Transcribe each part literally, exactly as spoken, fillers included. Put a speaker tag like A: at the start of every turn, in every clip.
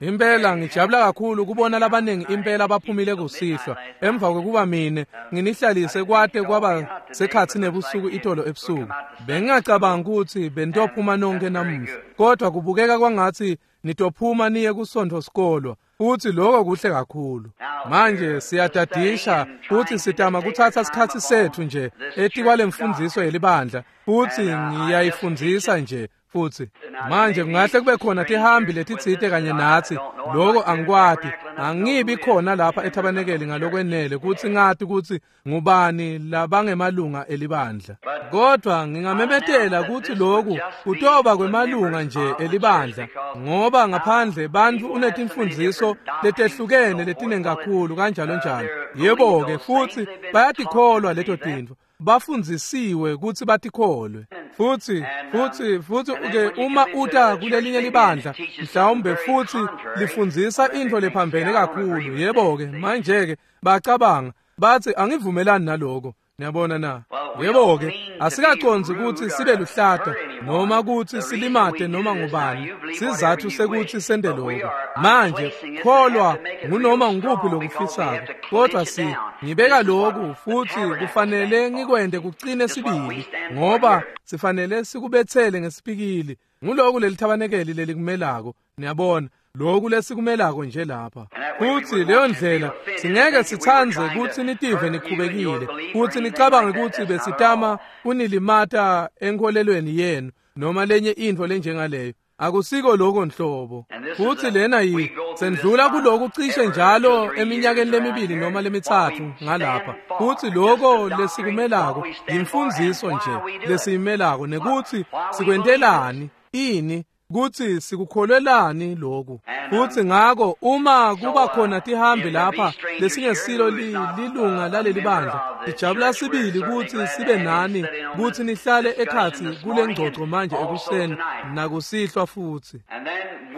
A: Impela ngijabula kakhulu kubona labaningi impela baphumile kusihlwa emva kwekuba mine nginihlalise kwate kwaba sekhatsi nebusuku itolo ebusuku. Bengingacabanga ukuthi benitophuma nonke namuhla, kodwa kubukeka kwangathi nitophuma niye kusonto sikolwa, futhi lokho kuhle kakhulu. Manje siyadadisha futhi sitama kuthatha isikhatsi sethu nje etikwale mfundziso yelibandla, futhi ngiyayifundzisa nje futhi. Manje kungahle kube khona tihambi letitsite kanye natsi, lokho angikwati, angibi khona lapha ethabanekeli ngalokwenele kutsi ngati kutsi ngubani labangemalunga elibandla. Kodwa ngingamemetela kutsi loku kutoba kwemalunga nje elibandla, ngoba ngaphandle bantfu unetimfundziso letehlukene letiningi kakhulu kanjalo njalo. Yebo-ke, futhi bayatikholwa leto tintfo, bafundzisiwe kutsi batikholwe. Futhi futhi futhi ke uma uta kulelinye libandla mhlawumbe futhi lifundzisa intfo lephambene kakhulu, yebo-ke manje-ke bacabanga bathi angivumelani naloko. Niyabona na? Yebo-ke, asikacondzi kutsi sibe luhlata noma kutsi silimate noma ngubani. Sizatfu sekutsi sente lokho. Manje kholwa ngunoma ngukuphi lokufisako, kodwa si ngibeka lokhu futhi kufanele ngikwente kucine sibili, ngoba sifanele sikubetsele ngesipikili. Nguloku lelithabanekeli lelikumelako, niyabona, lokhu lesikumelako nje lapha. Futhi leyo ndlela singeke sitsandze kutsi nitive nikhubekile kutsi nicabange kutsi besitama kunilimata enkholelweni yenu noma lenye intfo lenjengaleyo. Akusiko lokho nhlobo. Futhi lena yi sendlula kuloku cishe njalo eminyakeni lemibili noma lemitsatfu ngalapha. Futhi lokho lesikumelako yimfundziso nje lesiyimelako, nekutsi sikwentelani ini, kutsi sikukholelani lokhu. Futhi ngako uma kuba khona tihambi lapha lesingesilo lilunga laleli bandla, sijabula sibili kutsi sibe nani, kutsi nihlale ekhatsi kule ngcoco manje ekuseni nakusihlwa futhi.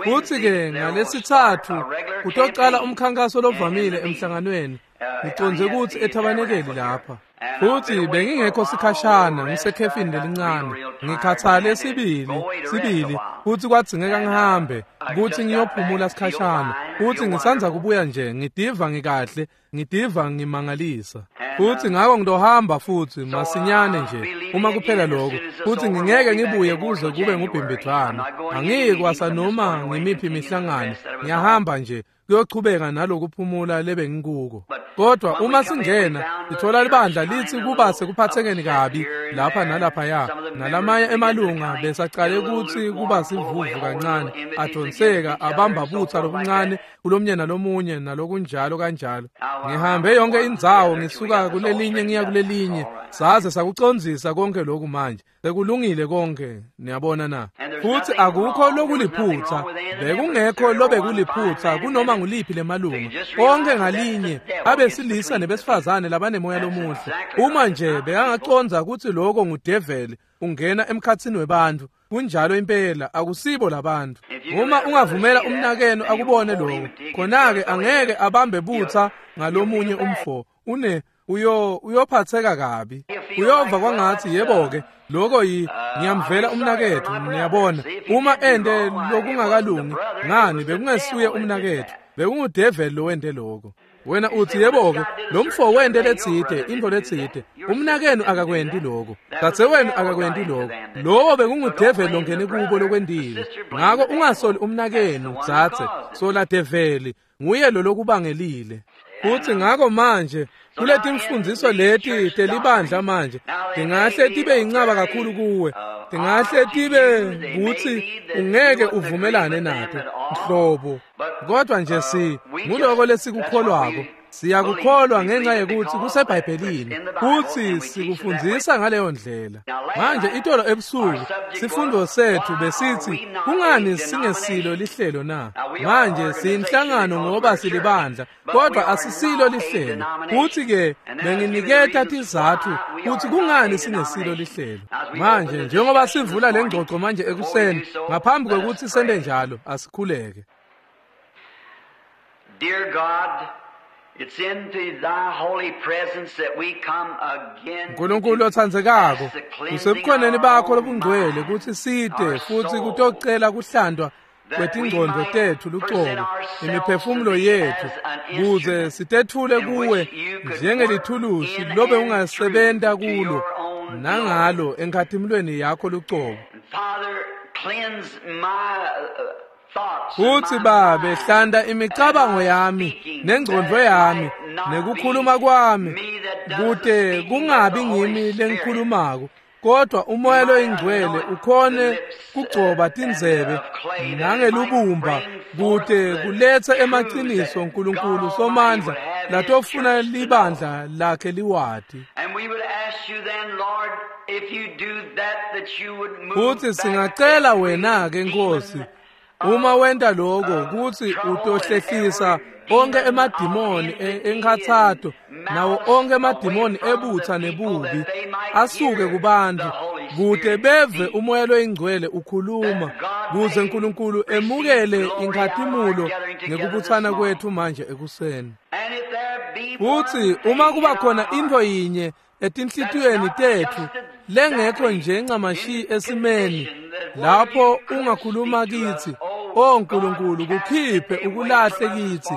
A: Futhi-ke ngalesithathu kutocala umkhankaso lovamile emhlanganweni, ngicondze kutsi ethabanekeli lapha. Futhi bengingekho sikhashana, ngisekhefini lelincane, ngikhathale sibili sibili, futhi kwadzingeka ngihambe kutsi ngiyophumula sikhashana. Futhi ngisandza kubuya nje, ngidiva ngikahle, ngidiva ngimangalisa. Futhi ngako ngitohamba futhi masinyane nje uma kuphela lokho, futhi ngingeke ngibuye kuze kube ngubhimbidvwana. Angiyi kwasa noma ngimiphi imihlangano, ngiyahamba nje kuyochubeka nalokuphumula lebengikuko. Kodwa uma singena sithola libandla litsi kuba sekuphathekeni kabi lapha nalaphaya, nalamanye emalunga besacale kutsi kuba sivuvu kancane, adonseka abamba butsa lobuncane kulomnye nalomunye nalokunjalo kanjalo. Ngihambe yonke indzawo ngisuka kulelinye ngiya kulelinye, saze sakucondzisa konke lokhu. Manje sekulungile konke, niyabona na? Futhi akukho lokuliphutha, bekungekho lobekuliphutha kunoma nguliphi lemalunga. Onke ngalinye abesilisa nebesifazane labanemoya lomuhle. Uma nje bekangacondza kutsi lokho ngudeveli ungena emkhatsini webantfu, kunjalo impela, akusibo labantu. Uma ungavumela umnakenu akubone lokho, khona-ke angeke abambe butsa ngalomunye umfo, une uyo uyophatheka kabi, uyova kwangathi yebo-ke lokho yi ngiyamvela umnakethu. Niyabona, uma ente lokungakalungi, ngani, bekungesuye umnakethu, bekungudeveli lowente lokho. Wena uthi, yebo-ke, lo mfo wente letsite intfo letsite. Umnakenu akakwenti lokho, dzadzewenu akakwenti lokho, lowo bekungudeveli longene kubo lokwentile. Ngako ungasoli umnakenu, dzadze, sola develi, nguye lo lokubangelile. Futhi ngako manje kuletimfundziso leti telibandla manje tingahle tibe yincaba kakhulu kuwe, tingahle tibe kutsi ungeke uvumelane nato nhlobo, kodwa nje si nguloko lesikukholwako. Siyakukholwa ngenxa yekutsi kuseBhayibhelini, futsi sikufundzisa ngaleyo ndlela. Manje itolo ebusuku sifundo sethu besitsi kungani singesilo lihlelo na? Manje siyinhlangano ngoba silibandla, kodwa asisilo lihlelo. Futhi-ke benginiketa tizatfu kutsi kungani singesilo lihlelo. Manje njengoba sivula le ngcoco manje ekuseni, ngaphambi kwekutsi sente njalo, asikhuleke.
B: Dear God, it's into thy holy presence that we come again.
A: Nkulunkulu otsandzekako, kusebukhoneni bakho lobungcwele kutsi site futhi kutocela kuhlantwa kwetingcondvo tetfu lucobo, imiphefumulo yetfu, kuze sitetfule kuwe njengelithulusi lobe ungasebenta kulo nangalo enkhatimulweni yakho lucobo. Futsi Babe, hlanta imicabango yami nengcondvo yami nekukhuluma kwami, kute kungabi ngimi lengikhulumako, kodwa umoya loyingcwele ukhone kugcoba tindzebe nangelubumba kute kulethe emaciniso Nkulunkulu Somandla latofuna libandla lakhe liwati. Futsi singacela wena ke Nkosi, uma wenta lokho kutsi utohlehlisa onke emadimoni enkhatsato nawo onke emadimoni ebutha nebubi asuke kubantu, kute beve umoya loyingcwele ukhuluma, kuze Nkulunkulu emukele inkhatimulo ngekubutsana kwethu manje ekuseni. Futsi uma kuba khona intfo yinye etinhlitiyweni tetfu lengekho nje ncamashi esimeni lapho ungakhuluma kithi, O Nkulunkulu, kukhiphe ukulahle kithi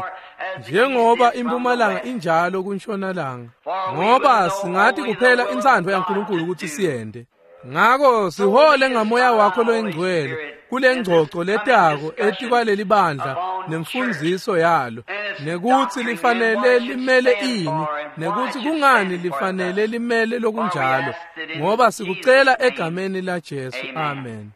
A: njengoba impumalanga injalo kuntshonalanga, ngoba singathi kuphela intsandvo yaNkulunkulu ukuthi siyende. Ngako sihole ngamoya wakho loyingcwele kule ngcoco letako etikwaleli bandla nemfundziso yalo, nekuthi lifanele limele ini, nekuthi kungani lifanele limele lokunjalo, ngoba sikucela egameni la Jesu. Amen.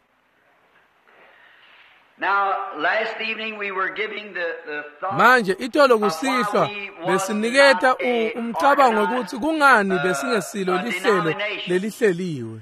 A: Manje itolo kusihlwa besiniketa umcabango ukuthi kungani besingesilo lihlelo lelihleliwe.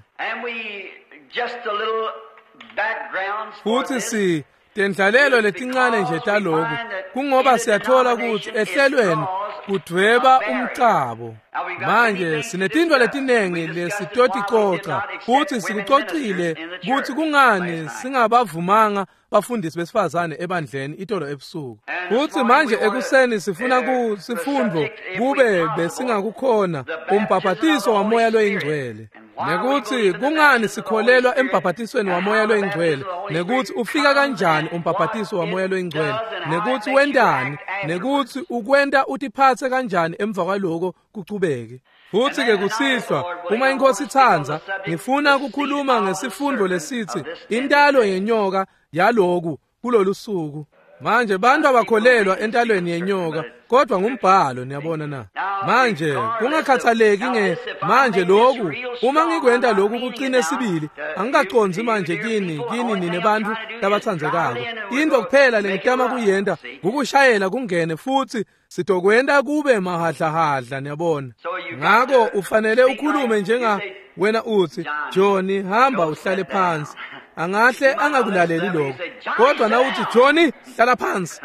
A: Futhi si tendlalelo letincane nje taloku kungoba siyathola ukuthi ehlelweni kudvweba umcabo. Manje sinetintfo letinengi lesitoticoca futhi sikucocile ukuthi kungani singabavumanga bafundisi besifazane ebandleni itolo ebusuku. Futhi manje ekuseni sifuna ku sifundvo kube besingakukhona umbhaphatiso wamoya loyingcwele, nekuthi kungani sikholelwa embhaphatisweni wamoya loyingcwele, nekuthi ufika kanjani umbhaphatiso wamoya loyingcwele, nekuthi wentani, nekuthi ukwenta utiphatse kanjani emva kwaloko kuchubeke. Futhi ke kusihlwa uma inkosi itsandza ngifuna ukukhuluma ngesifundo lesithi intalo yenyoka yaloku kulolusuku. Manje bantu abakholelwa entalweni yenyoka, kodwa ngumbhalo, niyabona na. Manje kungakhathaleki nge manje lokhu, uma ngikwenta lokhu kuqine sibili, angikaqondzi manje kini kini nine bantu labatsandzekako. Into kuphela lengitama kuyenta ukushayela kungene futhi sitokwenta kube mahadlahadla, niyabona. Ngako ufanele ukhulume njenga wena uthi, Johnny, hamba uhlale phansi. Angahle angakulaleli lokho, kodwa nawuthi Johnny hlala phansi,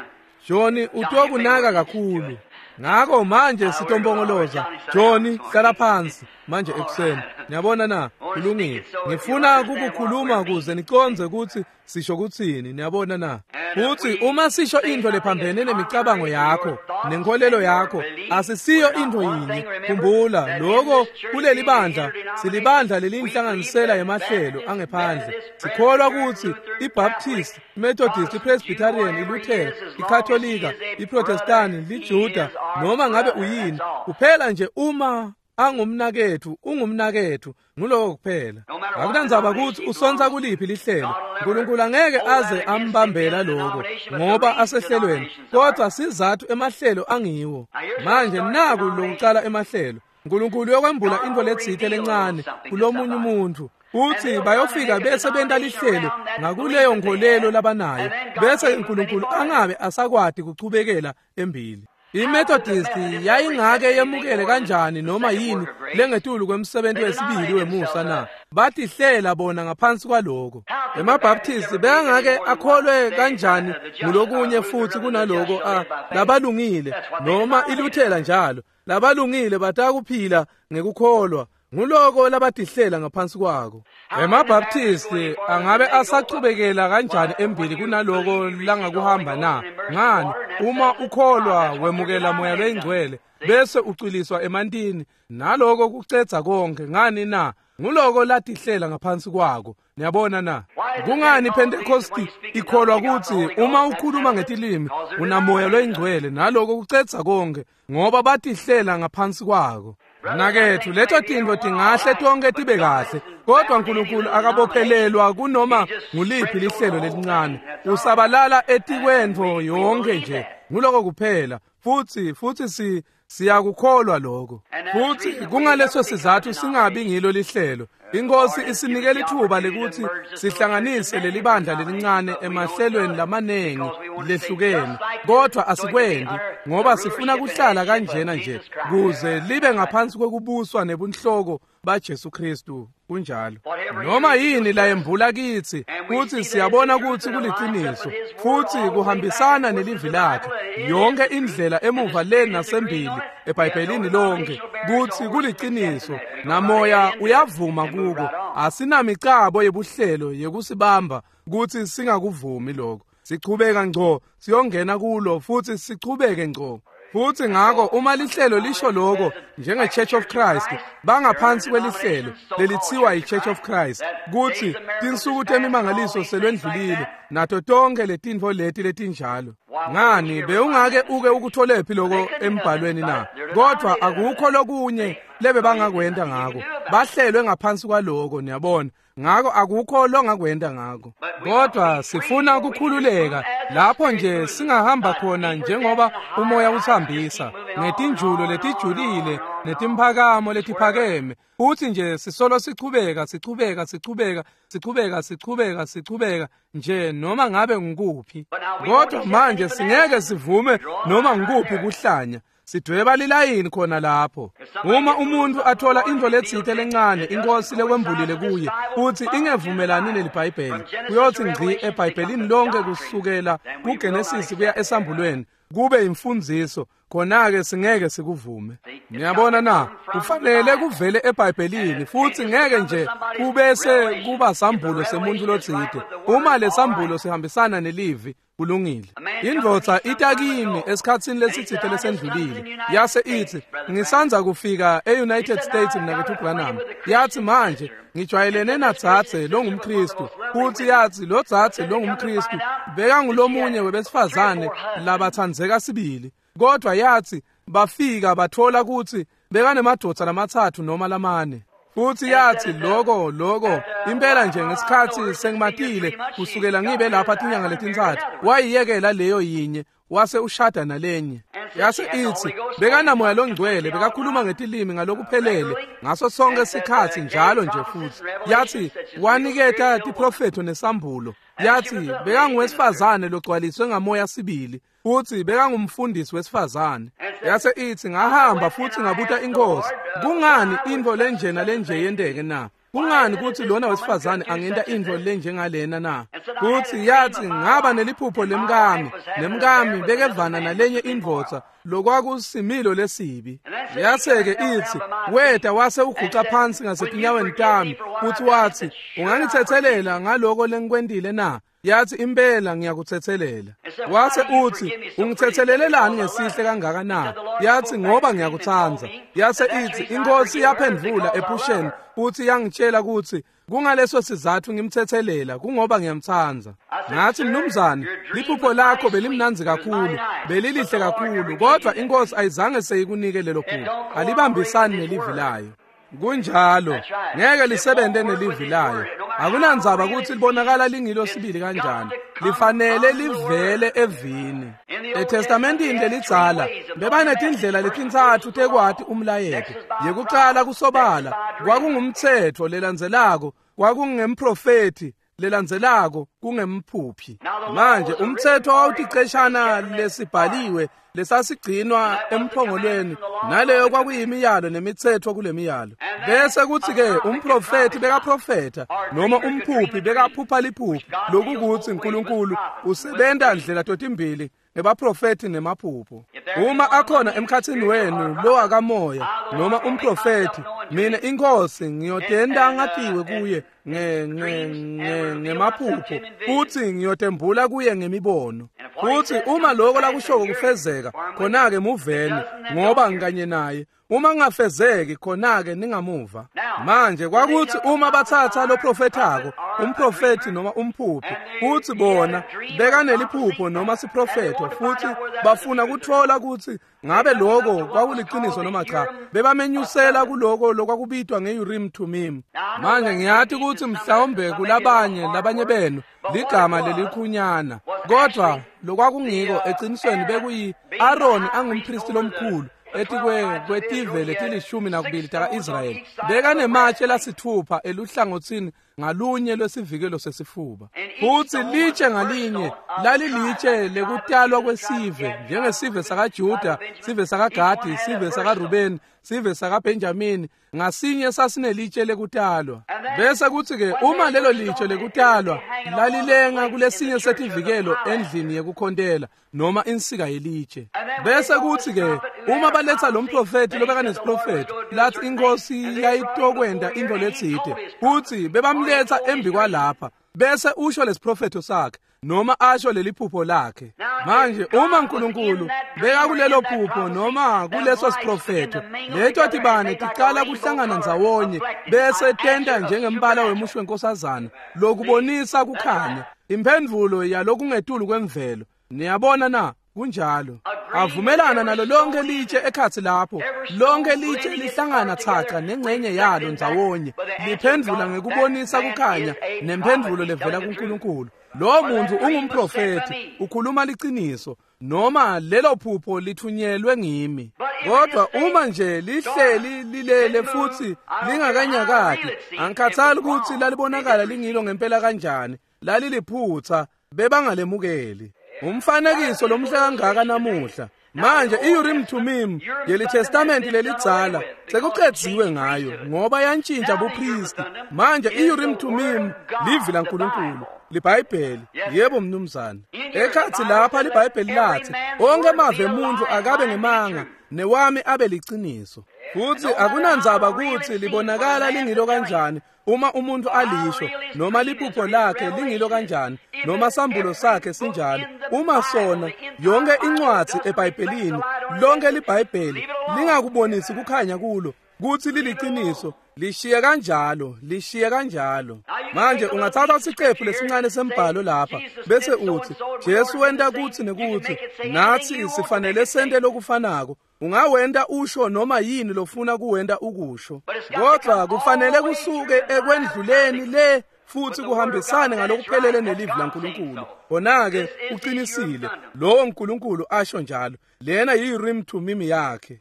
A: Johnny utokunaka kakhulu. Ngako manje sitompongoloza, Johnny hlala phansi manje ekuseni. Niyabona na? Kulungile. Ngifuna ukukhuluma kuze niconze ukuthi sisho kuthini, niyabona na? Futhi uma sisho into lephambene nemicabango yakho nenkolelo yakho, asisiyo into yinye. Khumbula lokho, kuleli bandla silibandla lelinhlanganisela yemahlelo angephandle. Sikholwa ukuthi iBaptist, iMethodist, iPresbyterian, iLutheran, iKatolika, iProtestant, liJuda, noma ngabe uyini, kuphela nje uma angumnaketfu ungumnaketfu, nguloko kuphela. Akunandzaba ukuthi usonsa kuliphi lihlelo, uNkulunkulu angeke aze ambambela lokho ngoba asehlelweni, kodwa sizathu emahlelo angiwo. Manje naku lokucala emahlelo, uNkulunkulu uyokwembula into letsite lencane kulomunye umuntu, uthi bayofika bese benta lihlelo ngakuleyo nkolelo labanayo, bese uNkulunkulu angabe asakwati kuchubekela embili. IMethodist yayingake yemukele kanjani noma yini lengetulu kwemsebenzi wesibili wemusa na? Batihlela bona ngaphansi kwaloko. EmaBaptist bengake akholwe kanjani ngulokunye futhi kunaloko a labalungile noma iLuthela njalo. Labalungile batakuphila ngekukholwa, nguloko labatihlela ngaphansi kwako. EmaBaptist angabe asachubekela kanjani embili kunaloko langakuhamba na? Ngani, uma ukholwa wemukela moya loyingcwele bese ucwiliswa emantini, naloko kucedza konke. Ngani na? Nguloko latihlela ngaphansi kwako. Niyabona na? Kungani Pentecost ikholwa kutsi uma ukhuluma ngetilimi unamoya loyingcwele naloko kucedza konke, ngoba batihlela ngaphansi kwako. Mnaketfu, leto tintfo tingahle tonke tibe kahle, kodwa uNkulunkulu akabophelelwa kunoma nguliphi lihlelo lelincane. Usabalala etikwentfo yonke nje. Nguloko kuphela. Futsi futsi si siyakukholwa lokho. Futsi kungaleso sizathu singabi ngilo lihlelo. Inkosi isinikele ithuba lekuthi sihlanganise leli bandla lelincane emahlelweni lamanengi lehlukene, kodwa asikwendi ngoba sifuna kuhlala kanjena nje kuze libe ngaphansi kwekubuswa nebunhloko baJesu Kristu. Kunjalo. Noma yini la yembula kithi kuthi siyabona ukuthi kuliciniso futhi kuhambisana nelivi lakhe yonke indlela emuva le nasembili eBhayibhelini lonke kuthi kuliciniso, namoya uyavuma kuko. Asinamicabo yebuhlelo yekusibamba kuthi singakuvumi lokho. Sichubeka ngco siyongena kulo futhi sichubeke ngco. Futhi ngako uma lihlelo lisho lokho njenge Church of Christ, bangaphansi kwelihlelo lelithiwa iChurch of Christ, kuthi tinsuku temimangaliso selwendlulile nato tonke letintfo leti letinjalo. Ngani bewungake uke ukutholephi lokho embhalweni na? Kodwa akukho lokunye lebe bangakwenta ngako. Bahlelwe ngaphansi kwaloko, niyabona. Ngako akukho longakwenta ngako. Kodwa sifuna ukukhululeka lapho nje singahamba khona njengoba umoya uthambisa ngetinjulo letijulile netimphakamo letiphakeme, futhi nje sisolo sichubeka sichubeka sichubeka sichubeka sichubeka sichubeka nje noma ngabe ngikuphi. Kodwa manje singeke sivume noma ngikuphi kuhlanya. Sidweba lilayini khona lapho. Uma umuntu athola into letsite lencane inkosi lekwembulile kuye futhi ingevumelani neliBhayibheli, kuyothi ngci eBhayibhelini lonke kusukela kuGenesis kuya esambulweni kube imfundiso, khona-ke singeke sikuvume. Niyabona na? Kufanele kuvele eBhayibhelini futhi ngeke nje kubese kuba sambulo semuntu lotsite. Uma lesambulo sihambisana nelivi, kulungile. Indvodza itakimi esikhatsini lesitsite lesendlulile yase ithi, ngisanza kufika e-United States mnaketfu Branham. Yathi manje ngijwayelene nadzadze longumKristu, futhi yathi lo dzadze longumKristu bekangulomunye webesifazane labatsandzeka sibili, kodwa yathi bafika bathola kutsi bekanemadvodza lamatsatfu noma lamane. Futhi yathi loko loko impela nje ngesikhathi sengimatile kusukela ngibe lapha tinyanga letintsatfu, wayiyekela leyo yinye wase ushada nalenye. Yase ithi bekanamoya longcwele, bekakhuluma ngetilimi ngalokuphelele ngaso sonke sikhathi njalo nje. Futhi yathi waniketa tiprofetho nesambulo. Yathi bekanguwesifazane logcwaliswe ngamoya sibili, futhi bekangumfundisi wesifazane. Yase ithi ngahamba futhi ngabuta inkosi, kungani intfo lenjena lenje yenteke na? Kungani kuthi lona wesifazane angenta intfo lenjengalena na? Kuthi yathi ngaba neliphupho lemkami, nemkami bekevana nalenye indvodza lokwakusimilo lesibi. Yase-ke ithi weta wase uguca phansi ngasetinyaweni tami futhi wathi, ungangithethelela ngaloko lengikwentile na? Yathi impela ngiyakuthethelela. Wase uthi, ungithethelelelani ngesihle kangaka na? Yathi ngoba ngiyakutsandza. Yase ithi inkosi yaphendvula ephusheni futhi yangitshela ukuthi kungaleso sizathu ngimthethelela, kungoba ngiyamtsandza. Ngathi mnumzane, liphupho lakho belimnandzi kakhulu, belilihle kakhulu, kodwa inkosi ayizange seyikunike lelo phupho. Alibambisani nelivi layo. Kunjalo, ngeke lisebenze nelivi layo. Akunandzaba ukuthi libonakala lingilo sibili kanjani, lifanele livele evini. ETestamentini lelidzala bebanetindlela letintsatfu tekwati umlayeto. Yekucala kusobala kwakungumtsetfo, lelandzelako kwakungemprofethi, lelandzelako kungemphuphi. Manje umtsetfo wawuticeshana lesibhaliwe lesasigcinwa emphongolweni, naleyo kwakuyimiyalo nemitsetfo kulemiyalo. Bese kuthi-ke umprofethi bekaprofetha noma umphuphi bekaphupha liphupho, lokukuthi uNkulunkulu usebenta ndlela totimbili ngebaprofethi nemaphupho. Uma akhona emkhatsini wenu lowakamoya noma umprofethi, mina inkosi ngiyotenda ngatiwe kuye nge nge ngemaphupho futhi ngiyotembula kuye ngemibono. Futhi uma lokho lakushoko kufezeka, khona-ke muveni ngoba ngikanye naye. Uma kungafezeki khona-ke ningamuva. Manje kwakuthi uma bathatha lo profethako, umprofethi noma umphuphi, futhi bona bekaneliphupho noma siprofetho, futhi bafuna kuthola ukuthi ngabe lokho kwakuliqiniso noma cha, bebamenyusela kuloko lokwakubitwa nge-Urim Thummim. Manje ngiyathi ukuthi mhlawumbe kulabanye labanye benu ligama lelikhunyana, kodwa lokwakungiko eqinisweni bekuyi Aaron angumpristi lomkhulu etikwe kwetive letilishumi nakubili taka-Israyeli, bekanematshe lasithupha eluhlangothini ngalunye lwesivikelo sesifuba, futhi litshe ngalinye lalilitshe lekutalwa kwesive, njengesive sakaJuda, sive sakaGadi, sive sakaRubeni, sive sakaBenjamini, ngasinye sasinelitshe lekutalwa. Bese kuthi-ke uma lelo litshe lekutalwa lalilenga kulesinye setivikelo endlini yekukhontela noma insika yelitshe. Bese kuthi-ke uma baletha lo mprofethi lobekanesiprofetho lathi inkosi yayitokwenda into letsite, futhi bebamletha embi kwalapha, bese usho lesiprofetho sakhe noma asho leliphupho lakhe. Manje uma uNkulunkulu beka kulelo phupho noma kuleso siprofetho, leto tibane ticala kuhlangana ndzawonye bese tenta njengembala wemusho wenkosazana lokubonisa kukhanya, imphendvulo yalokungetulu kwemvelo. Niyabona na? Kunjalo. Avumelana nalo lonke litshe ekhathi lapho, lonke litshe lihlangana thaca nengxenye yalo ndzawonye, liphendvula ngekubonisa kukhanya nemphendvulo levela kuNkulunkulu. Lo muntu ungumprofethi, ukhuluma liqiniso, noma lelo phupho lithunyelwe ngimi. Kodwa uma nje lihleli lilele futhi lingakanyakadi, angikhathali ukuthi lalibonakala lingilo ngempela kanjani, laliliphutha, bebangalemukeli. Umfanekiso lomhle kangaka namuhla. Manje i-Urim Thummim yeli Testament lelidzala sekuqedziwe ngayo ngoba yantshintsha bupristi. Manje i-Urim Thummim livi laNkulunkulu, liBhayibheli. Yebo mnumzane. Ekhathi lapha liBhayibheli lathi onke amave emuntu akabe ngemanga newami abe liciniso. Futhi akunandzaba ukuthi libonakala lingilo kanjani uma umuntu alisho, noma liphupho lakhe lingilo kanjani, noma sambulo sakhe sinjalo, uma sona yonke incwadi eBhayibhelini, lonke liBhayibheli lingakubonisi kukhanya kulo kuthi liliqiniso, lishiye kanjalo, lishiye kanjalo. Manje ungathatha isiqephu lesincane sembhalo lapha bese uthi Jesu wenta kuthi nekuthi, nathi sifanele sente lokufanako. Ungawenda usho noma yini lofuna kuwenda ukusho, kodwa kufanele kusuke ekwendluleni le futhi kuhambisane ngalokuphelele nelivi laNkulunkulu. Bona-ke uqinisile, lowo uNkulunkulu asho njalo. Lena yi-Urim Thummim yakhe.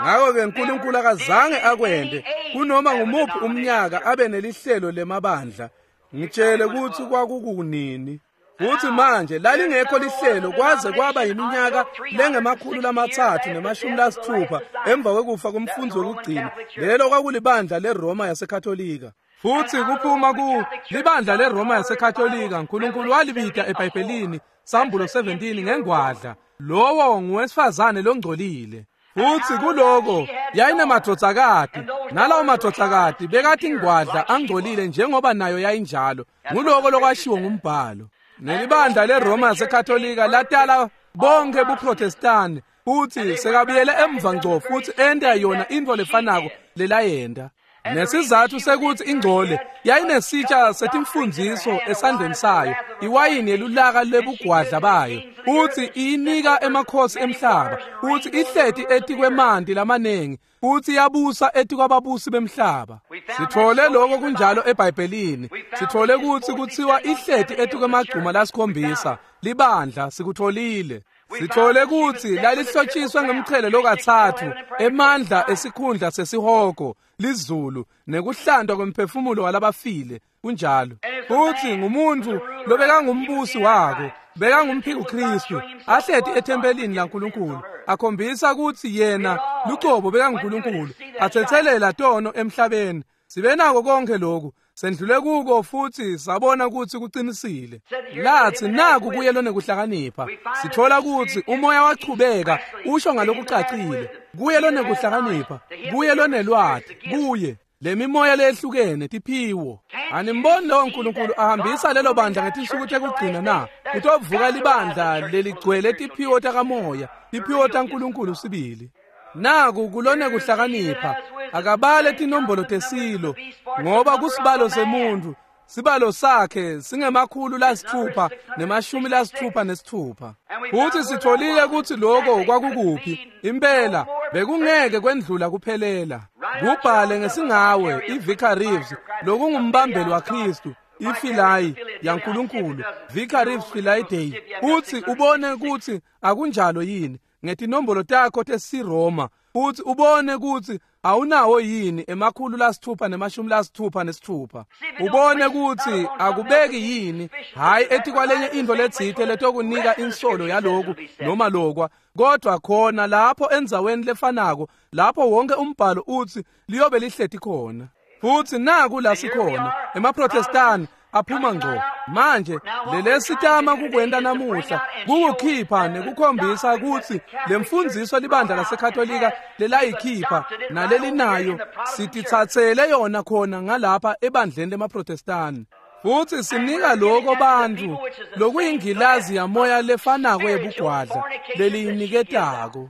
A: Ngakho-ke uNkulunkulu akazange akwende kunoma ngumuphi umnyaka abe nelihlelo lemabandla. Ngitshele ukuthi kwakukunini. Futhi manje lalingekho lihlelo kwaze kwaba yiminyaka lengemakhulu lamathathu nemashumi lasithupha emva kwekufa komfundisi wokugcina. Lelo kwakulibandla leRoma yaseKatolika. Futhi kuphuma ku libandla leRoma yaseKatolika, uNkulunkulu walibita eBhayibhelini Sambulo seventeen ngengwadla. Lowo nguwesifazane longcolile. Futhi kuloko yayinemadvodzakati, nalawo madvodzakati bekathi ingwadla angcolile njengoba nayo yayinjalo. Nguloko lokwashiwo ngumbhalo. Nelibandla leRoma yaseKatolika latala bonke buProtestani, futhi sekabuyele emva ngco futhi enta yona into lefanako lelayenta. Nesizathu sekuthi ingcole yayinesitsha setimfundiso esandleni sayo, iwayini yelulaka lebugwadla bayo, futhi iyinika emakhosi emhlaba, futhi ihleti etikwemanti lamaningi, futhi yabusa etikwababusi bemhlaba. Sithole lokho kunjalo eBhayibhelini. Sithole ukuthi kuthiwa ihleti etikwemagcuma lasikhombisa libandla, sikutholile. Sithole ukuthi lalihlotshiswe ngemchele lokathathu emandla esikhundla sesihogo lizulu nekuhlantwa kwemphefumulo walabafile. Kunjalo. Futhi ngumuntu lobekangumbusi wako, bekangumphiko Kristu, ahleti ethempelini laNkulunkulu, akhombisa ukuthi yena lucobo bekanguNkulunkulu, athethelela tono emhlabeni. Sibe nako konke lokhu, sendlule kuko futhi sabona ukuthi kuqinisile. Lathi naku kuye lonekuhlakanipha. Sithola ukuthi umoya wachubeka usho ngalokucacile, kuye lonekuhlakanipha, kuye lonelwati, kuye lemimoya lehlukene tiphiwo. Animboni lowo uNkulunkulu ahambisa lelo bandla ngetinsuku tekugcina na? Kutovuka libandla leligcwele tiphiwo takamoya, tiphiwo taNkulunkulu sibili. Naku kulone kuhlakanipha akabale tinombolo tesilo ngoba kusibalo semuntu sibalo sakhe singemakhulu lasithupha nemashumi lasithupha nesithupha. Futhi sitholile ukuthi lokho kwakukuphi impela bekungeke kwendlula kuphelela. Kubhale ngesingawe iVicar Reeves lokungumbambeli waKristu ifilayi yaNkulunkulu Vicar Reeves Filai Day uthi ubone ukuthi akunjalo yini ngetinombolo takho tesiRoma futhi ubone ukuthi awunawo yini emakhulu lasithupha nemashumi lasithupha nesithupha. Ubone ukuthi akubeki yini hayi etikwalenye into letsite letokunika insolo yaloku noma lokwa kodwa khona lapho endzaweni lefanako lapho wonke umbhalo uthi liyobe lihleti khona. Futhi naku la sikhona emaProtestani aphuma ngco manje lelesitama kukwenta namuhla kukukhipha nekukhombisa ukuthi lemfundiso libandla laseKatolika lelayikhipha nalelinayo sitithathele yona khona ngalapha ebandleni lemaProtestani. Futhi sinika lokho bantu lokuyingilazi yamoya lefanako yebugwadla leliyiniketako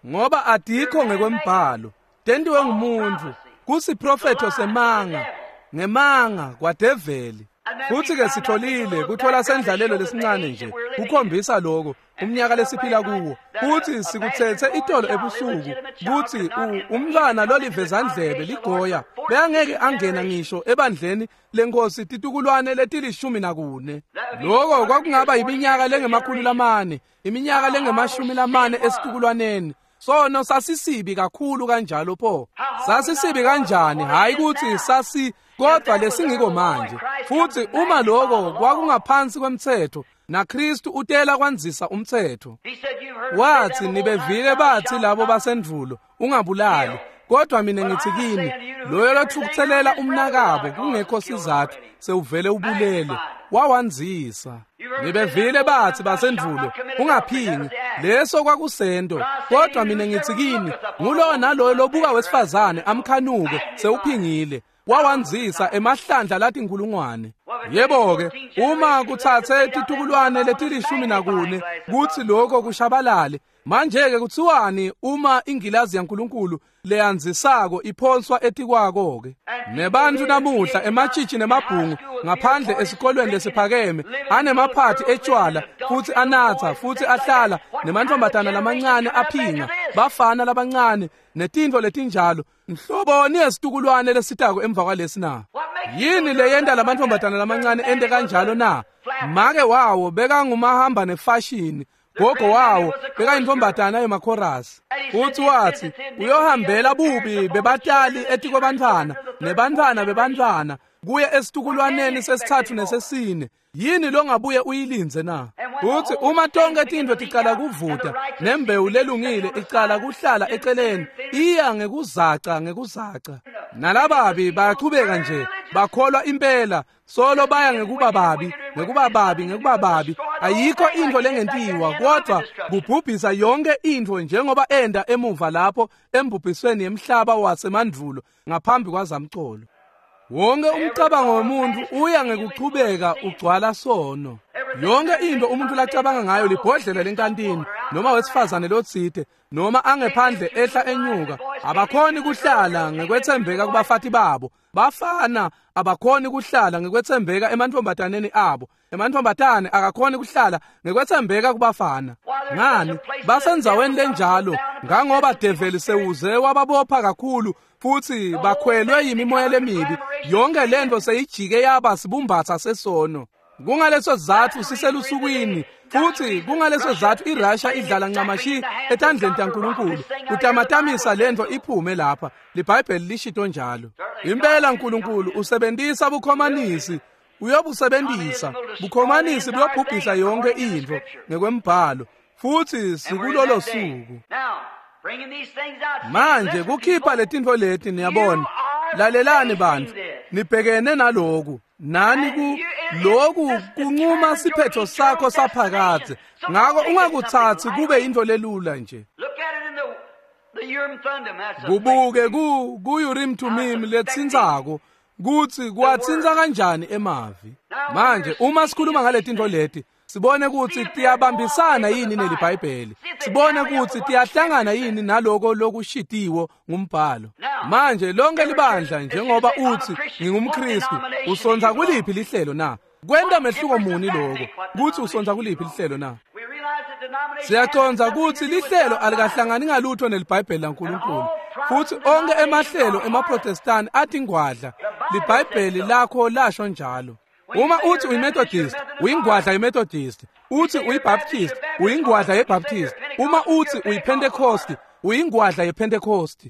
A: ngoba adikho ngekwembhalo tentiwe ngumuntu kusiprofetho semanga ngemanga kwadeveli. Futhi ke sitholile kuthola sendlalelo lesincane nje kukhombisa lokho umnyaka lesiphila kuwo. Futhi sikuthethe itolo ebusuku kuthi umntwana lolivezandlebe ligoya beyangeke angena ngisho ebandleni lenkosi titukulwane letilishumi nakune. Lokho kwakungaba iminyaka lengemakhulu lamane iminyaka lengemashumi lamane esitukulwaneni. Sono sasisibi kakhulu kanjalo pho sasisibi kanjani hayi ukuthi sasi kodwa lesingiko manje. Futhi uma lokho kwakungaphansi kwemthetho naKristu utela kwanzisa umthetho. Wathi nibevile bathi labo basendvulo ungabulali kodwa mina ngithi kini loyo lothukutselela umnakabo kungekho sizathu sewuvele ubulele wawanzisa. Nibevile bathi basendvulo ungaphingi leso kwakusento kodwa mina ngithi kini ngulowo naloyo lobuka wesifazane amkhanuke sewuphingile wawanzisa emahlandla lathi inkulungwane. Yebo ke uma kuthathe titukulwane letilishumi nakune kuthi lokho kushabalale manje ke kuthiwani uma ingilazi yaNkulunkulu leyanzisako iphonswa etikwako ke. Nebantu namuhla ematshitshi nemabhungu ngaphandle esikolweni lesiphakeme anemaphathi etshwala futhi anatha futhi ahlala nemantombazana lamancane aphinga bafana labancane netintfo letinjalo. Nhloboni yesitukulwane lesitako emva kwalesi na? Yini leyenta lamantombazana lamancane ente kanjalo na? Make wawo bekangumahamba nefashini gogo wawo bekayintombazana yemakhorasi. Uthi wathi uyohambela bubi bebatali etikwabantwana nebantwana bebantwana kuye esitukulwaneni sesithathu nesesine. Yini longabuye uyilinze na? Uthi uma tonke tintfo ticala kuvuta nembewu lelungile icala kuhlala eceleni iya ngekuzaca ngekuzaca. Nalababi bayachubeka nje bakholwa impela solo baya ngekuba babi ngekuba babi ngekuba babi. Ayikho intfo lengentiwa kodwa kubhubhisa yonke intfo njengoba enda emuva lapho embhubhisweni yemhlaba wasemandvulo ngaphambi kwazamcolo. Wonke umcabango womuntu uya ngekuchubeka ugcwala sono. Yonke into umuntu lacabanga ngayo libhodlela lenkantini noma wesifazane lotsite noma angephandle ehla enyuka. Abakhoni kuhlala ngekwethembeka kubafati babo. Bafana abakhoni kuhlala ngekwethembeka emantombataneni abo. Emantombatane akakhoni kuhlala ngekwethembeka kubafana. Ngani? Basendzaweni lenjalo ngangoba develi sewuze wababopha kakhulu futhi bakhwelwe yimimoya lemibi. Yonke lento seyijike yaba sibumbatha sesono. Kungaleso sizathu siselusukwini futhi kungaleso sizathu iRussia idlala ncamashi etandleni taNkulunkulu utamatamisa lento iphume lapha. LiBhayibheli lishito njalo. Impela uNkulunkulu usebenzisa bukhomanisi uyobusebenzisa bukhomanisi buyobhubhisa yonke into ngekwembhalo futhi sikulolo suku. Manje kukhipha letintfo leti niyabona. Lalelani bantu nibhekene naloku nani ku loku kunquma siphetho sakho saphakadze. Ngako ungakuthathi kube into lelula nje. Kubuke ku ku-Urim Thummim letsintsako kutsi kwatsinsa kanjani emavi. Manje uma sikhuluma ngale tintfo leti Sibone kutsi tiyabambisana yini neliBhayibheli. Sibone kutsi tiyahlangana yini naloko lokushitiwo ngumbhalo. Manje lonke libandla njengoba utsi ngingumKristu, usonza kuliphi lihlelo na? Kwenta mehluko muni lokho kutsi usonza kuliphi lihlelo na? Siyacondza kutsi lihlelo alikahlangani ngalutho neliBhayibheli laNkulunkulu. Futsi onke emahlelo emaProtestani atingwadla. LiBhayibheli lakho lasho njalo. Uma uthi uyiMethodist, uyingwadla yeMethodist. Uthi uyiBaptist, uyingwadla yeBaptist. Uma uthi uyiPentecost, uyingwadla yePentecost.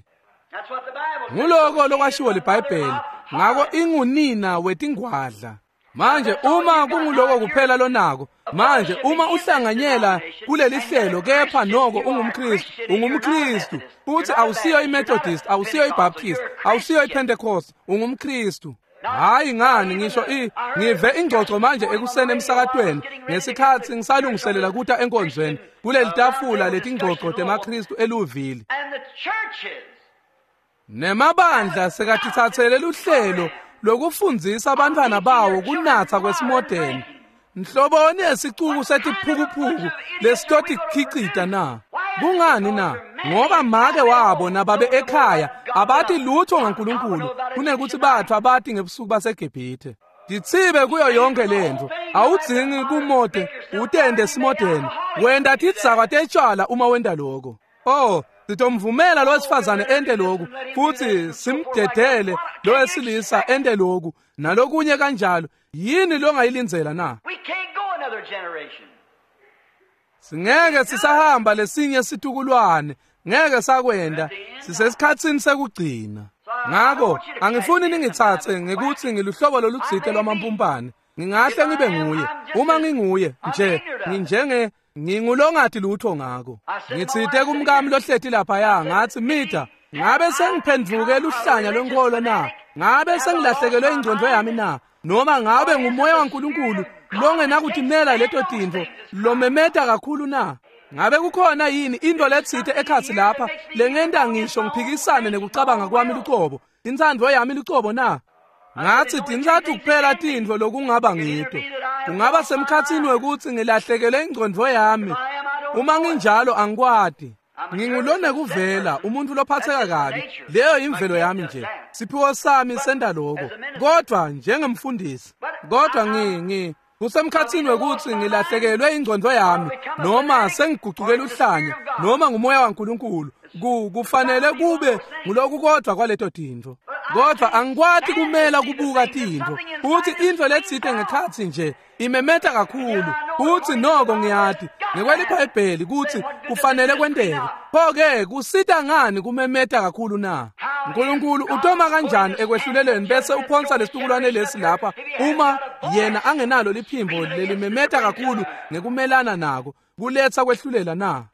A: Nguloko lokwashiwo liBhayibheli. Ngako ingunina wetingwadla. Manje uma kunguloko kuphela lonako, manje uma uhlanganyela kuleli hlelo kepha noko ungumKristu, ungumKristu. Uthi awusiyo iMethodist, awusiyo iBaptist, awusiyo iPentecost, ungumKristu. Hayi ngani ngisho i ngive ingxoxo manje ekuseni emsakatweni ngesikhathi ngisalungiselela kuta enkonzweni kuleli tafula letingxoxo temaKristu eLouisville. Nemabandla sekatitsatsele luhlelo lokufundzisa abantwana bawo kunatsa kwesimodeni. Nhloboni yesicuku setiphukuphuku lesitotikhicita na? Kungani na? Ngoba make wabo nababe ekhaya abati lutho ngaNkulunkulu kunekuthi bathu abati ngebusuku baseGibhithe. Ditsibe kuyo yonke lento. Awudzingi kumode utende simodeni. Wenda tidzakwa tetshwala uma wenda lokho. Oh, sitomvumela lo wesifazane ente lokhu futhi simdedele lo wesilisa ente lokhu nalokunye kanjalo. Yini longayilindzela na? Singeke sisahamba lesinye situkulwane, ngeke sakwenda, sisesikhatsini sekugcina. Ngako angifuni ningitsatse ngekuthi ngiluhlobo lolutsite lwamampumpane. Ngingahle ngibe nguye. Uma nginguye nje nginjenge ngingulongati lutho ngako. Ngitsite kumkami lohleti laphaya ngathi Mida, ngabe sengiphendvuke luhlanya lwenkolo na? Ngabe sengilahlekelwe ingcondvo yami na? Noma ngabe ngumoya waNkulunkulu longenakutimela leto tintfo lomemeta kakhulu na? Ngabe kukhona yini into letsite ekhatsi lapha lengenta ngisho ngiphikisane nekucabanga kwami lucobo, intsandvo yami lucobo na? Ngathi tintsatfu kuphela tintfo lokungaba ngito. Kungaba semkhatsini wekutsi ngilahlekelwe ingcondvo yami. Uma nginjalo angikwati. Ngingulonekuvela umuntu lophatheka kabi. Leyo imvelo yami nje. Siphiwo sami senta lokho. Kodwa njengemfundisi, kodwa ngi ngi kusemkhatsini wekutsi ngilahlekelwe ingcondvo yami noma sengigucukela uhlanya noma ngumoya waNkulunkulu. Ku kufanele kube ngulokukodwa kwaleto tintfo. Kodwa angikwati kumela kubuka tintfo. Futhi intfo letsite ngekhatsi nje imemeta kakhulu. Futhi noko ngiyati ngekweliBhayibheli kutsi kufanele kwenteke. Pho-ke kusita ngani kumemeta kakhulu na? uNkulunkulu utoma kanjani ekwehluleleni bese uphonsa lesitukulwane lesi lapha uma yena angenalo liphimbo lelimemeta kakhulu ngekumelana nako kuletsa kwehlulela na?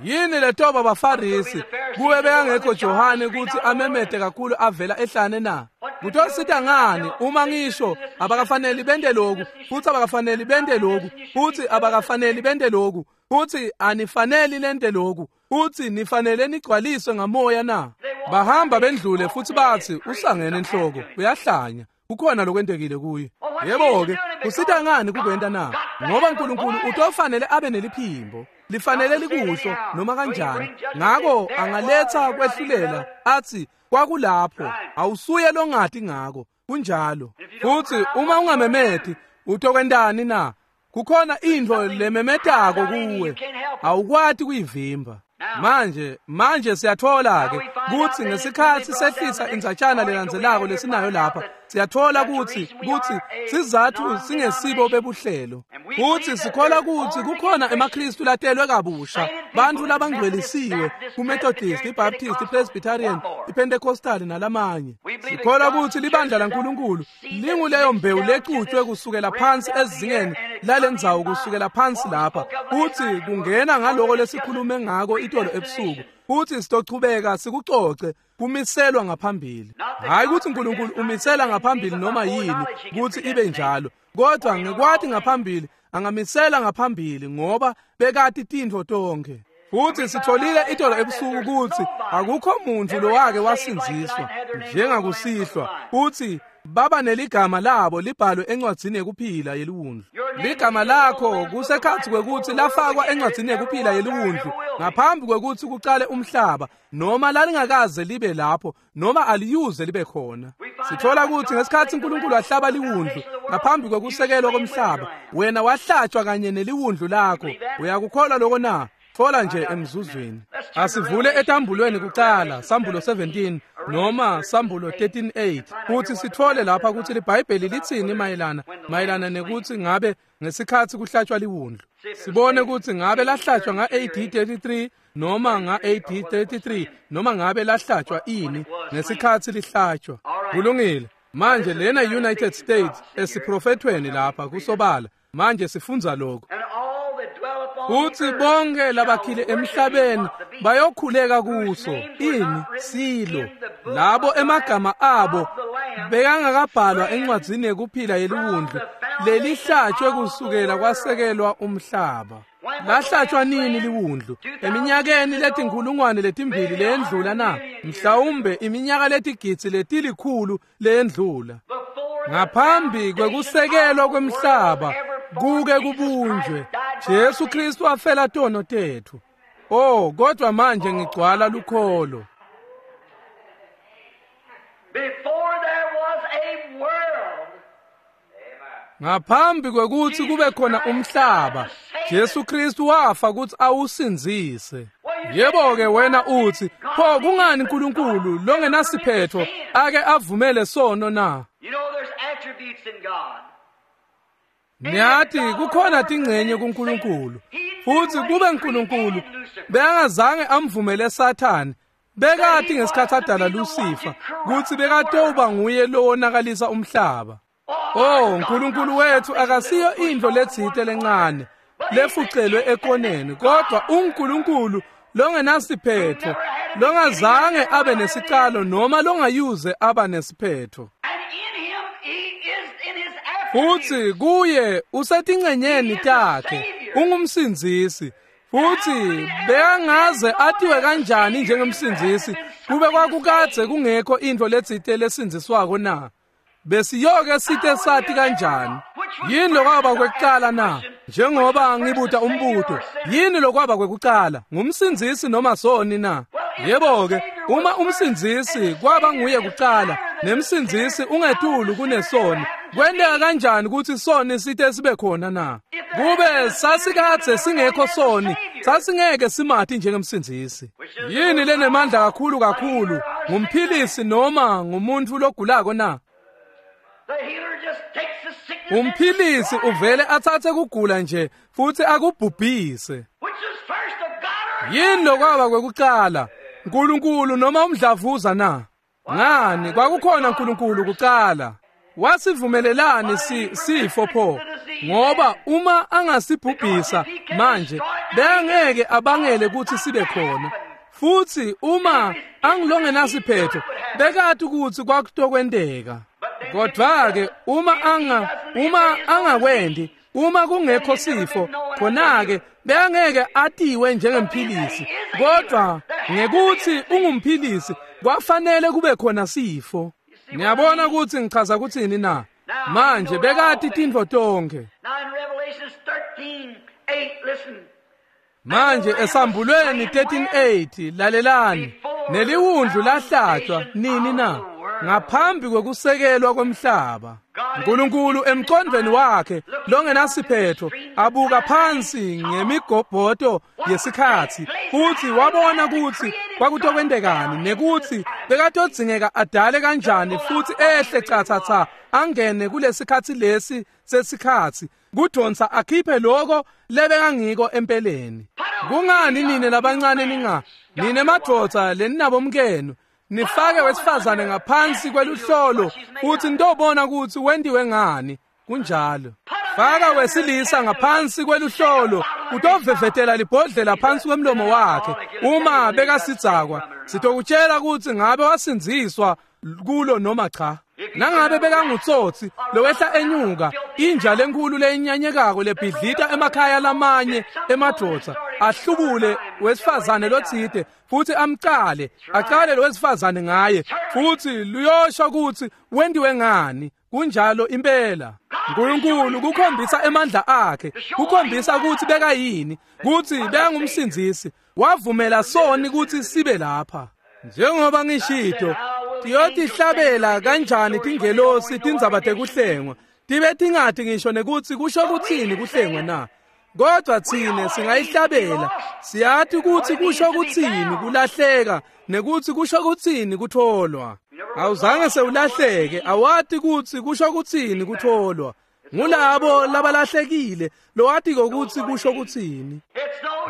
A: Yini letoba baFarisi kuwe bekangekho Johane kutsi amemete kakhulu avela ehlane na? Kutosita ngani uma ngisho abakafaneli bente lokhu futhi abakafaneli bente lokhu futhi abakafaneli bente lokhu futhi anifaneli lente lokhu futhi nifanele nigcwaliswe ngamoya na? Bahamba bendlule futhi bathi usangene enhloko uyahlanya, kukhona lokwentekile kuye. Yebo-ke kusita ngani kukwenta na? Ngoba uNkulunkulu utofanele abe neliphimbo lifanele likusho noma kanjani. Ngako angaletha kwehlulela athi kwakulapho awusuye longati ngako. Kunjalo. Futhi uma ungamemeti utokwentani na? Kukhona intfo lememetako kuwe, awukwati kuyivimba. Manje manje siyathola ke kutsi ngesikhathi sehlisa indzatshana lelandzelako lesinayo lapha, siyathola kutsi kutsi sizathu singesibo bebuhlelo. Kutsi sikholwa kutsi kukhona emaKristu latelwe kabusha, bantfu labangcwelisiwe kuMethodist, iBaptist, iPresbyterian, iPentecostal nalamanye. Sikholwa kutsi libandla laNkulunkulu linguleyo mbewu lecutshwe kusukela phansi ezingeni lalendzawo, kusukela phansi lapha, kutsi kungena ngaloko lesikhulume ngako itolo ebusuku, kutsi sitochubeka sikucoce kumiselwa ngaphambili. Hayi kutsi uNkulunkulu umisela ngaphambili noma yini kutsi ibe njalo, kodwa ngekwati ngaphambili angamisela ngaphambili ngoba bekati tintfo tonkhe. Futhi sitholile itolo ebusuku kutsi akukho muntu lowake wasindziswa njengakusihlwa, futhi Baba neligama labo libhalwe encwadzini yekuphila yeliwundlu. Ligama lakho kusekhatsi kwekutsi lafakwa encwadzini yekuphila yeliwundlu ngaphambi kwekutsi kucale umhlaba, noma lalingakaze libe lapho, noma aliyuze libe khona. Sithola kutsi ngesikhatsi uNkulunkulu ahlaba liwundlu ngaphambi kwekusekelwa komhlaba, wena wahlatshwa kanye neliwundlu lakho. Uyakukholwa lokho na? Thola nje emzuzwini. Asivule etambulweni kucala, Sambulo seventeen noma Sambulo thirteen eight, futhi sithole lapha ukuthi liBhayibheli litsini mayelana mayelana nekuthi ngabe ngesikhatsi kuhlatshwa liwundlu. Sibone ukuthi ngabe lahlatshwa nga A D thirty-three noma nga A D thirty-three noma ngabe lahlatshwa ini ngesikhatsi lihlatshwa. Kulungile. Manje lena United States esiprofethweni lapha kusobala. Manje sifundza lokho. Uthi bonke labakhile emhlabeni bayokhuleka kuso ini silo labo emagama abo bekangakabhalwa encwadzini yekuphila yeliwundlu lelihlatshwe kusukela kwasekelwa umhlaba. Lahlatshwa nini liwundlu? Eminyakeni letinkhulungwane letimbili leyendlula na? Mhlawumbe iminyaka letigidzi letilikhulu leyendlula. Ngaphambi kwekusekelwa kwemhlaba kuke kubunjwe, Jesu Kristu wafela tono tethu. Oh, kodwa manje ngigcwala lukholo.
B: Before there was a world,
A: ngaphambi kwekutsi kube khona umhlaba, Jesu Kristu wafa kutsi awusindzise. Yebo ke wena uthi, pho kungani uNkulunkulu longenasiphetho ake avumele sono na?
B: You know there's attributes in God.
A: Niyathi kukhona tingcenye kuNkulunkulu. Futhi kube uNkulunkulu bekangazange amvumele Sathane, bekathi ngesikhathi adala Lucifer kutsi bekatoba nguye lowonakalisa umhlaba. Oh, uNkulunkulu wethu akasiyo indlo letsite lencane lefucelwe ekoneni, kodwa uNkulunkulu longenasiphetho, longazange abe nesicalo noma longayuze aba nesiphetho. Futhi kuye usetingcenyeni takhe, ungumsindzisi. Futhi bekangaze atiwe kanjani njengemsindzisi kube kwakukadze kungekho intfo letsite lesindziswako na? Besiyoke site sati kanjani? Yini lokwaba kwekucala na? Njengoba ngibuta umbuto, yini lokwaba kwekucala? Ngumsindzisi noma soni na? Yebo ke, uma umsindzisi kwaba nguye kucala, nemsindzisi ungetulu kunesoni, kwenteka kanjani kutsi soni site sibe khona na? Kube sasikadze singekho soni, sasingeke simati njengemsindzisi. Yini lenemandla kakhulu kakhulu, ngumphilisi noma ngumuntu logulako na? Umphilisi uvele atsatse kugula nje futhi akubhubhise. Yini lokwaba kwekucala, uNkulunkulu noma umdlavuza na? Ngani kwakukhona uNkulunkulu kucala. Wasivumelelani si sifo pho? Ngoba uma angasibhubhisa manje bengeke abangele ukuthi sibe khona. Futhi uma angilongenasiphetho bekathi ukuthi kwakutokwenteka. Kodwa ke uma anga uma angakwendi, uma kungekho sifo, khona ke bengeke atiwe njengemphilisi. Kodwa ngekuthi ungumphilisi kwafanele kube khona sifo. Niyabona ukuthi ngichaza ukuthini na? Manje bekati tintfo tonkhe. Manje esambulweni thirteen eight, lalelani, neliwundlu lahlatshwa nini na? Ngaphambi kwekusekelwa komhlaba. uNkulunkulu emqondweni wakhe longenasiphetho abuka phansi ngemigobhoto yesikhatsi futhi wabona ukuthi kwakutokwentekani nekuthi bekatodzingeka adale kanjani futhi ehle cha angene kulesikhatsi lesi sesikhatsi kudonsa akhiphe lokho lebekangiko empeleni. Kungani nine labancane ninga nine madvodza leninabomkenu nifake wesifazane ngaphansi kweluhlolo futhi nitobona ukuthi wendiwe ngani? Kunjalo. Faka wesilisa ngaphansi kweluhlolo utovevetela libhodlela phansi kwemlomo wakhe uma bekasidzakwa. Sitokutshela ukuthi ngabe wasindziswa kulo noma cha. Nangabe bekangutsotsi lowehla enyuka inja lenkulu leyinyanyekako lebhidlita emakhaya lamanye emadvodza, ahlubule wesifazane lotsite futhi amcale acale lo wesifazane ngaye futhi luyosho ukuthi wendiwe ngani. Kunjalo impela. uNkulunkulu kukhombisa emandla akhe, kukhombisa ukuthi bekayini, ukuthi bekangumsindzisi. Wavumela soni ukuthi sibe lapha. Njengoba ngishito, tiyotihlabela kanjani tingelosi tindzaba tekuhlengwa, tibe tingati ngisho nekuthi kusho kuthini kuhlengwa na? Kodwa thine singayihlabela, siyati ukuthi kusho kuthini kulahleka nekuthi kusho kuthini kutholwa. Awuzange sewulahleke, awati ukuthi kusho kuthini kutholwa. Ngulabo labalahlekile lowati ukuthi kusho kuthini.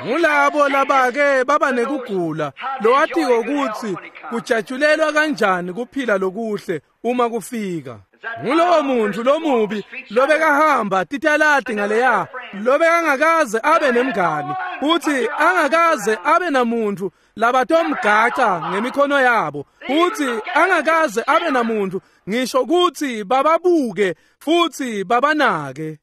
A: Ngulabo labake baba nekugula lowati ukuthi kujatshulelwa kanjani kuphila lokuhle uma kufika. Ngulowo muntu lomubi lobekahamba titalati ngaleya, lobekangakaze abe nemngani futhi angakaze abe namuntu labatomgaca ngemikhono yabo, futhi angakaze abe namuntu ngisho ukuthi bababuke futhi babanake.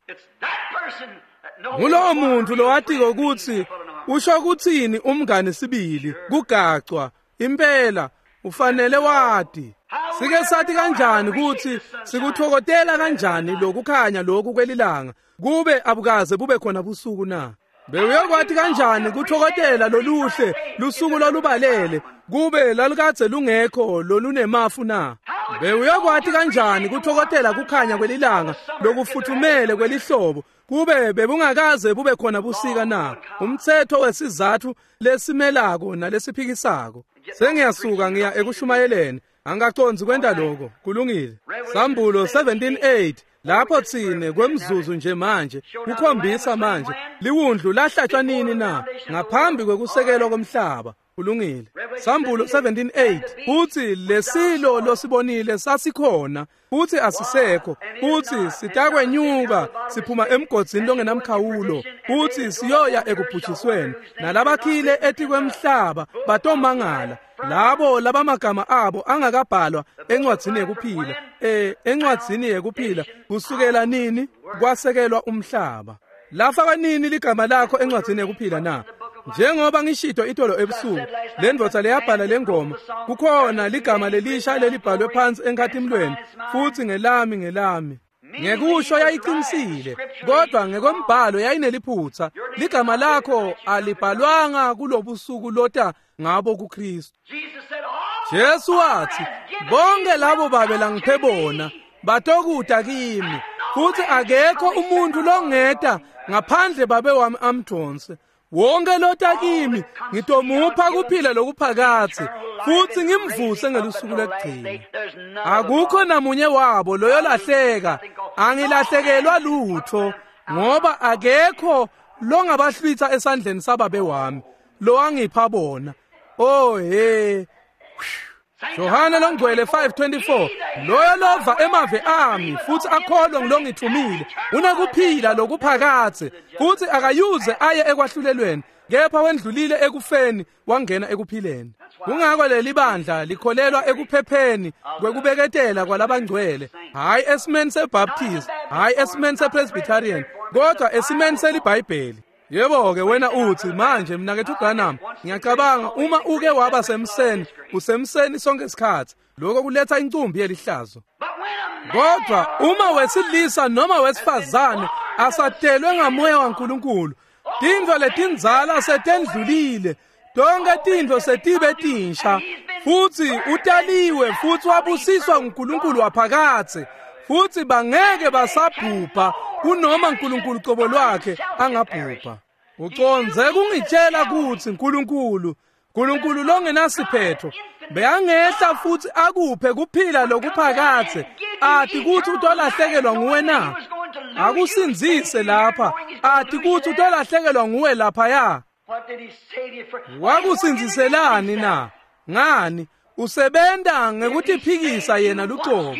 A: Ngulowo muntu lowatiko ukuthi usho kuthini umngani sibili, kugacwa impela ufanele wati. Sike sathi kanjani ukuthi sikuthokotela kanjani lokukhanya lokhu kwelilanga kube abukaze bube khona busuku na? Bewuyokwati kanjani kuthokotela loluhle lusuku lolubalele kube lalukadze lungekho lolunemafu na? Bewuyokwati kanjani kuthokotela kukhanya kwelilanga lokufuthumele kwelihlobo kube bebungakaze bube khona busika na? Umthetho wesizathu lesimelako nalesiphikisako. Sengiyasuka ngiya ekushumayeleni, angaqondzi kwenta lokho. Kulungile. Sambulo seventeen eight lapho thine kwemzuzu nje manje kukhombisa manje liwundlu lahlatshwa nini na? Ngaphambi kwekusekelwa komhlaba. Kulungile. Sambulo seventeen eight uthi lesilo losibonile sasikhona futhi asisekho, futhi sitakwenyuka siphuma emgodzini longenamkhawulo, futhi siyoya ekubhujisweni, nalabakhile etikwemhlaba batomangala, labo labamagama abo angakabhalwa encwadzini yekuphila, eh encwadzini yekuphila kusukela nini kwasekelwa umhlaba. Lafaka nini ligama lakho encwadzini yekuphila na? Njengoba ngishito itolo ebusuku, le ndvodza leyabhala lengoma, kukhona ligama lelisha lelibhalwe phansi enkhatimlweni, futhi ngelami ngelami. Ngekusho yayiqinisile, kodwa ngekombhalo yayineliphutha. Ligama lakho alibhalwanga kulobusuku lota ngabo kuKristu. Jesu wathi, bonke labo babe langiphe bona batokuta kimi, futhi akekho umuntu longeta ngaphandle babe wami amdonse. Wonke lota kimi ngitomupha kuphila lokuphakathe futhi ngimvuse ngelusuku lokugcina. Akukho namunye wabo loyolahleka, angilahlekelwa lutho, ngoba akekho longabahlwitha esandleni sababe wami lo angipha bona. Oh he. Yohane longcwele five twenty-four loyo lova emave ami futhi akholwe ngilongithumile unakuphila lokuphakathe futhi akayuze aye ekwahlulelweni, kepha wendlulile ekufeni wangena ekuphileni. Kungako leli bandla likholelwa ekuphepheni kwekubeketela kwalabangcwele, hayi esimeni seBaptist, hayi esimeni sePresbyterian, kodwa esimeni seliBhayibheli. Yebo ke wena uthi manje mnakethu Branham, ngiyacabanga uma uke waba semseni, usemseni sonke isikhathi, lokho kuletha incumbi yelihlazo. Kodwa uma wesilisa noma wesifazane asatelwe ngamoya waNkulunkulu, tintfo letindzala setendlulile, tonke tintfo setibe tinsha, futhi utaliwe futhi wabusiswa nguNkulunkulu waphakathe, futhi bangeke basabhubha kunoma uNkulunkulu qobo lwakhe angabhubha. Uconze kungitshela ukuthi uNkulunkulu, uNkulunkulu longenasiphetho, beyangehla futhi akuphe kuphila lokuphakathe, athi kuthi utolahlekelwa nguwe na? Akusinzise lapha, athi kuthi utolahlekelwa nguwe laphaya. Wakusinziselani na? Ngani? Usebenta ngekutiphikisa yena lucobo.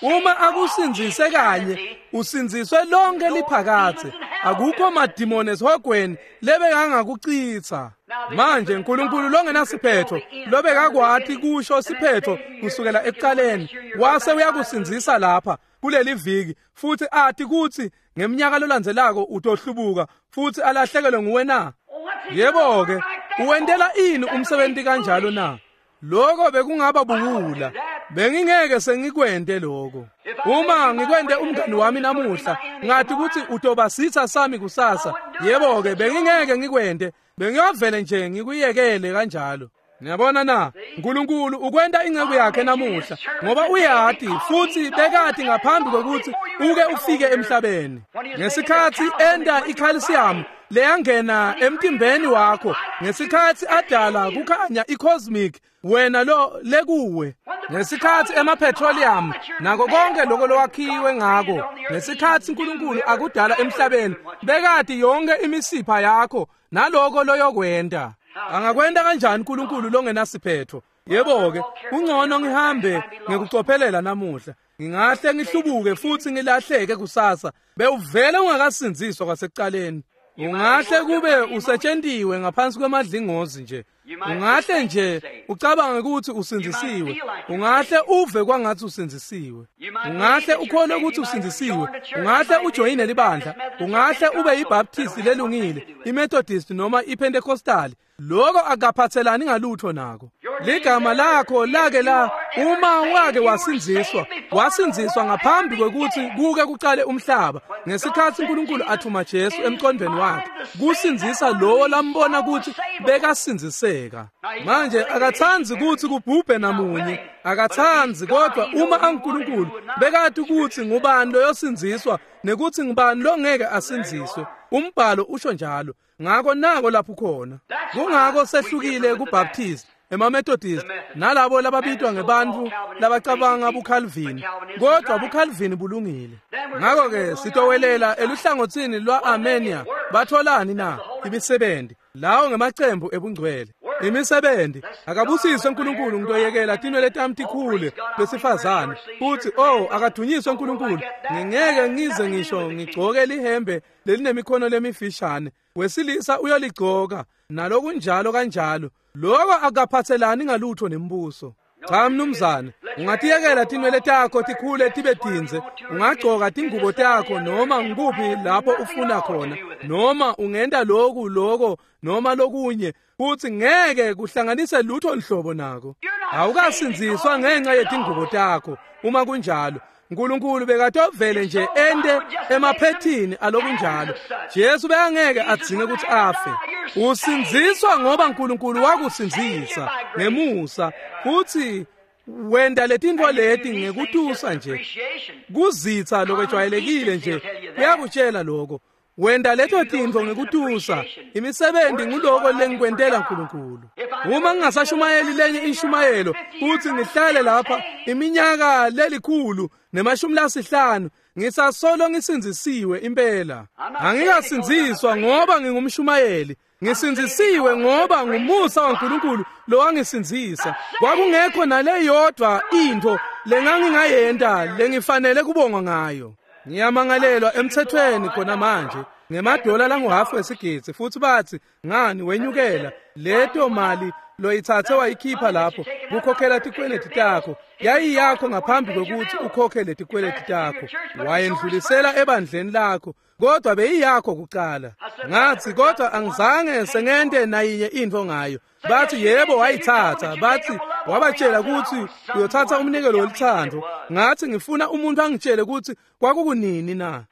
A: Uma akusinzise kanye, usinziswe lonke liphakathe. Akukho madimoni esihogweni lebekangakuchitha. Manje uNkulunkulu longenasiphetho, lobekakwati kusho siphetho kusukela ekuqaleni, wase uyakusinzisa lapha kuleli viki, futhi athi kuthi ngeminyaka lolandzelako utohlubuka futhi alahlekelwe nguwe na? Yebo-ke, uwentela ini umsebenzi kanjalo na? Lokho bekungaba buwula. Bengingeke sengikwente lokho. Uma ngikwente umngani wami namuhla, ngathi ukuthi utoba sitha sami kusasa. Yebo-ke, bengingeke ngikwente. Bengiyovele nje ngikuyekele kanjalo. Niyabona na? uNkulunkulu ukwenta inceku yakhe namuhla ngoba uyati futhi bekati ngaphambi kokuthi uke ufike emhlabeni. Ngesikhathi enda icalcium leyangena emtimbeni wakho, ngesikhathi adala kukhanya icosmic wena lo lekuwe, ngesikhathi emapetroleum nako konke lokho lowakhiwe ngako, ngesikhathi uNkulunkulu akudala emhlabeni bekati yonke imisipha yakho naloko loyokwenta. Angakwenta kanjani uNkulunkulu longenasiphetho? Yebo-ke, kungcono ngihambe ngekucophelela namuhla. Ngingahle ngihlubuke futhi ngilahleke kusasa. Bewuvele ungakasindziswa kwasekuqaleni. Ungahle kube usetshentiwe ngaphansi kwemadlingozi nje. Ungahle nje ucabange ukuthi usindzisiwe. Ungahle uve kwangathi usindzisiwe. Ungahle ukholwe ukuthi usindzisiwe. Ungahle ujoyine libandla. Ungahle ube yiBaptist lelungile, iMethodist noma iPentecostal. Lokho akaphathelani ngalutho nako. Ligama lakho lake la uma wake wasindziswa, wasindziswa ngaphambi kwekuthi kuke kuqale umhlaba. Ngesikhathi uNkulunkulu athuma Jesu emqondweni wakhe kusindzisa lowo lambona ukuthi bekasindziseka. Manje akatsandzi ukuthi kubhubhe namunye, akatsandzi, kodwa uma anguNkulunkulu bekati ukuthi ngubani loyosindziswa nekuthi ngubani longeke asindziswe. Umbhalo usho njalo. Ngakho nako lapho khona. Kungako sehlukile kuBaptist, emaMethodist nalabo lababitwa ngebantfu labacabanga buCalvin, kodwa buCalvin bulungile. Ngakho-ke sitowelela eluhlangotsini lwa-Armenia. Batholani na? Imisebenzi. Lawo ngemacembu ebungcwele. Imisebenzi. Akabusiswe uNkulunkulu ngitoyekela tinwele tami tikhule besifazane. Futhi oh akadunyiswe uNkulunkulu, ngingeke ngize ngisho ngigcoke lihembe lelinemikhono lemifishane. Wesilisa uyoligcoka nalokunjalo kanjalo. Lokho akaphathelani ngalutho nembuso. Cha mnumzane, ungatiyekela tinwele takho tikhule tibe tindze, ungagcoka tingubo takho noma ngikuphi lapho ufuna khona, noma ungenta lokhu lokho noma lokunye, futhi ngeke kuhlanganise lutho nhlobo nako. Awukasindziswa ngenxa yetingubo takho. Uma kunjalo, uNkulunkulu bekatovele nje ende emaphethini alokunjalo. Jesu bekangeke adzinge ukuthi afe. Usindziswa ngoba uNkulunkulu wakusindzisa ngemusa, futhi wenda letintfo leti ngekutusa nje. Kuzitsa lokwejwayelekile nje kuyakutshela lokho. Wenda leto tintfo ngekutusa. Imisebenzi nguloko lengikwentela uNkulunkulu. Uma ngingasashumayeli lenye inshumayelo futhi ngihlale lapha iminyaka lelikhulu nemashumi lasihlanu, ngisasolo ngisindzisiwe impela. Angikasindziswa ngoba ngingumshumayeli. Ngisindzisiwe ngoba ngumusa waNkulunkulu lowangisindzisa. Kwakungekho naleyodwa intfo lengangingayenta lengifanele kubongwa ngayo. Ngiyamangalelwa emthethweni khona manje ngemadola languhafu wesigidzi, futhi bathi ngani wenyukela leto mali loyithathe wayikhipha lapho kukhokhela tikweleti takho yayiyakho ngaphambi kokuthi ukhokhele tikweleti takho, wayendlulisela ebandleni lakho, kodwa beyiyakho kuqala. Ngathi kodwa angizange sengente nayinye into ngayo. Bathi yebo wayithatha. Bathi wabatshela ukuthi uyothatha umnikelo wolithando. Ngathi ngifuna umuntu angitshele ukuthi kwakukunini na.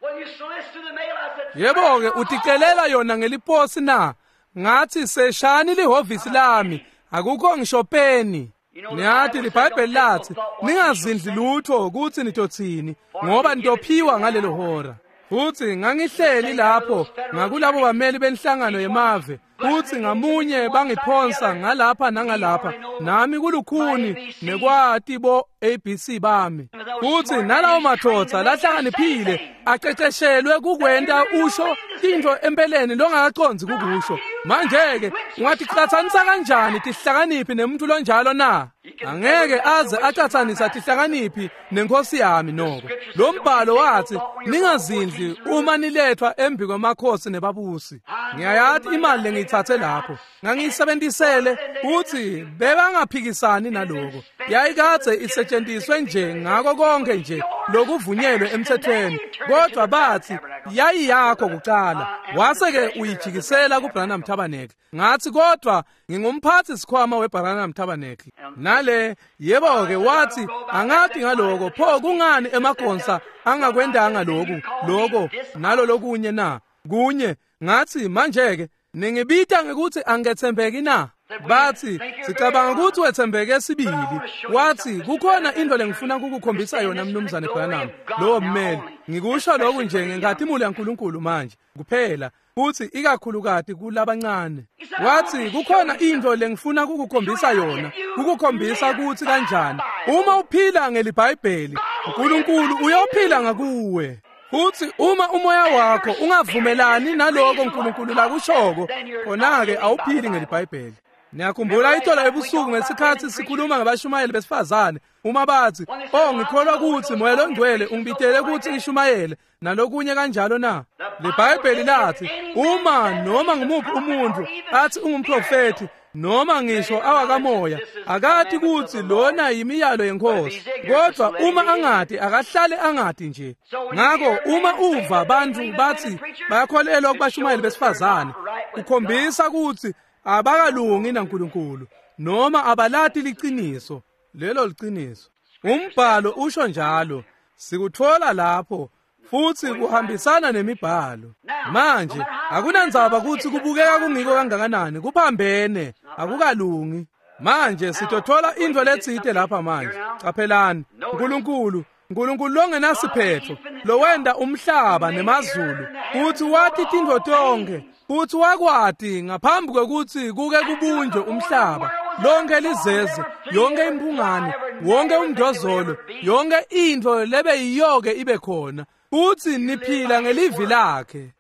A: Yebo-ke uticelela yona ngeliposi na? Ngathi seshani lihhovisi lami, akukho ngisho peni. Niyathi liBhayibheli lathi ningazindli lutho ukuthi nitothini ngoba nitophiwa ngalelo hora. Futhi ngangihleli lapho ngakulabo bameli benhlangano yemave, futhi ngamunye bangiphonsa ngalapha nangalapha, nami kulukhuni nekwati bo A B C bami. Futhi nalawo mathotha lahlakaniphile aceceshelwe kukwenta usho tintfo empeleni longakacondzi kukusho. Manje-ke ungaticatsanisa kanjani tihlakaniphi nemuntu lonjalo na? Angeke aze acatsanisa tihlakaniphi nenkosi yami noko. Lo mbhalo wathi ningazindli uma nilethwa embi kwemakhosi nebabusi. Ngiyayati imali lengiyithathe lapho ngangiyisebentisele uthi bebangaphikisani naloko. Yayikadze isetshenziswe nje ngako konke nje lokuvunyelwe emthethweni, kodwa bathi yayiyakho kuqala, wase-ke uyijikisela kuBranham Tabernacle. Ngathi kodwa ngingumphathi sikhwama weBranham Tabernacle. Nale yebo-ke wathi angathi ngaloko, pho kungani emagonsa angakwendanga lokhu lokho nalo lokunye na kunye? Ngathi manje-ke ningibita ngekuthi angethembeki na? Bathi sicabanga ukuthi wethembeke sibili. Wathi kukhona into lengifuna ukukukhombisa yona mnumzane Branham, lowo mmeli. Ngikusho lokhu nje ngenkazimulo yaNkulunkulu manje kuphela, futhi ikakhulukati kulabancane. Wathi kukhona into lengifuna ukukukhombisa yona, ukukhombisa ukuthi kanjani uma uphila ngeliBhayibheli uNkulunkulu uyophila ngakuwe. Futhi uma umoya wakho ungavumelani naloko uNkulunkulu lakushoko, khona-ke awuphili ngeliBhayibheli. Niyakhumbula ithola ebusuku ngesikhathi sikhuluma ngabashumayeli besifazane, uma bathi oh ngikholwa ukuthi moya longcwele ungibitele ukuthi ngishumayele nalokunye kanjalo na? LeBhayibheli lathi uma noma ngumuphi umuntu athi ungumprofethi noma ngisho awakamoya akati ukuthi lona yimiyalo yenkosi, kodwa uma angati akahlale angati nje. Ngakho uma uva abantu bathi bayakholelwa kubashumayeli besifazane, ukhombisa ukuthi abakalungi naNkulunkulu noma abalati liqiniso. Lelo liqiniso, umbhalo usho njalo, sikuthola lapho futhi kuhambisana nemibhalo. Manje akunandzaba ukuthi kubukeka kungiko kangakanani, kuphambene, akukalungi. Manje sitothola into letsite lapha manje. Caphelani, uNkulunkulu uNkulunkulu longenasiphetho lowenda umhlaba nemazulu, futhi wathi tintfo tonke, futhi wakwati ngaphambi kwekuthi kuke kubunjwe umhlaba, lonke lizeze, yonke imphungane, wonke umdozolo, yonke intfo lebe yiyoke ibe khona, futhi niphila ngelivi lakhe.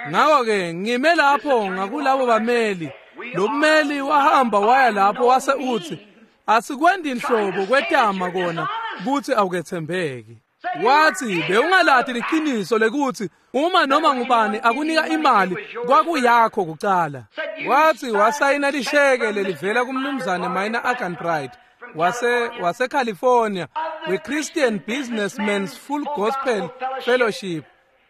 A: Ngakho-ke ngime lapho ngakulabo bameli. Lo mmeli wahamba waya lapho wase uthi asikwendi inhlobo kwetama kona kuthi awukethembeki. Wathi bewungalati liqiniso lekuthi uma noma ngubani akunika imali kwakuyakho kucala. Wathi wasayina lisheke lelivela kumnumzane Minor Arganbright wase wase California we-Christian Businessmen's Full Gospel Fellowship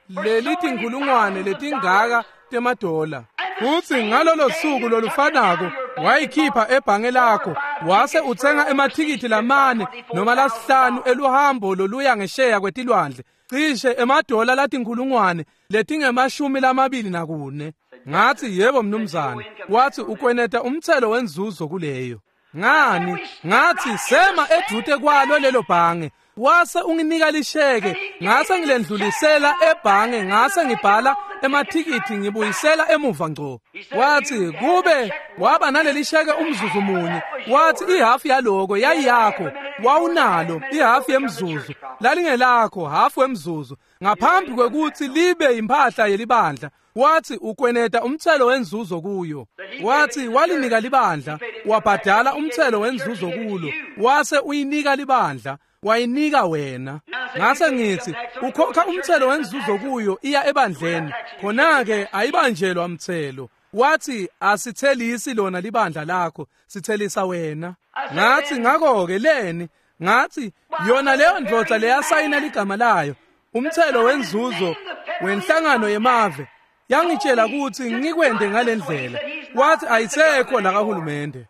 A: lelithi inkulungwane letingaka temadola. Futhi ngalolo suku lolufanako wayikhipha ebhange lakho wase uthenga emathikithi lamane noma lasihlanu eluhambo loluya ngesheya kwetilwandle, cishe emadola latinkulungwane letingemashumi lamabili nakune. Ngathi yebo mnumzane. Wathi ukweneta umthelo wenzuzo kuleyo. Ngani? Ngathi sema edvute kwalo lelo bhange, wase unginika lisheke, ngase ngilendlulisela ebhange, ngase ngibhala emathikithi ngibuyisela emuva ngco. Wathi kube waba naleli sheke umzuzu munye, wathi ihafu yaloko yayiyakho, wawunalo ihafu yemzuzu, lalingelakho hafu wemzuzu ngaphambi kwekuthi libe impahla yelibandla. Wathi ukweneta umthelo wenzuzo kuyo. Wathi walinika libandla, wabhadala umthelo wenzuzo kulo, wase uyinika libandla, wayinika wena. Ngase ngithi ukhokha umthelo wenzuzo kuyo iya ebandleni, khona-ke ayibanjelwa mthelo. Wathi asithelisi lona libandla lakho, sithelisa wena. Ngathi ngakho-ke leni? Ngathi yona leyo ndvodza leyasayina ligama layo umthelo wenzuzo wenhlangano yemave yangitshela ukuthi ngikwende ngalendlela. Wathi ayisekho la kahulumende.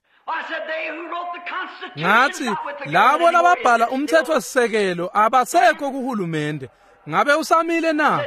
A: Ngathi labo lababhala umthethosisekelo abasekho kuhulumende, ngabe usamile na?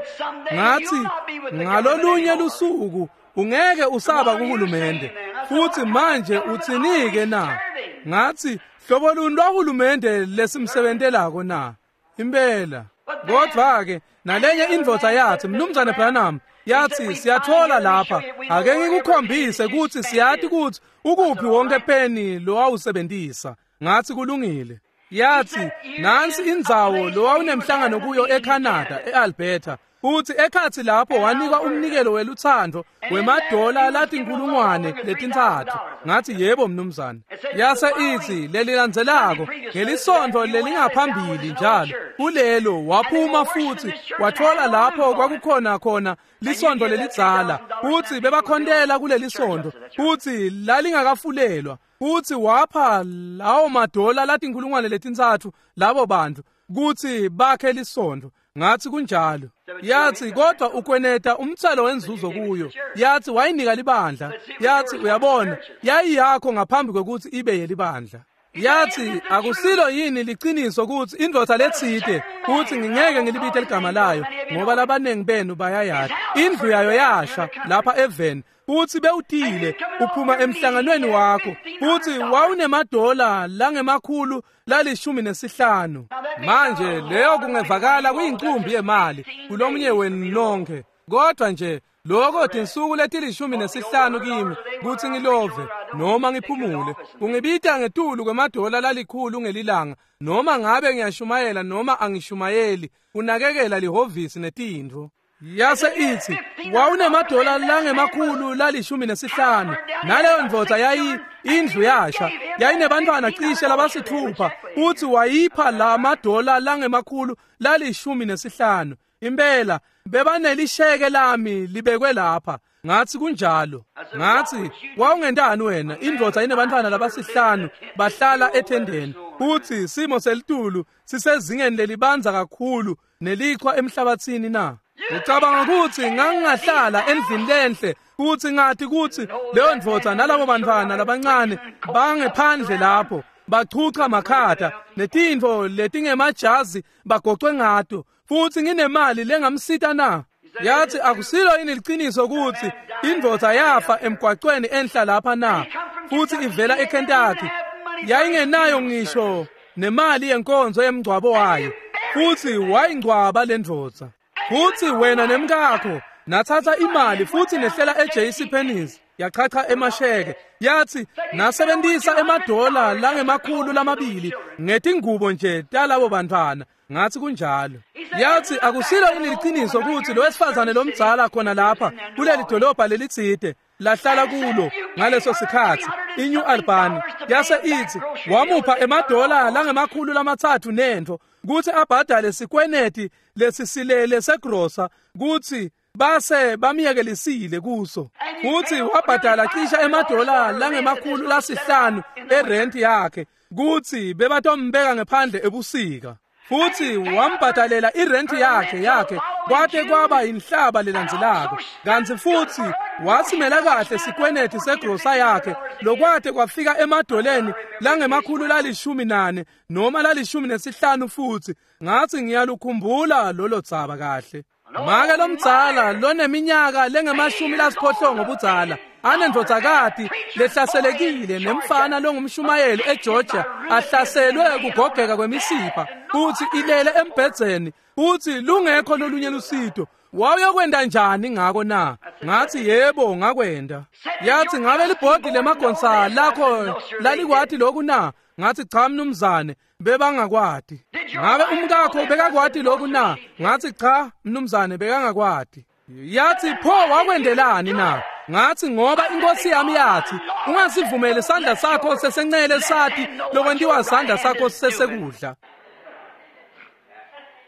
A: Ngathi ngalolunye lusuku ungeke usaba kuhulumende, futhi manje uthinike na? Ngathi hlobo luni lwahulumende lesimsebentelako na? Impela. Kodwa-ke nalenye indvodza yathi, Mnumzane Branham, yathi siyathola lapha, ake ngikukhombise ukuthi siyati ukuthi ukuphi wonke peni lo wawusebenzisa. Ngathi kulungile. Yathi nansi indzawo lo wawunemhlangano kuyo eCanada, eAlberta. Futhi ekhatsi lapho wanikwa umnikelo welutsandvo wemadola latinkhulungwane letintsatfu. Ngathi yebo mnumzane. Yase ithi lelilandzelako ngelisontfo lelingaphambili njalo kulelo waphuma futhi wathola lapho kwakukhona khona lisontfo lelidzala futhi bebakhontela kuleli sontfo futhi lalingakafulelwa futhi wapha lawo madola latinkhulungwane letintsatfu labo bantu kutsi bakhe lisontfo. Ngathi kunjalo. Yathi kodwa ukweneta umthelo wenzuzo kuyo. Yathi wayinika libandla. Yathi uyabona yayiyakho ngaphambi kwekuthi ibe yelibandla. Yathi akusilo yini liqiniso ukuthi indvodza letsite uthi ngingeke ngilibite ligama layo ngoba labaningi benu bayayati. Indlu yayo yasha lapha eveni futhi bewutile uphuma emhlanganweni wakho futhi wawunemadola langemakhulu lalishumi nesihlanu. Manje leyo kungevakala kuyincumbi yemali kulomunye wenu nonke, kodwa nje lokho tinsuku letilishumi nesihlanu kimi kutsi ngilove noma ngiphumule kungibita ngetulu kwemadola lalikhulu ngelilanga noma ngabe ngiyashumayela noma angishumayeli kunakekela lihhovisi netintfo. Yase ithi wawunemadola langemakhulu lalishumi nesihlanu naleyo ndvodza yayi indlu yasha yayinebantwana cishe labasithupha uthi wayipha la madola langemakhulu lalishumi nesihlanu. Impela bebanelisheke lami libekwe lapha. Ngathi kunjalo. Ngathi wawungentani wena indvodza inebantwana labasihlanu bahlala ethendeni uthi simo selitulu sisezingeni lelibanza kakhulu nelichwa emhlabathini na? Ucabanga ukuthi ngangingahlala endlini lenhle futhi ngathi kuthi leyo ndvodza nalabo bantwana labancane bangephandle lapho bachucha makhata netintfo letingemajazi bagocwe ngato futhi nginemali lengamsita na? Yathi akusilo yini liqiniso ukuthi indvodza yafa emgwaqweni enhla lapha na futhi ivela eKentucky yayingenayo ngisho nemali yenkonzo yemngcwabo wayo futhi wayingcwaba le ndvodza. Futhi wena nemkakho nathatha imali futhi nehlela e-J C Penney's yachacha emasheke. Yathi nasebenzisa emadola langemakhulu lamabili ngetingubo nje talabo bantwana. Ngathi kunjalo. Yathi akusilo yini liqiniso ukuthi lo wesifazane lomdzala khona lapha kuleli dolobha lelitsite lahlala kulo ngaleso sikhathi iNew Albany yase ithi wamupha emadola langemakhulu lamatsatfu nentfo kutsi abhadale sikweneti lesisilele segrosa kutsi base bamyekelisile kuso futhi wabhadala cisha emadola langemakhulu lasihlanu erent yakhe kutsi bebatombeka ngephandle ebusika futhi wambhadalela irent yakhe yakhe kwate kwaba inhlaba lelandzelako. Kantsi futhi wasimela kahle sikweneti segrosa yakhe lokwate kwafika emadoleni langemakhulu lalishumi nane noma lalishumi nesihlanu. Futhi ngathi ngiyalukhumbula lolo dzaba kahle. Make lomdzala loneminyaka lengemashumi lasiphohlongo budzala anendvodzakati lehlaselekile nemfana longumshumayeli eGeorgia ahlaselwe kugogeka kwemisipha futhi ilele embhedzeni futhi lungekho lolunye lusito. Wawuyokwenda njani ngako na? Ngathi yebo ngakwenda. Yathi ngabe libhodi lemagonsa lakho lalikwati lokhu na? Ngathi cha mnumzane bebangakwati. Ngabe umkakho bekakwati lokhu na? Ngathi cha mnumzane bekangakwati. Yathi pho wakwendelani na? Ngathi ngoba inkosi yami yathi ungasivumeli sandla sakho sesencele sathi lokwentiwa sandla sakho sesekudla.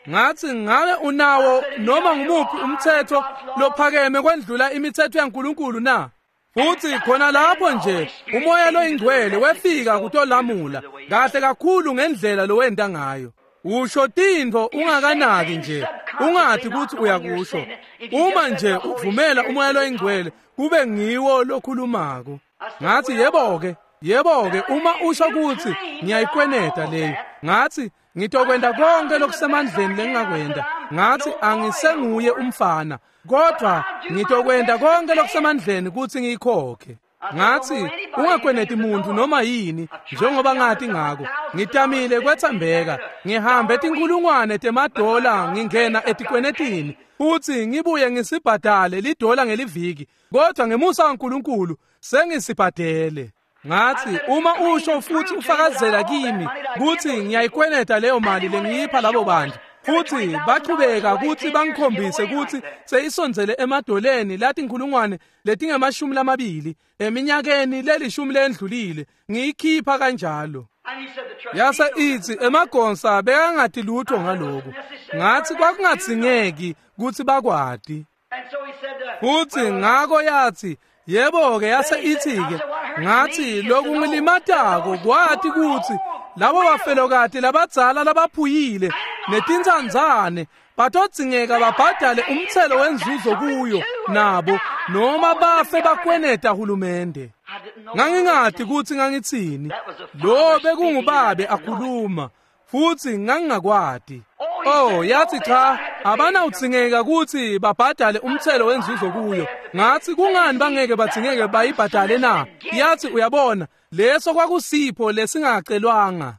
A: Ngathi ngabe unawo noma ngumuphi umthetho lophakeme kwendlula imithetho yaNkulunkulu na? Futhi khona lapho nje umoya loyingcwele wefika kutolamula kahle kakhulu ngendlela lowenta ngayo. Usho tintfo ungakanaki nje ungathi ukuthi uyakusho uma nje uvumela umoya loyingcwele kube ngiwo lokhulumako. Ngathi yebo-ke yebo-ke uma usho ukuthi ngiyayikweneta leyo. Ngathi ngitokwenda konke lokusemandleni lengingakwenda. Ngathi angisenguye umfana kodwa ngitokwenda konke lokusemandleni ukuthi ngiyikhokhe. Ngathi ungakweneti muntu noma yini njengoba ngathi ngako. Ngitamile kwethembeka ngihambe tinkulungwane temadola ngingena etikwenetini futhi ngibuye ngisibhadale lidola ngeliviki kodwa ngemusa kaNkulunkulu sengisibhadele. Ngathi uma usho futhi ufakazela kimi kuthi ngiyayikweneta leyo mali lengiyipha labo bantu Futhi bachubeka kutsi bangikhombise kutsi seyisondzele emadoleni latinkhulungwane letingemashumi lamabili eminyakeni lelishumi lendlulile ngiyikhipha kanjalo. Yase itsi emagonsa bekangati lutho ngaloko. Ngathi kwakungadzingeki kutsi bakwati. Futhi ngako yathi yebo-ke yase ithi-ke ngathi lokungilimatako kwati kutsi labo bafelokati labadzala labaphuyile netintsandzane batodzingeka babhadale umtselo wenzuzo kuyo nabo noma bafe bakweneta hulumende. Ngangingati kutsi ngangitsini. Lo bekungubabe akhuluma futhi ngangingakwati. Oh, yathi cha, abanawudzingeka kutsi babhadale umtselo wenzuzo kuyo. Ngathi kungani bangeke badzingeke bayibhadale na? Yathi uyabona, leso kwakusipho lesingacelwanga.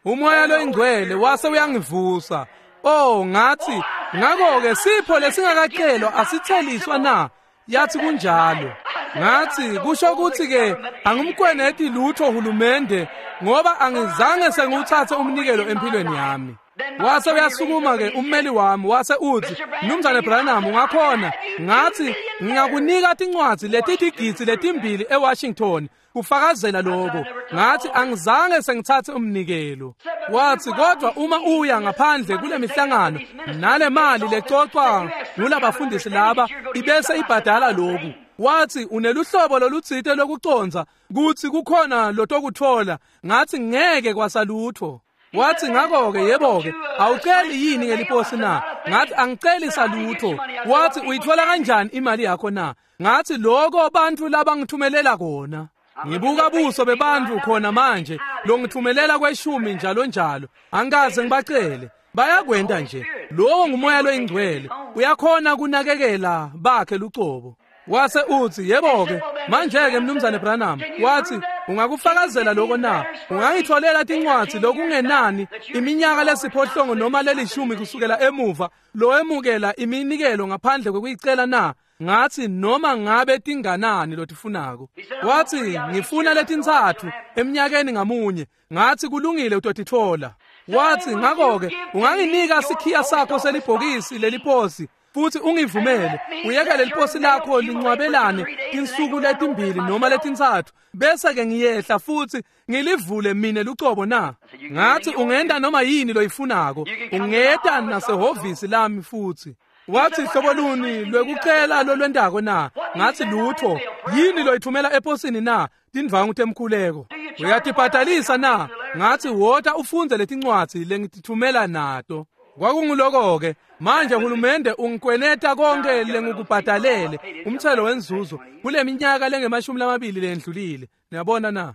A: Umoya loyingcwele wase uyangivusa. Oh, ngathi ngakho-ke sipho lesingakacelwa asitheliswa na? Yathi kunjalo. Ngathi kusho ukuthi-ke angimkweneti lutho hulumende ngoba angizange sengiwuthathe umnikelo empilweni yami. Wase uyasukuma-ke ummeli wami wase uthi Mnumzane Branham ungakhona? Ngathi ngingakunika tincwadzi letitigidzi letimbili eWashington kufakazela lokho. Ngathi angizange sengithathe umnikelo. Wathi kodwa uma uya ngaphandle kule mihlangano nale mali lecocwa ngulabafundisi laba ibese ibhadala lokhu. Wathi uneluhlobo lolutsite lokuconza kutsi kukhona lotokutfola. Ngathi ngeke kwasalutho. Wathi ngakho-ke yebo-ke awuceli yini ngeliposi na? Ngathi angiceli salutho. Wathi uyithola kanjani imali yakho na? Ngathi lokho bantfu labangithumelela kona. Ngibuka buso bebantfu khona manje longithumelela kweshumi njalo njalo. Angikaze ngibacele. Bayakwenta nje. Lowo ngumoya loyingcwele. Uyakhona kunakekela bakhe lucobo. Wase uthi yebo-ke manje-ke Mnumzane Branham. Wathi ungakufakazela lokho na? Ungangitholela tincwadzi lokungenani iminyaka lesiphohlongo noma lelishumi kusukela emuva loemukela iminikelo ngaphandle kwekuyicela na? Ngathi noma ngabe tinganani lotifunako. Wathi ngifuna letintsatfu eminyakeni ngamunye. Ngathi kulungile utotitfola. Wathi ngakho-ke unganginika sikhiya sakho selibhokisi leliposi futhi ungivumele uyekele leliposi lakho lincwabelane tinsuku letimbili noma letintsatfu bese-ke ngiyehla futhi ngilivule mine lucobo na? Ngathi ungenta noma yini loyifunako, ungeta nasehhovisi lami futhi. Wathi hlobo luni lwekucela lolwentako na? Ngathi lutho. Yini loyithumela eposini na? Tindvangu temkhuleko. Uyatibhadalisa na? Ngathi wota ufundze letincwadzi lengitithumela nato. Kwakunguloko-ke manje hulumende ungikweneta konke lengikubhadalele umthelo wenzuzo kule minyaka lengemashumi lamabili lendlulile. Niyabona na?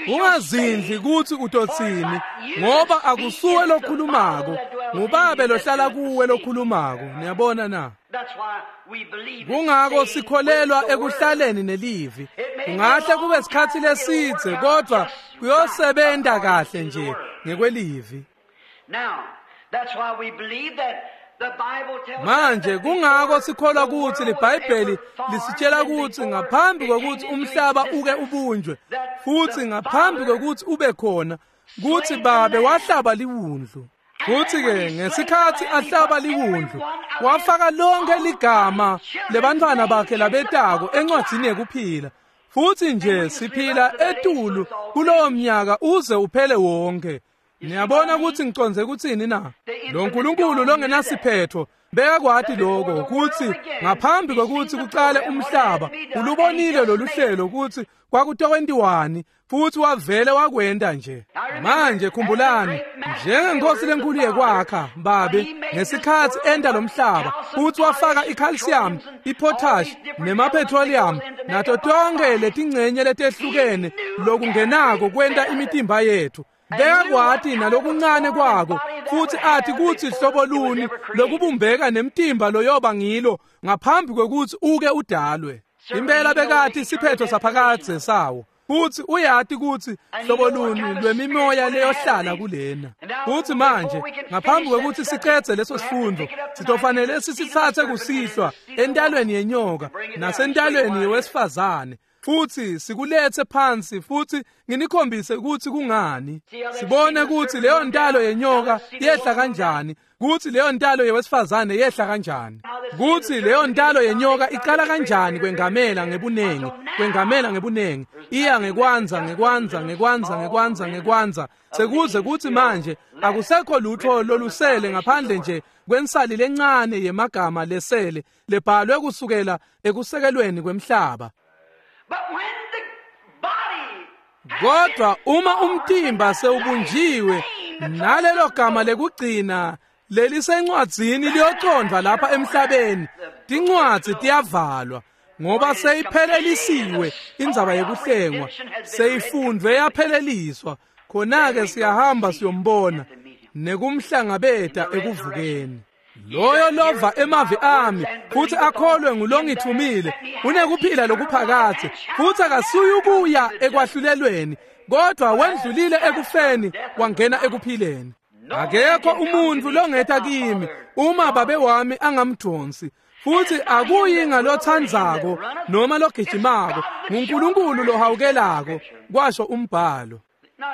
A: Ungazindli kutsi utotsini ngoba akusuwe lokhulumako, ngubabe lohlala kuwe lokhulumako. Niyabona na? Kungako sikholelwa ekuhlaleni nelivi. Kungahle kube sikhatsi lesidze kodwa kuyosebenta kahle nje ngekwelivi. Manje kungako sikholwa kutsi liBhayibheli lisitshela kutsi ngaphambi kwekutsi umhlaba uke ubunjwe futhi ngaphambi kwekutsi ube khona kutsi babe wahlaba liwundlu. Futhi-ke ngesikhatsi ahlaba liwundlu wafaka lonke ligama lebantfwana bakhe labetako encwadzini yekuphila. Futhi nje siphila etulu kulowo mnyaka uze uphele wonke. Niyabona kutsi ngicondze kutsini na? Lo Nkulunkulu longenasiphetho bekakwati lokho kutsi ngaphambi kwekutsi kucale umhlaba ulubonile lolu hlelo kutsi kwakutokwentiwani futhi wavele wakwenta nje. Manje khumbulani, njengenkosi lenkulu yekwakha babe ngesikhatsi enta lo mhlaba futhi wafaka i-calcium, i-potash nema-petroleum nato tonke letingcenye letehlukene lokungenako kwenta imitimba yethu. Bekakwati nalokuncane kwako futhi athi kutsi hlobo luni lokubumbeka nemtimba loyoba ngilo ngaphambi kwekutsi uke udalwe. Impela bekati siphetho saphakadze sawo futhi uyati kutsi hlobo luni lwemimoya leyohlala kulena. Futhi manje ngaphambi kwekutsi sicedze leso sifundo sitofanele sisitsatse kusihlwa entalweni yenyoka nasentalweni wesifazane Futhi sikuletse phansi futhi nginikhombise ukuthi kungani. Sibone ukuthi leyo ntalo yenyoka yehla kanjani, ukuthi leyo ntalo yewesifazane yehla kanjani, ukuthi leyo ntalo yenyoka iqala kanjani kwengamela ngebunengi, kwengamela ngebunengi, iya ngekwanza ngekwanza ngekwanza ngekwanza ngekwanza sekuze kuthi manje akusekho lutho lolusele ngaphandle nje kwensali lencane yemagama lesele lebhalwe kusukela ekusekelweni kwemhlaba. Kodwa uma umtimba sewubunjiwe nalelo gama lekugcina lelisencwadzini liyocondvwa lapha emhlabeni, tincwadzi tiyavalwa ngoba seyiphelelisiwe indzaba yekuhlengwa, seyifundvwe yapheleliswa. Khona-ke siyahamba siyombona nekumhlangabeta ekuvukeni. Loyo lova emavi ami futhi akholwe ngulongithumile unekuphila lokuphakathe, futhi akasuyi ukuya ekwahlulelweni, kodwa wendlulile ekufeni wangena ekuphileni. Akekho umuntu longeta kimi uma babe wami angamdonsi, futhi akuyi ngalothandzako noma logijimako, nguNkulunkulu lohawukelako, kwasho umbhalo.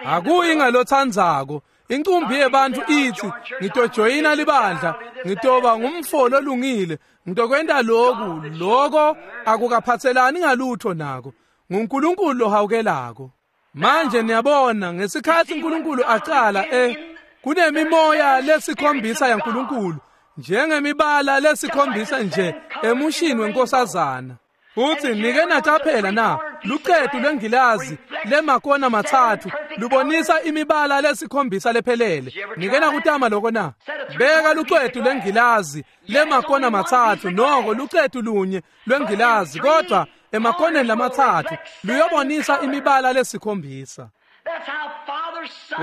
A: Akuyi ngalothandzako. Inkumbi yebantu ithi ngitojoyina libandla, ngitoba ngumfo lolungile, ngitokwenta lokhu, lokho akukaphathelani ngalutho nako. NguNkulunkulu lohawukelako. Manje niyabona ngesikhathi uNkulunkulu aqala eh kunemimoya lesikhombisa yaNkulunkulu, njengemibala lesikhombisa nje emushini wenkosazana. Futhi nike naqaphela na luqedu lwengilazi lemakona mathathu lubonisa imibala lesikhombisa lephelele. Nike nakutama lokho na? Beka luqedu lwengilazi lemakona mathathu, noko luqedu lunye lwengilazi, kodwa emakoneni lamathathu luyobonisa imibala lesikhombisa.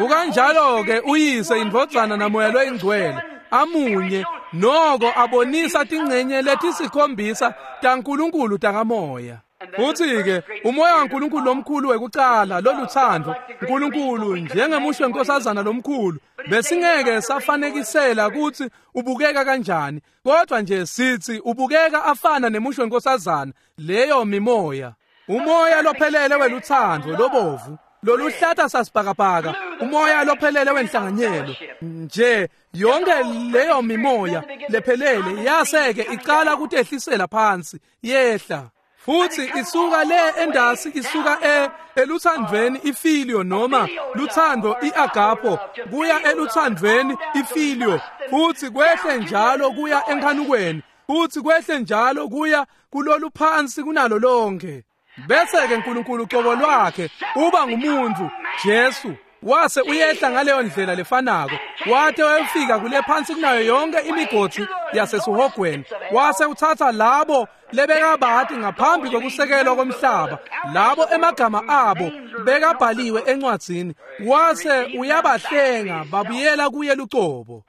A: Ukanjalo ke uyise, indvodzana namoya loyingcwele amunye, noko abonisa tingcenye letisikhombisa taNkulunkulu takamoya. Futhi-ke umoya waNkulunkulu lomkhulu wekucala loluthando, uNkulunkulu njengemusho wenkosazana lomkhulu, besingeke safanekisela ukuthi ubukeka kanjani, kodwa nje sithi ubukeka afana nemusho wenkosazana, leyo mimoya. Umoya lophelele weluthando lobovu, loluhlata sasibhakabhaka, umoya lophelele wenhlanganyelo nje, yonke leyo mimoya lephelele yaseke iqala kutehlisela phansi yehla, futhi isuka le endasi, isuka e eluthandweni ifilio noma luthando iagapo kuya eluthandweni ifilio, futhi kwehle njalo kuya enkhanukweni, futhi kwehle njalo kuya kulolu phansi kunalo lonke. Bese ke uNkulunkulu uqobo lwakhe uba ngumuntu Jesu, wase uyehla ngaleyo ndlela lefanako, wate wayofika kule phansi kunayo yonke imigodi yasesihogweni, wase uthatha labo lebekabati ngaphambi kokusekelwa komhlaba, labo emagama abo bekabhaliwe encwadzini, wase uyabahlenga babuyela kuye lucobo.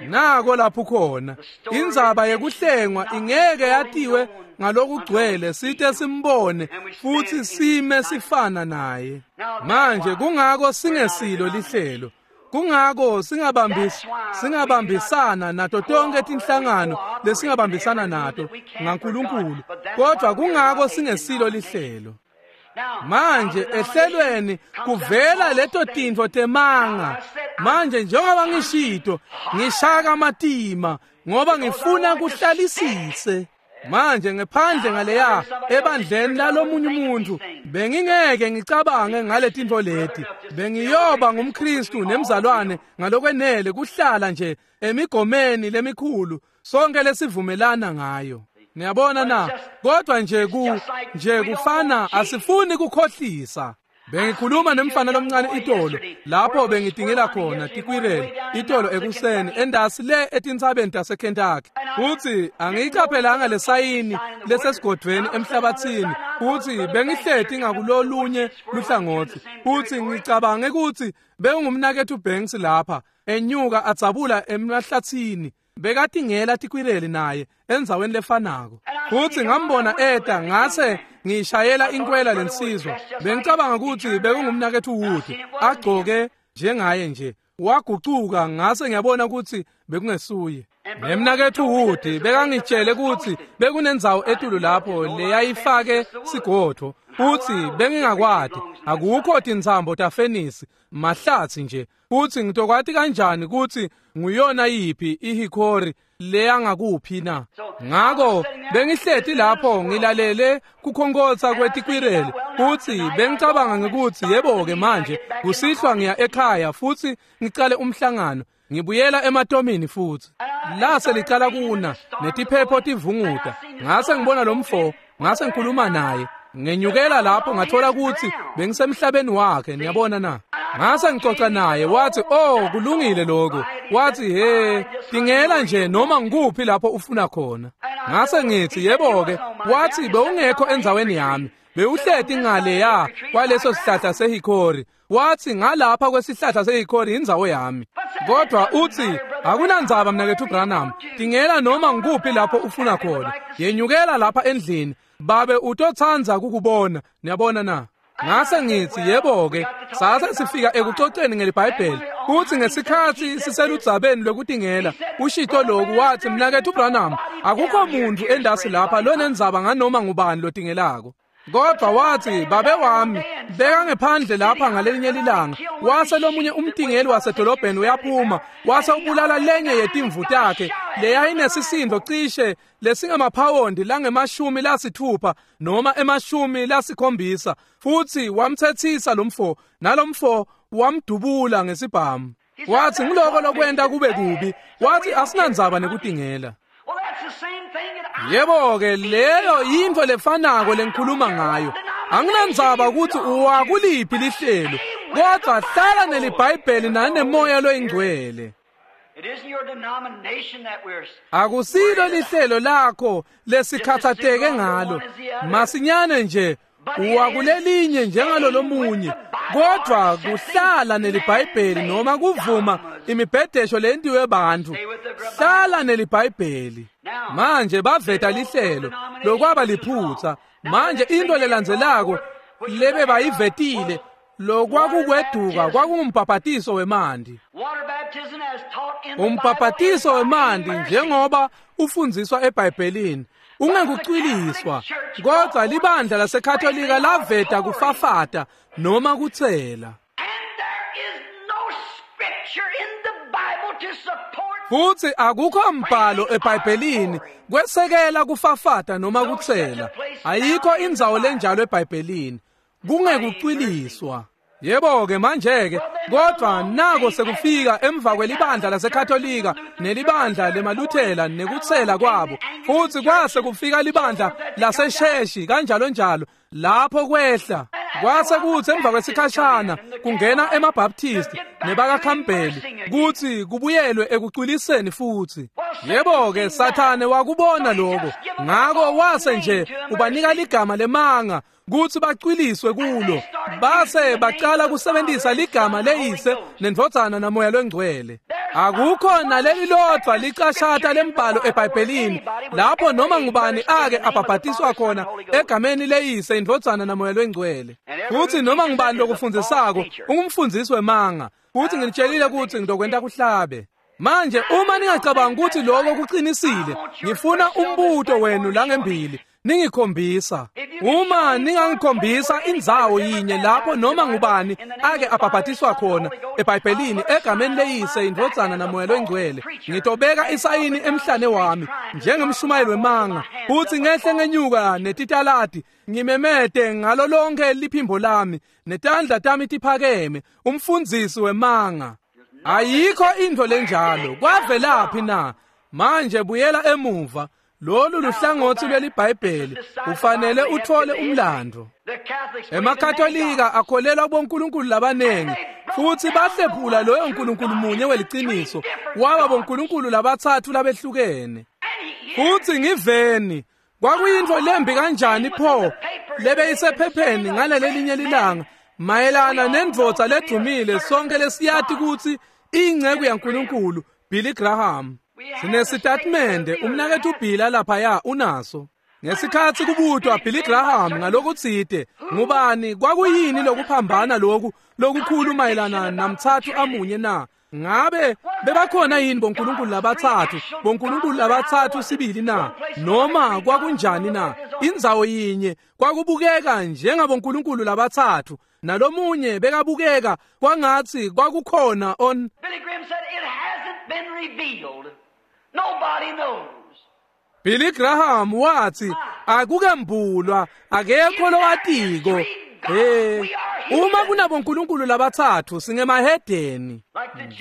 A: Nako lapho khona indzaba yekuhlengwa ingeke yatiwe ngalokugcwele sithe simbone futhi sime sifana naye. Manje kungako singesilo lihlelo, kungako singabambisi singabambisana nato tonke tinhlangano lesingabambisana nato ngaNkulunkulu, kodwa kungako singesilo lihlelo. Manje ehlelweni kuvela leto tintfo temanga. Manje njengoba ngishito, ngishaka matima ngoba ngifuna kuhlalisise. Manje ngephandle ngaleya ebandleni lalomunye umuntu bengingeke ngicabange ngale tintfo leti. Bengiyoba ngumKristu nemzalwane ngalokwenele kuhlala nje emigomeni lemikhulu sonke lesivumelana ngayo. Niyabona na? Kodwa nje ku nje kufana asifuni kukhohlisa. Bengikhuluma nemfana lomncane itolo lapho bengitingela khona tikwireli itolo ekuseni endasi le etintsabeni taseKentucky. Futhi angiyiqaphelanga lesayini lesesigodvweni emhlabathini, futhi bengihleti ngakulolunye luhlangothi, futhi ngicabange ukuthi bekungumnakethu Banks lapha enyuka adzabula emahlathini, bekatingela tikwireli naye endzaweni lefanako. Futhi ngambona eta, ngase ngishayela inkwela lensizwa. Bengicabanga ukuthi bekungumnakethu Wood agcoke njengaye nje, wagucuka, ngase ngiyabona ukuthi bekungesuye. Nemnaketfu Wood bekangitshele kutsi bekunendzawo etulu lapho leyayifake sigodvo, futsi bengingakwati, akukho tintsambo tafenisi, mahlatsi nje, futsi ngitokwati kanjani kutsi nguyona yiphi ihikori leyangakuphi na? Ngako bengihleti lapho ngilalele kukhonkotsa kwetikwireli, futsi bengicabanga ngekutsi yebo-ke manje kusihlwa ngiya ekhaya futsi ngicale umhlangano, ngibuyela ematomini futsi. Lase licala kuna netiphepho tivunguta, ngase ngibona lomfo, ngase ngikhuluma naye. Ngenyukela lapho ngathola kutsi bengisemhlabeni wakhe, niyabona na? Ngase ngicoca naye, wathi, "Oh, kulungile lokho." Wathi, "He, tingela nje noma ngikuphi lapho ufuna khona." Ngase ngithi, "Yebo-ke." Wathi, "Bewungekho endzaweni yami. Bewuhleti ngale ya kwaleso sihlahla sehikori." Wathi, "Ngalapha kwesihlahla sehikori indzawo yami." Kodwa uthi, "Akunandzaba mnaketfu Branham, tingela noma ngikuphi lapho ufuna khona. Yenyukela lapha endlini. Babe utotsandza kukubona, niyabona na?" Ngase ngithi, "Yebo-ke." Sase sifika ekucoceni ngeliBhayibheli, kutsi ngesikhatsi siseludzabeni lwekutingela, ushito loku, wathi, "Mnaketfu Branham, akukho muntfu endasi lapha lonendzaba nganoma ngubani lotingelako." Kodwa wathi, "Babe wami beka ngephandle lapha ngalelinye lilanga, wase lomunye umtingeli wasedolobheni uyaphuma, wase ubulala lenye yetimvu takhe leyayinesisindo cishe lesingamaphawundi langemashumi lasithupha noma emashumi lasikhombisa, futsi wamtsetsisa lomfo, nalomfo wamdubula ngesibhamu." Wathi, "Ngiloko lokwenta kube kubi." Wathi, "Asinandzaba nekutingela." Yebo-ke, leyo yintfo lefanako lengikhuluma ngayo. Anginandzaba kutsi uwakuliphi lihlelo, kodwa hlala neliBhayibheli nanemoya loyingcwele. Akusilo lihlelo lakho lesikhathateke ngalo, masinyane nje uwakulelinye njengalolomunye, kodwa kuhlala neliBhayibheli noma kuvuma imibhedesho lentiwe bantfu. Hlala neliBhayibheli. Manje baveta lihlelo lokwaba liphutsa. Manje into lelandzelako lebe bayivetile lokwakukweduka kwakungumbhabhatiso wemanti. Umbhabhatiso wemanti njengoba ufundziswa eBhayibhelini ungekucwiliswa, kodwa libandla laseKatolika laveta kufafata noma kutsela. Futsi akukho mbhalo eBhayibhelini kwesekela kufafata noma kutsela. Ayikho indzawo lenjalo eBhayibhelini. Kungekucwiliswa. Yebo-ke manje-ke, kodwa nako sekufika emva kwelibandla laseKatolika nelibandla lemaLuthela nekutsela kwabo, futsi kwase kufika libandla laseSheshi kanjalo njalo, lapho kwehla. Kwase kutsi emva kwesikhashana kungena emaBaptisti nebakaKhampbell kutsi kubuyelwe ekucwiliseni futsi. Yebo-ke, Sathane wakubona lokho, ngako wase nje ubanika ligama lemanga kutsi bacwiliswe kulo, base bacala kusebentisa ligama leyise nendvodzana namoya longcwele. Akukho naleli lodvwa licashata lembhalo eBhayibhelini lapho noma ngubani ake abhabhatiswa khona egameni leyise indvodzana namoya longcwele. Futsi noma ngubani lokufundzisako ungumfundzisi wemanga, futsi nginitshelile kutsi ngitokwenta kuhlabe. Manje uma ningacabanga ukuthi lokho kuqinisile, ngifuna umbuto wenu langembili ningikhombisa. Uma ningangikhombisa indzawo yinye lapho noma ngubani ake abhabhatiswa khona eBhayibhelini egameni leyise indvodzana namoya longcwele, ngitobeka isayini emhlane wami njengemshumayeli wemanga, futsi ngehle ngenyuka netitaladi ngimemete ngalo lonke liphimbo lami netandla tami tiphakeme, umfundzisi wemanga. Ayikho intfo lenjalo. Kwavelaphi na? Manje buyela emuva. Lolu luhlangotsi lweliBhayibheli, ufanele uthole umlando. EmaKatolika akholelwa bonkulunkulu labanengi, futsi bahlephula loyo nkulunkulu munye weliciniso waba bonkulunkulu labatsatfu labehlukene. Futsi ngiveni, kwakuyintfo lembi kanjani pho lebeyisephepheni ngalelelinye lilanga mayelana nendvodza ledumile sonke lesiyati kutsi inceku yaNkulunkulu Billy Graham. Sinesitatimende umnaketfu Bill laphaya unaso. Ngesikhatsi kubutwa Billy Graham ngalokutsite, ngubani kwakuyini lokuphambana loku lokukhulu mayelana namtsatfu amunye na? Ngabe bebakhona yini bonkulunkulu labatsatfu, bonkulunkulu labatsatfu sibili na? Noma kwakunjani na? Indzawo yinye kwakubukeka njengabonkulunkulu labatsatfu, nalomunye bekabukeka kwangatsi kwakukhona on.
B: Billy Graham said it hasn't been revealed. Nobody knows.
A: Billy Graham wathi akukembulwa, akekho lowatiko. Eh, uma kunabonkulunkulu labatsatfu singemahedeni.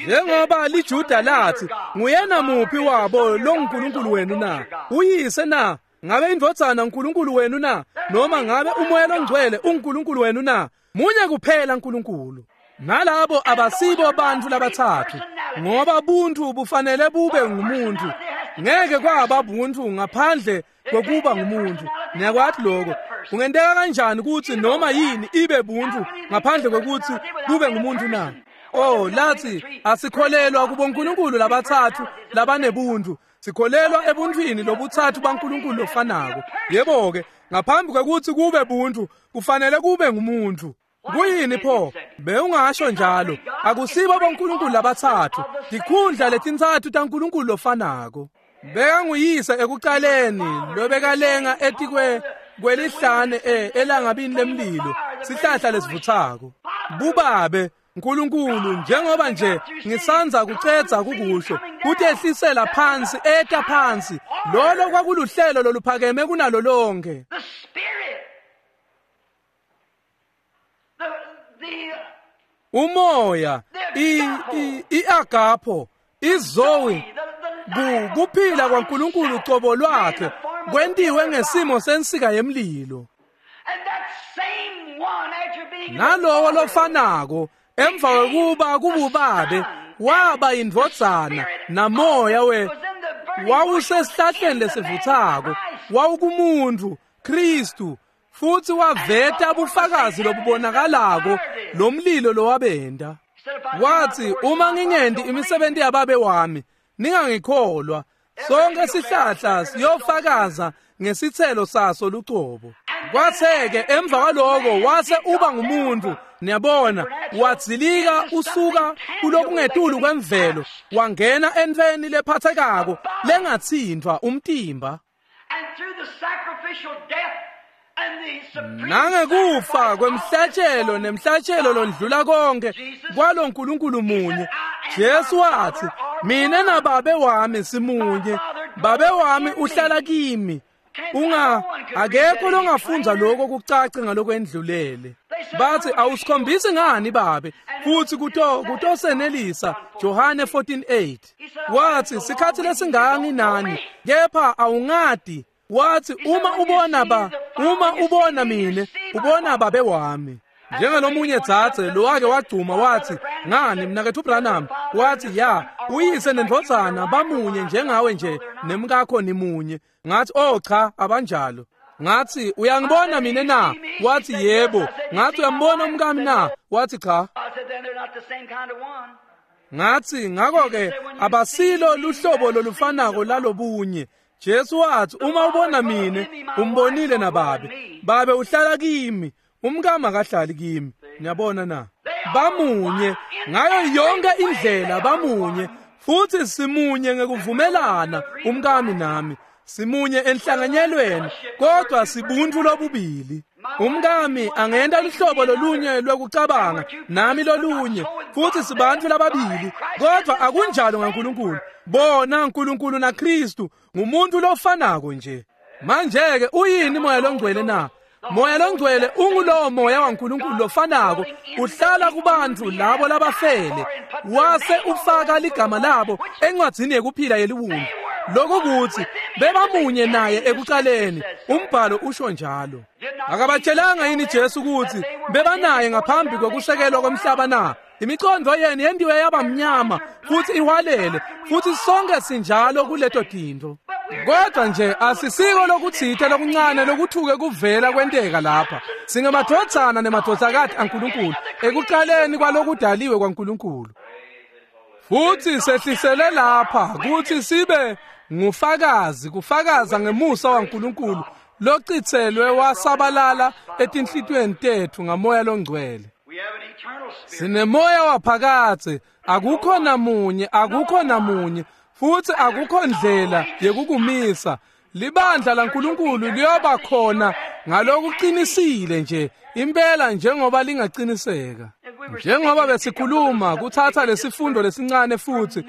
A: Njengoba liJuda lathi, nguyena muphi wabo longunkulunkulu wenu na? Uyise na? Ngabe indvodzana uNkulunkulu wenu na? Noma ngabe umoya longcwele uNkulunkulu wenu na? Munye kuphela uNkulunkulu. Nalabo abasibo bantfu labatsatfu, ngoba buntfu bufanele bube ngumuntu. Ngeke kwaba buntfu ngaphandle kwekuba ngumuntu. Niyakwati lokho. Kungenteka kanjani kutsi noma yini ibe buntfu ngaphandle kwekutsi kube ngumuntu na? Oh, lathi asikholelwa kubonkulunkulu labatsatfu labanebuntfu. Sikholelwa ebuntfwini lobutsatfu baNkulunkulu lofanako. Yebo-ke, ngaphambi kwekutsi kube buntfu kufanele kube ngumuntu. Kuyini pho? Bewungasho njalo. Akusibo bonkulunkulu labatsatfu, tikhundla letintsatfu taNkulunkulu lofanako. Bekanguyise ekucaleni lobekalenga etikwe kwelihlane e elangabini lemlilo, sihlahla lesivutsako. Bubabe Nkulunkulu, njengoba nje ngisanza kucedza kukusho, kutehlisela phansi, eta phansi. Lolo kwakuluhlelo loluphakeme kunalo lonke.
B: The Spirit. The, the
A: Umoya, i i iagapho, izoe, ku- kuphila kwaNkulunkulu cobo lwakhe kwentiwe ngesimo sensika yemlilo.
B: And that same one after being in the
A: Nalowo
B: Father,
A: lofanako emva kwekuba kububabe waba indvodzana namoya we
B: was in the burning
A: wawusesihlahleni lesivutsako, wawukumuntfu Kristu, futsi waveta bufakazi lobubonakalako lomlilo lowabenda. Wathi, uma ngingenti imisebenti yababe wami, ningangikholwa. Sonke sihlahla siyofakaza ngesithelo saso lucobo. Kwatheke emva kwaloko wase uba ngumuntu, niyabona, wadzilika usuka kulokungetulu kwemvelo, wangena entfweni lephathekako lengatsintfwa umtimba.
B: And through the sacrificial death and the supreme
A: Nangekufa
B: sacrifice of
A: kwemhlatshelo
B: his
A: nemhlatshelo londlula konke kwalo nkulunkulu munye, Jesu wathi, mina nababe wami simunye, babe wami uhlala kimi. Unga akekho longafundza lokho kucace ngalokwendlulele. Bathi awusikhombisi ngani babe, futhi kuto kutosenelisa Johane fourteen eight. Wathi sikhathi lesingaka nani, kepha awungadi. Wathi uma ubona ba uma ubona mina, ubona babe wami. Njengalomunye dzadze lowake wagcuma wathi, ngani mnaketfu Branham? Wathi, ya, uyise nendvodzana bamunye njengawe nje nemkakho nimunye. Ngathi, oh cha, abanjalo. Ngathi, uyangibona mina na? Wathi, yebo. Ngathi, uyambona umkami na? Wathi, cha.
B: I said, then they're not the same kind of one.
A: Ngathi, ngakho-ke abasilo luhlobo lolufanako lalobunye. Jesu wathi, uma ubona mina, umbonile nababe. Babe uhlala kimi, umkami akahlali kimi. Niyabona na? Bamunye ngayo yonke indlela, bamunye futhi simunye ngekuvumelana, umkami nami. Simunye enhlanganyelweni, kodwa sibuntu lobubili. Umkami angenta luhlobo lolunye lwekucabanga, nami lolunye, futhi sibantfu lababili, kodwa akunjalo ngaNkulunkulu. Bona uNkulunkulu naKristu ngumuntu lofanako nje. Manje-ke uyini moya longcwele na? Moya longcwele ungulowo moya waNkulunkulu lofanako, uhlala kubantfu labo labafele, wase ufaka ligama labo encwadzini yekuphila yeliwundlu. Lokhu kuthi bebamunye naye ekucaleni, umbhalo usho njalo. Akabatshelanga yini Jesu ukuthi bebanaye ngaphambi kokusekelwa komhlaba na? Imicondo yenu yendiwe yaba mnyama futhi ihwalele, futhi sonke sinjalo kuleto tintfo. Kodwa nje asisiko lokutsite lokuncane lokuthuke kuvela kwenteka lapha. Singemadvodzana nemadvodzakati aNkulunkulu ekucaleni kwalokudaliwe kwaNkulunkulu. Futhi sehlisele lapha kuthi sibe ngufakazi, kufakaza ngemusa waNkulunkulu lochitselwe wasabalala etinhlitiyweni tetfu ngamoya longcwele.
B: We have an
A: Sinemoya waphakatsi, akukho namunye, akukho namunye, futhi akukho ndlela yekukumisa. Libandla laNkulunkulu liyoba khona ngalokuqinisile nje impela njengoba lingaqiniseka. Njengoba besikhuluma kuthatha lesifundo lesincane futhi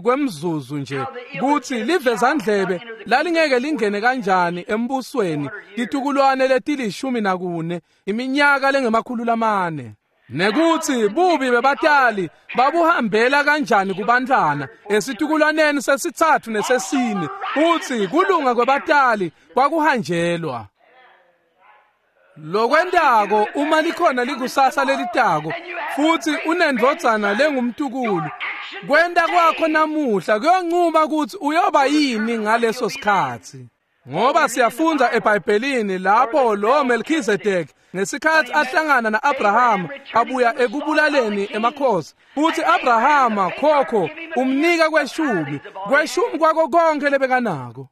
A: kwemzuzu nje kuthi livezandlebe lalingeke lingene kanjani embusweni titukulwane letilishumi nakune iminyaka lengemakhulu lamane. Nekuthi bubi bebatali babuhambela kanjani kubantwana esitukulwaneni sesithathu nesesine, uthi kulunga kwebatali kwakuhanjelwa. Lokwentako uma likhona likusasa lelitako futhi unendvodzana lengumtukulu, kwenta kwakho namuhla kuyoncuma ukuthi uyoba yini ngaleso sikhathi. Ngoba siyafunda eBhayibhelini lapho lo Melchizedek ngesikhathi ahlangana na-Abrahama abuya ekubulaleni emakhosi, futhi Abrahama khokho umnika kweshumi, kweshumi kwako konke lebekanako.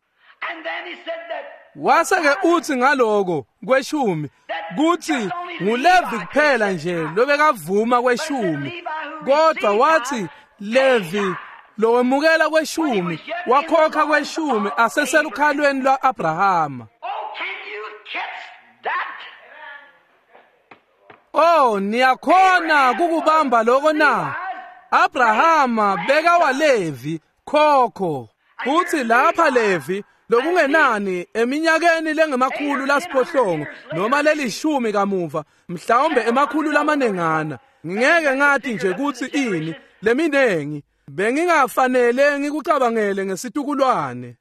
A: Wase-ke uthi ngaloko kweshumi kuthi nguLevi kuphela nje lobekavuma kweshumi, kodwa wathi Levi lowemukela kweshumi wakhokha kweshumi aseselukhalweni lwa-Abrahama. Oh, niyakhona kukubamba lokho na? Abrahama beka waLevi khokho, futhi lapha Levi lokungenani eminyakeni lengemakhulu lasiphohlongo noma lelishumi kamuva, mhlawumbe emakhulu lamanengana, ngingeke ngathi nje kuthi ini leminengi bengingafanele ngikucabangele ngesitukulwane.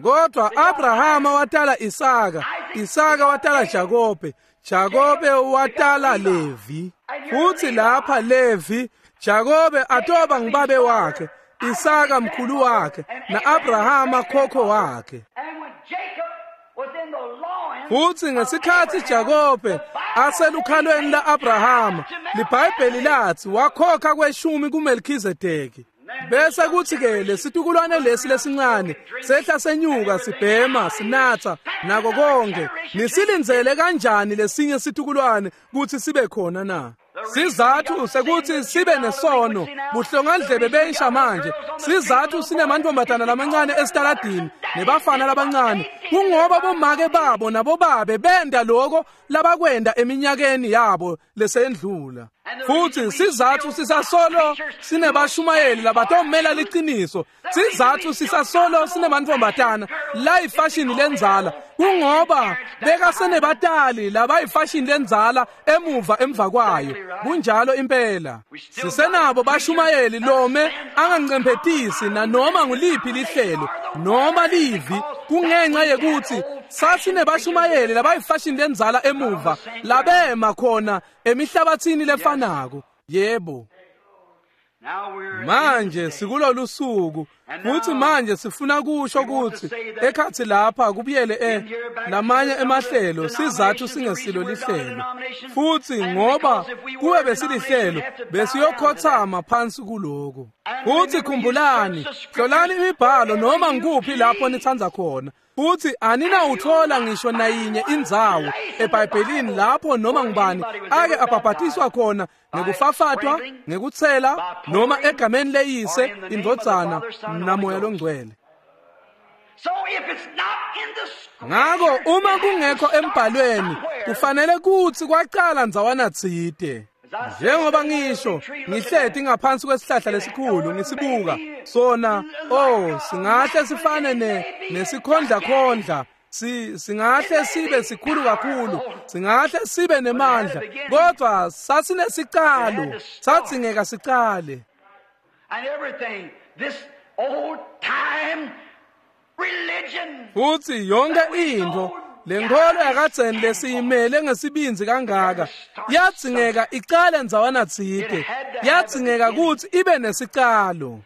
A: Kodwa Abrahama watala Isaka, Isaka watala Jakobe, Jakobe watala Levi. Futhi lapha Levi, Jakobe atoba ngibabe wakhe, Isaka mkhulu wakhe, na-Abrahama khokho wakhe. Futhi ngesikhathi Jakobe aselukhalweni la-Abrahama, liBhayibheli lathi wakhokha kweshumi kuMelkhizedeki. Bese kuthi-ke lesitukulwane lesi lesincane sehla senyuka sibhema sinatha nako konke. Nisilindzele kanjani lesinye situkulwane kuthi sibe khona na? Sizathu sekuthi sibe nesono buhlongandlebe bensha manje. Sizathu sinemantombazana lamancane esitaladini nebafana labancane, kungoba bomake babo nabobabe benda lokho labakwenda eminyakeni yabo lesendlula. Futhi sizathu sisasolo sinebashumayeli labatomela liqiniso. Sizathu sisasolo sinemantombazana la ifashion lenzala, kungoba bekasenebatali labayifashion lenzala emuva emva kwayo. Kunjalo impela. Sisenabo bashumayeli lome angancemphetisi nanoma nguliphi lihlelo noma livi, kungenxa yekuthi sasinebashumayeli labayifashion lenzala emuva labema khona emihlabathini lefanako. Yebo. Manje sikulolu suku, futhi manje sifuna kusho ukuthi ekhathi lapha kubuyele e lamanye emahlelo. Sizathu singesilo lihlelo, futhi ngoba kuwe besilihlelo besiyokhothama phansi kuloko. Futhi khumbulani, hlolani imibhalo noma ngikuphi lapho nithanza khona, futhi aninawuthola ngisho nayinye indzawo eBhayibhelini lapho noma ngubani ake abhabhatiswa khona ngekufafatwa, ngekuthela, noma egameni leyise, indvodzana namoya longcwele. Ngako uma kungekho embhalweni kufanele kuthi kwaqala ndzawana tsite. Njengoba ngisho ngihleti ngaphansi kwesihlahla lesikhulu ngisibuka sona, oh singahle sifane ne nesikhondla khondla, si singahle sibe sikhulu kakhulu, singahle sibe nemandla, kodwa sasinesiqalo, sadzingeka siqale.
B: And everything, this old time religion.
A: Futhi yonke into lenkolo yakadzeni lesiyimele ngesibinzi kangaka yadzingeka iqale ndzawana tsite, yadzingeka ukuthi ibe nesicalo.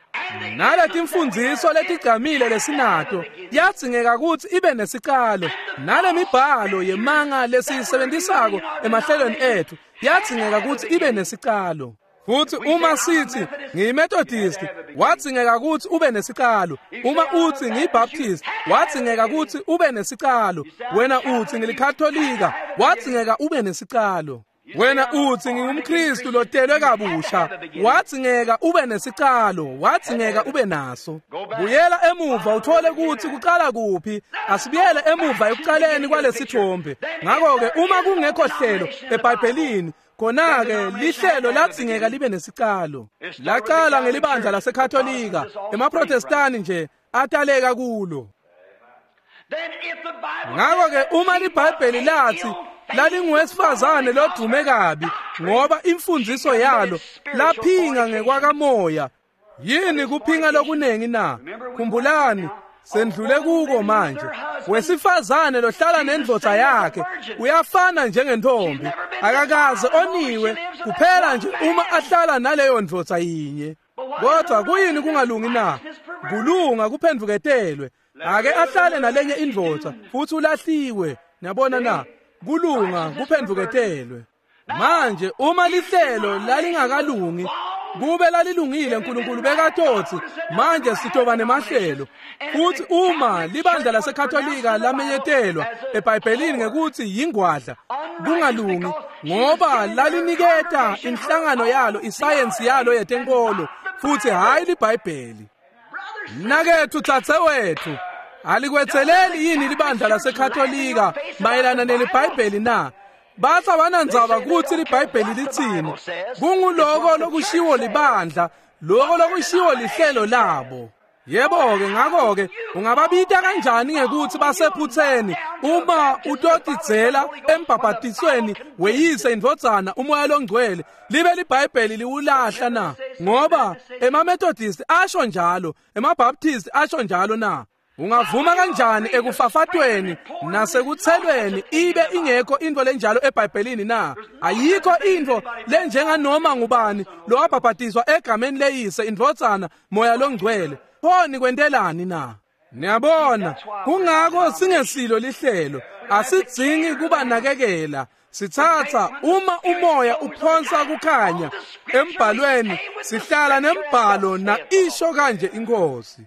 A: Naletimfundziso letigcamile lesinato yadzingeka ukuthi ibe nesicalo. Nalemibhalo yemanga lesiyisebenzisako emahlelweni ethu yadzingeka ukuthi ibe nesicalo. Futhi uma sithi ngiyiMethodist, wadzingeka ukuthi ube nesicalo. Uma uthi ngiyiBaptist, wadzingeka ukuthi ube nesicalo. Wena uthi ngilikatholika, wadzingeka ube nesicalo. Wena utsi ngingumKristu lotelwe kabusha, wadzingeka ube nesicalo, wadzingeka ube naso. Buyela emuva uthole kutsi kucala kuphi. Asibuyele emuva ekucaleni kwalesithombe. Ngakho-ke uma kungekho hlelo eBhayibhelini, khona-ke lihlelo ladzingeka libe nesicalo. Lacala ngelibandla laseKatolika, emaProtestani nje ataleka kulo. Ngakho-ke uma liBhayibheli lathi lalinguwesifazane lodume kabi ngoba imfundiso yalo laphinga ngekwakamoya, yini kuphinga lokunengi na? Khumbulani, sendlule kuko manje. Wesifazane lohlala nendvodza yakhe uyafana njengentombi, akakaze oniwe kuphela nje uma ahlala naleyo ndvodza yinye. Kodwa kuyini kungalungi na? Kulunga kuphendvuketelwe. Ake ahlale nalenye indvodza futhi ulahliwe. Niyabona na? Kulunga kuphendvuketelwe. Manje uma lihlelo lalingakalungi, kube lalilungile uNkulunkulu bekatotsi manje sitoba nemahlelo. Futhi uma libandla laseKatolika lamenyetelwa eBhayibhelini ngekuthi yingwadla, kungalungi ngoba laliniketa inhlangano yalo isayensi yalo yetenkolo futhi hayi liBhayibheli. Mnaketfu dzadzewetfu, alikwetseleli yini libandla laseKatolika mayelana neliBhayibheli na? Batsi abanandzaba kutsi liBhayibheli litsini. Kunguloko lokushiwo libandla, loko lokushiwo lihlelo labo. Yebo-ke, ngakho-ke ungababita kanjani ngekutsi basephutseni uma utotidzela embhabhatisweni weyise indvodzana umoya longcwele libe liBhayibheli liwulahla na? Ngoba emaMethodist asho njalo, emaBaptist asho njalo na? Ungavuma kanjani ekufafatweni nasekuthelweni ibe ingekho intfo lenjalo eBhayibhelini na? Ayikho intfo lenjenganoma ngubani lowabhabhatiswa egameni leyise indvodzana moya longcwele. Pho nikwentelani na? Niyabona, kungako singesilo lihlelo. Asidzingi kubanakekela. Sitsatsa uma umoya uphonsa kukhanya embhalweni, sihlala nembhalo na isho kanje inkosi.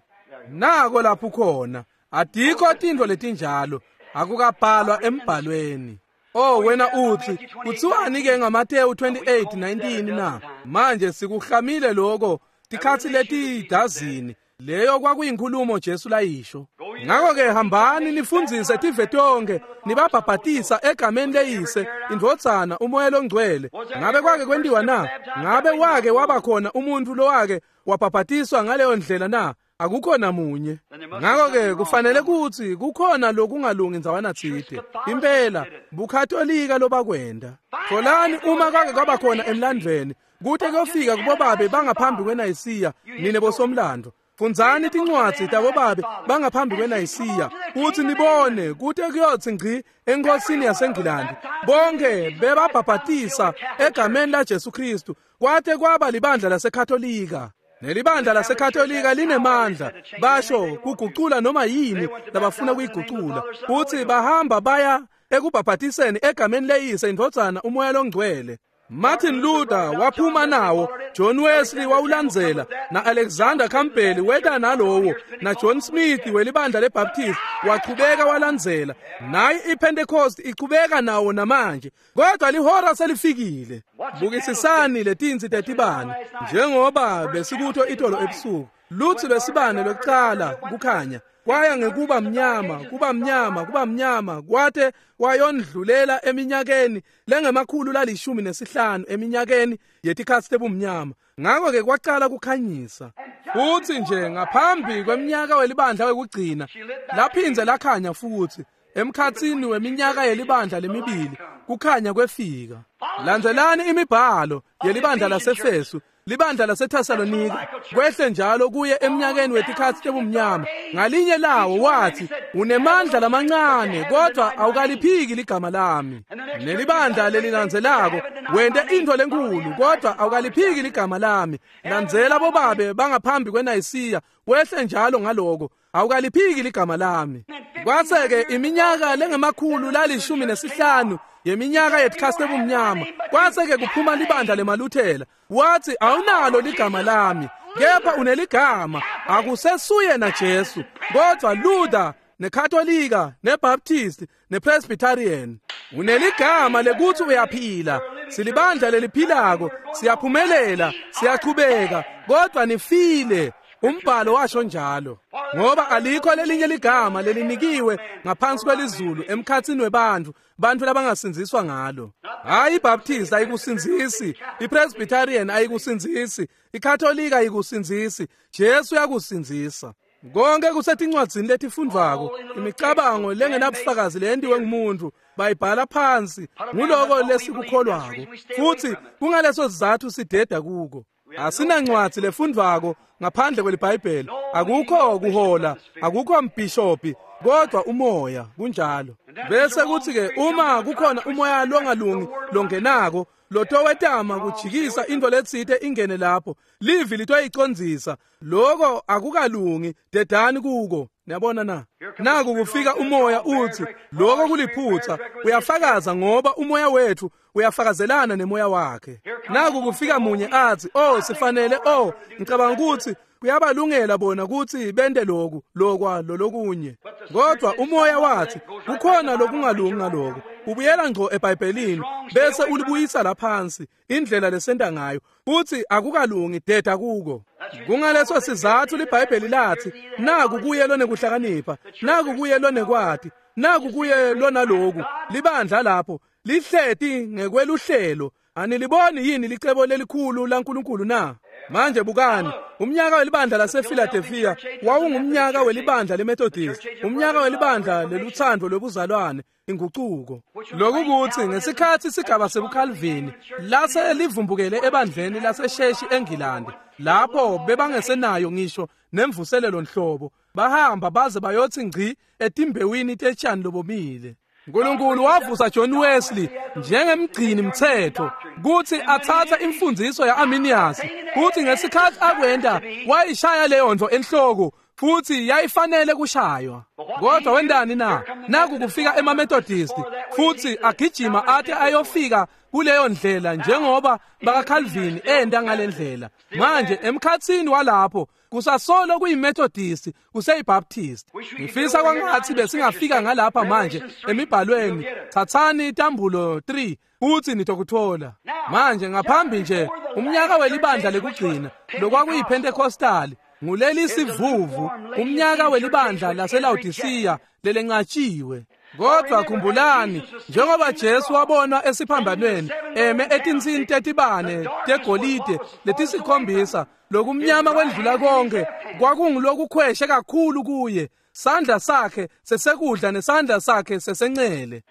A: Nako lapho khona adikho tintfo letinjalo, akukabhalwa embhalweni. Oh wena utsi kuthiwani ke ngaMateyu twenty-eight nineteen na? Manje sikuhlamile lokho tikhatsi letidazini. Leyo kwakuyinkulumo Jesu layisho. Ngakho-ke hambani nifundzise tive tonke, nibabhabhatisa egameni leyise indvodzana umoya longcwele. Ngabe kwake kwentiwa na? Ngabe wake waba khona umuntfu lowake wabhabhatiswa ngaleyo ndlela na? Akukho namunye. Ngakho-ke kufanele kutsi kukhona lokungalungi ndzawana tsite. Impela buKatolika lobakwenda. Tholani uma kwake kwaba khona emlandvweni kute kuyofika kubobabe bangaphambi kweNayisiya, nine bosomlando. Fundzani tincwadzi tabobabe bangaphambi kweNayisiya kutsi nibone kute kuyotsi ngci enkosini yaseNgilandi. Bonke bebabhabhatisa egameni laJesu Kristu kwate kwaba libandla laseKatolika. Nelibandla laseKatolika linemandla, basho kugucula noma yini labafuna kuyigucula. Kutsi bahamba baya ekubhabhatiseni egameni leyise indvodzana umoya longcwele. Martin Luther waphuma nawo, John Wesley wawulandzela, na Alexander Campbell weta nalowo, na John Smith welibandla leBaptist wachubeka walandzela. Nayi iPentecost ichubeka nawo namanje, kodwa lihora selifikile. Bukisisani letinsi tetibane njengoba besikutho itolo ebusuku. Lutsi lwesibane lwekucala kukhanya kwaya ngekuba mnyama, kuba mnyama, kuba mnyama, kwate kwayondlulela eminyakeni lengemakhulu lalishumi nesihlanu eminyakeni yetikhatsi tebumnyama. Ngakho-ke kwacala kukhanyisa. Futsi nje ngaphambi kweminyaka welibandla wekugcina laphindze lakhanya futsi emkhatsini weminyaka yelibandla lemibili kukhanya kwefika. Landzelani imibhalo yelibandla laseFesu, libandla laseThesalonika, kwehle njalo kuye eminyakeni wetikhatsi tebumnyama. Ngalinye lawo wathi unemandla lamancane kodwa awukaliphiki ligama lami. Nelibandla lelilandzelako wente intfo lenkulu kodwa awukaliphiki ligama lami. Landzela bobabe bangaphambi kweNayisiya, wehle njalo ngaloko awukaliphiki ligama lami. Kwase-ke iminyaka lengemakhulu lalishumi nesihlanu yeminyaka yetikhatsi tebumnyama, kwase-ke kuphuma libandla lemaLuthela. Wathi awunalo ligama lami, kepha uneligama, akusesuye na Jesu. Kodwa Luther neKatolika, neBaptist, nePresbyterian. Uneligama lekuthi uyaphila. Silibandla leliphilako, siyaphumelela, siyachubeka, kodwa nifile. Umbhalo washo njalo. Ngoba alikho lelinye ligama lelinikiwe ngaphansi kwelizulu emkhatsini webantfu, bantfu labangasindziswa ngalo. Hayi, iBaptist ayikusindzisi, iPresbyterian ayikusindzisi, iKatolika ayikusindzisi, Jesu uyakusindzisa. Konke kusetincwadzini letifundvwako, imicabango lengenabufakazi leyentiwe ngumuntu, bayibhala phansi, nguloko lesikukholwako. Futhi kungaleso sizathu sideda kuko. Asinancwadzi lefundvwako ngaphandle kweliBhayibheli. Akukho kuhola, akukho mbhishobhi, kodwa umoya kunjalo. Bese kuthi ke uma kukhona umoya longalungi longenako, lotowetama kujikisa into letsite ingene lapho, livi litoyicondzisa. Lokho akukalungi, dedani kuko. Niyabona na? Naku kufika umoya uthi lokho kuliphutha, uyafakaza ngoba umoya wethu uyafakazelana nemoya wakhe. Naku kufika munye athi, "Oh, sifanele, oh, ngicabanga ukuthi kuyabalungela bona ukuthi bende lokhu, lokwa lolokunye." Kodwa umoya wathi kukhona lokungalungi ngaloko. Ubuyela ngqo eBhayibhelini bese ulibuyisa laphansi indlela lesenta ngayo. Uthi akukalungi, deda kuko. Kungaleso sizathu liBhayibheli lathi naku kuye lonekuhlakanipha, naku kuye lonekwati, naku kuye lonaloku. Libandla lapho lihleti ngekweluhlelo. Aniliboni yini licebo lelikhulu laNkulunkulu na? Manje bukani, umnyaka welibandla lasePhiladelphia wawungumnyaka welibandla leMethodist, umnyaka welibandla leluthando lwebuzalwane, inguquko. Lokhu kuthi ngesikhathi isigaba sebuCalvin lase livumbukele ebandleni laseSheshi eNgilandi, lapho bebangesenayo ngisho nemvuselelo nhlobo, bahamba baze bayothi ngci etimbewini tetshani lobomile. uNkulunkulu wavusa John Wesley njengemgcini mthetho kuthi athatha imfundiso yaArminius, kuthi ngesikhathi akwenda wayishaya leyo nto enhloko futhi yayifanele kushaywa. Kodwa wendani na? Naku kufika emaMethodist futhi agijima athi ayofika kuleyo ndlela njengoba bakaCalvin enda ngalendlela. Manje emkhatsini walapho kusasolo kuyiMethodist, kuseyiBaptist. Ngifisa kwangathi besingafika ngalapha manje emibhalweni. Thathani itambulo three uthi nitokuthola. Manje ngaphambi nje umnyaka welibandla lekugcina lokwakuyiPentecostal, nguleli sivuvu umnyaka welibandla laseLaodicea lelenqatshiwe. Kodwa khumbulani, njengoba Jesu wabonwa esiphambanweni eme etinsini tetibane tegolide letisikhombisa, lokumnyama kwendlula konke kwakungulokukhweshe kakhulu kuye, sandla sakhe sesekudla nesandla sakhe sesencele.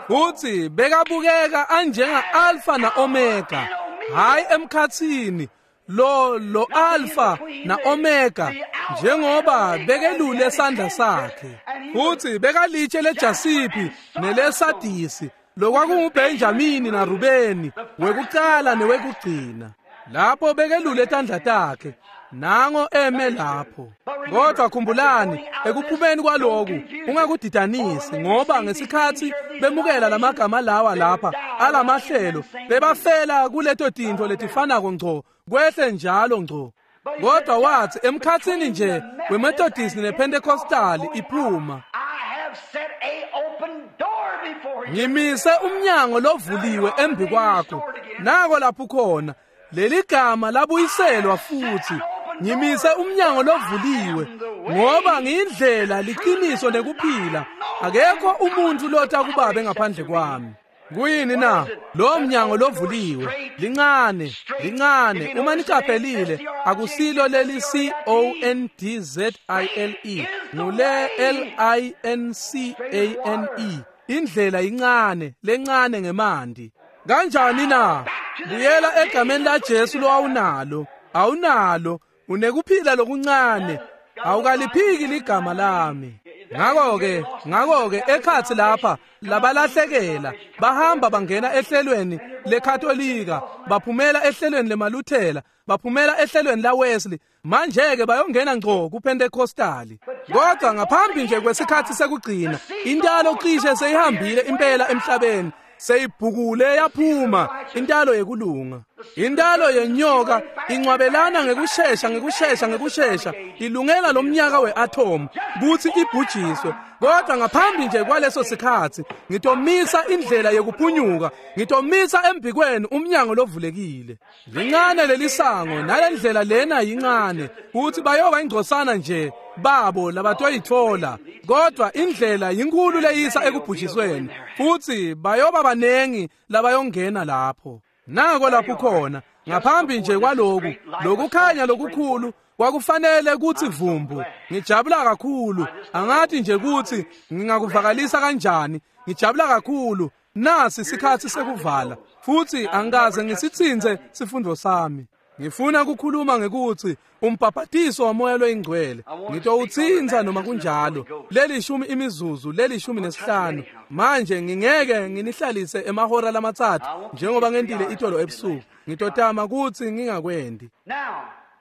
A: Futhi bekabukeka anjenga Alpha na Omega, hayi emkhathini lo lo Alpha na Omega, njengoba bekelule sandla sakhe. Futhi bekalitshe leJasipi neleSadisi, lokwakunguBenjamini na Rubeni, wekucala newekugcina. Lapho bekelule tandla takhe, nango eme lapho. Kodwa khumbulani, ekuphumeni kwaloku ungakudidanisi, ngoba ngesikhathi bemukela lamagama lawa lapha alamahlelo, bebafela kuleto tintfo letifanako ngco, kwehle njalo ngco. Kodwa wathi emkhatsini nje weMethodist nePentecostal iphuma, ngimise umnyango lovuliwe embi kwakho. Nako lapho khona leli gama labuyiselwa futhi, ngimise umnyango lovuliwe, ngoba ngiyindlela, liqiniso nekuphila. Akekho umuntu lotha kubabe ngaphandle kwami. Kuyini na? Lo mnyango lovuliwe, lincane, lincane. Uma niqaphelile, akusilo leli C O N D Z I L E, ngule L I N C A N E. Indlela incane, lencane ngemandi. Kanjani na? Buyela egameni la Jesu lo awunalo, awunalo, unekuphila lokuncane, awukaliphiki ligama lami. Ngakho-ke, ngakho-ke ekhathi lapha labalahlekela bahamba bangena ehlelweni leKatolika, baphumela ehlelweni lemaLuthela, baphumela ehlelweni la Wesley, manje-ke bayongena ngco kuPentecostali. Kodwa ngaphambi nje kwesikhathi sekugcina, intalo cishe seyihambile impela emhlabeni. Seyibhukule yaphuma intalo yekulunga. Intalo yenyoka incwabelana ngekushesha ngekushesha ngekushesha ilungela lomnyaka weatom kutsi ibhujiswe. Kodwa ngaphambi nje kwaleso sikhatsi ngitomisa indlela yekuphunyuka, ngitomisa embikweni umnyango lovulekile. Lincane lelisango nalendlela lena yincane kutsi bayoba ingcosana nje babo labatoyitfola, kodwa indlela yinkulu leyisa ekubhujisweni futsi bayoba banengi labayongena lapho. Nako lapho khona ngaphambi nje kwaloku lokukhanya lokukhulu kwakufanele kutsi vumbu. Ngijabula kakhulu, angathi nje kutsi ngingakuvakalisa kanjani. Ngijabula kakhulu. Nasi sikhatsi sekuvala futsi angikaze ngisitsintse sifundo sami. Ngifuna ukukhuluma ngekuthi umbhaphatiso wamoya loyingcwele ngitowutsintsa noma kunjalo lelishumi imizuzu lelishumi nesihlanu. Manje ngingeke nginihlalise emahora lamatsatfu njengoba ngentile itolo ebusuku. Ngitotama kutsi ngingakwendi.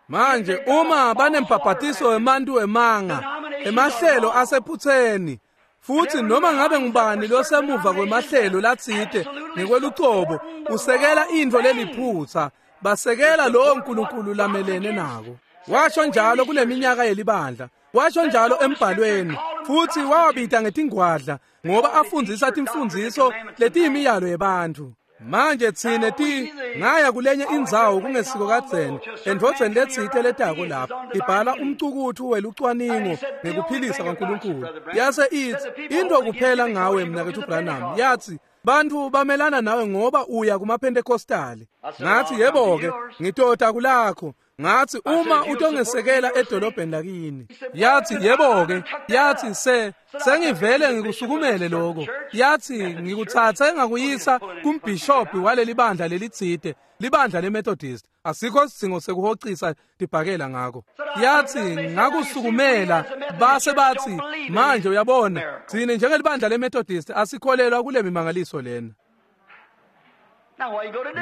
A: Manje uma banembhaphatiso wemantu wemanga emahlelo asephutseni futhi noma ngabe ngubani losemuva kwemahlelo latsite ngekwelucobo usekela intfo leliphutsa, basekela lowo nkulunkulu lamelene nako. Washo njalo kuleminyaka yelibandla, washo njalo embhalweni, futhi wawabita ngetingwadla ngoba afundzisa timfundziso letiyimiyalo yebantfu. Manje tsine ti ngaya kulenye indzawo kungesiko kadzeni endvodzeni letsite letako lapho ibhala umcukutfu welucwaningo ngekuphilisa kwaNkulunkulu. Yase itsi into kuphela ngawe mnaketfu Branham, yathi bantfu bamelana nawe ngoba uya kumaPentecostali. Ngathi yebo-ke ngitota kulakho. Ngathi uma utongesekela edolobheni lakini. Yathi yebo-ke, yathi se sengivele ngikusukumele lokho. Yathi ngikutsatse ngakuyisa kumbhishobhi waleli bandla lelitsite, libandla leMethodist. Asikho sidzingo sekuhocisa tibhakela ngako. Yathi ngakusukumela base bathi manje uyabona tsine njengelibandla leMethodist asikholelwa kule mimangaliso lena.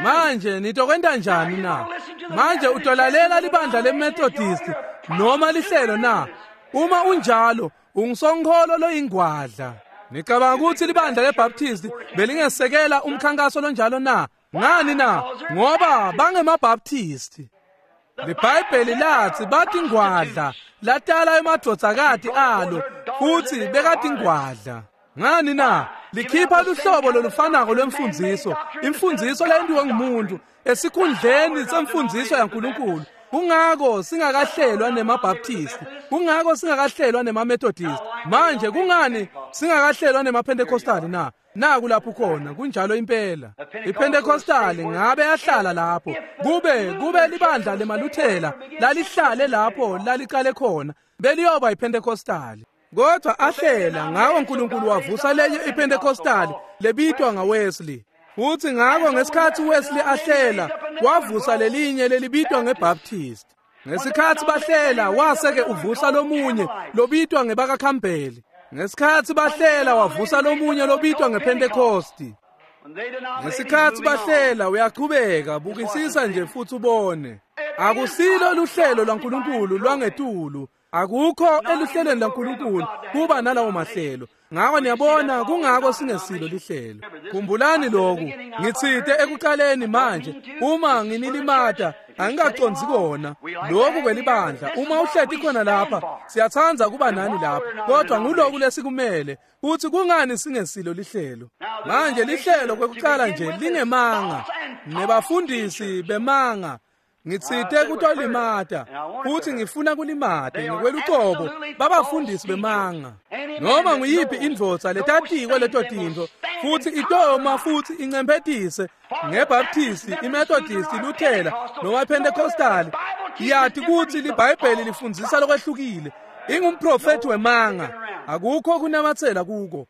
A: Manje nitokwenta njani na? Manje utolalela libandla leMethodist noma lihlelo na? Uma unjalo ungisonkholo loyingwadla. Nicabanga ukuthi libandla leBaptist belingesekela umkhankaso lonjalo na? Ngani na? Ngoba bangemaBaptist. LiBhayibheli lathi batingwadla latala emadvodzakati alo futhi bekatingwadla. Ngani na? Likhipha luhlobo lolufanako lwemfundziso, imfundziso leyentiwe ngumuntu esikhundleni semfundziso yaNkulunkulu. Kungako singakahlelwa nemaBaptist, kungako singakahlelwa nemaMethodist. Manje kungani singakahlelwa nemaPentecostal na? Naku lapho khona kunjalo impela. IPentecostal ngabe yahlala lapho kube kube libandla lemaluthela lalihlale lapho laliqale khona beliyoba iPentecostal. Kodwa ahlela ngawo uNkulunkulu wavusa lenye iPentecostal lebitwa ngaWesley. Futhi ngako ngesikhathi Wesley ahlela wavusa lelinye lelibitwa ngeBaptist. Ngesikhathi bahlela waseke uvusa lomunye lobitwa ngebakaCampbell. Ngesikhathi bahlela wavusa lomunye lobitwa ngePentecost. Ngesikhathi bahlela uyaqhubeka bukisisa nje futhi ubone. Akusilo luhlelo lwaNkulunkulu lwangetulu. Akukho eluhlelweni laNkulunkulu kuba nalawo mahlelo. Ngako niyabona kungako singesilo lihlelo. Khumbulani lokhu, ngitsite ekuqaleni manje uma nginilimata angikacondzi kona lokhu kwelibandla. Uma uhleti khona lapha siyatsandza kuba nani lapha, kodwa nguloku lesikumele kuthi kungani singesilo lihlelo. Manje lihlelo kwekuqala nje lingemanga nebafundisi bemanga. Ngitsite kutolimata futhi ngifuna kulimata ngokwelucobo babafundisi bemanga. Noma nguyiphi indvodza letatiko leto tintfo futhi itoma futhi incemphetise ngeBaptist, iMethodist, iLuthela noma iPentecostal, iyati kutsi liBhayibheli lifundzisa lokwehlukile. Ingumprofethi wemanga, akukho kunamatsela kuko.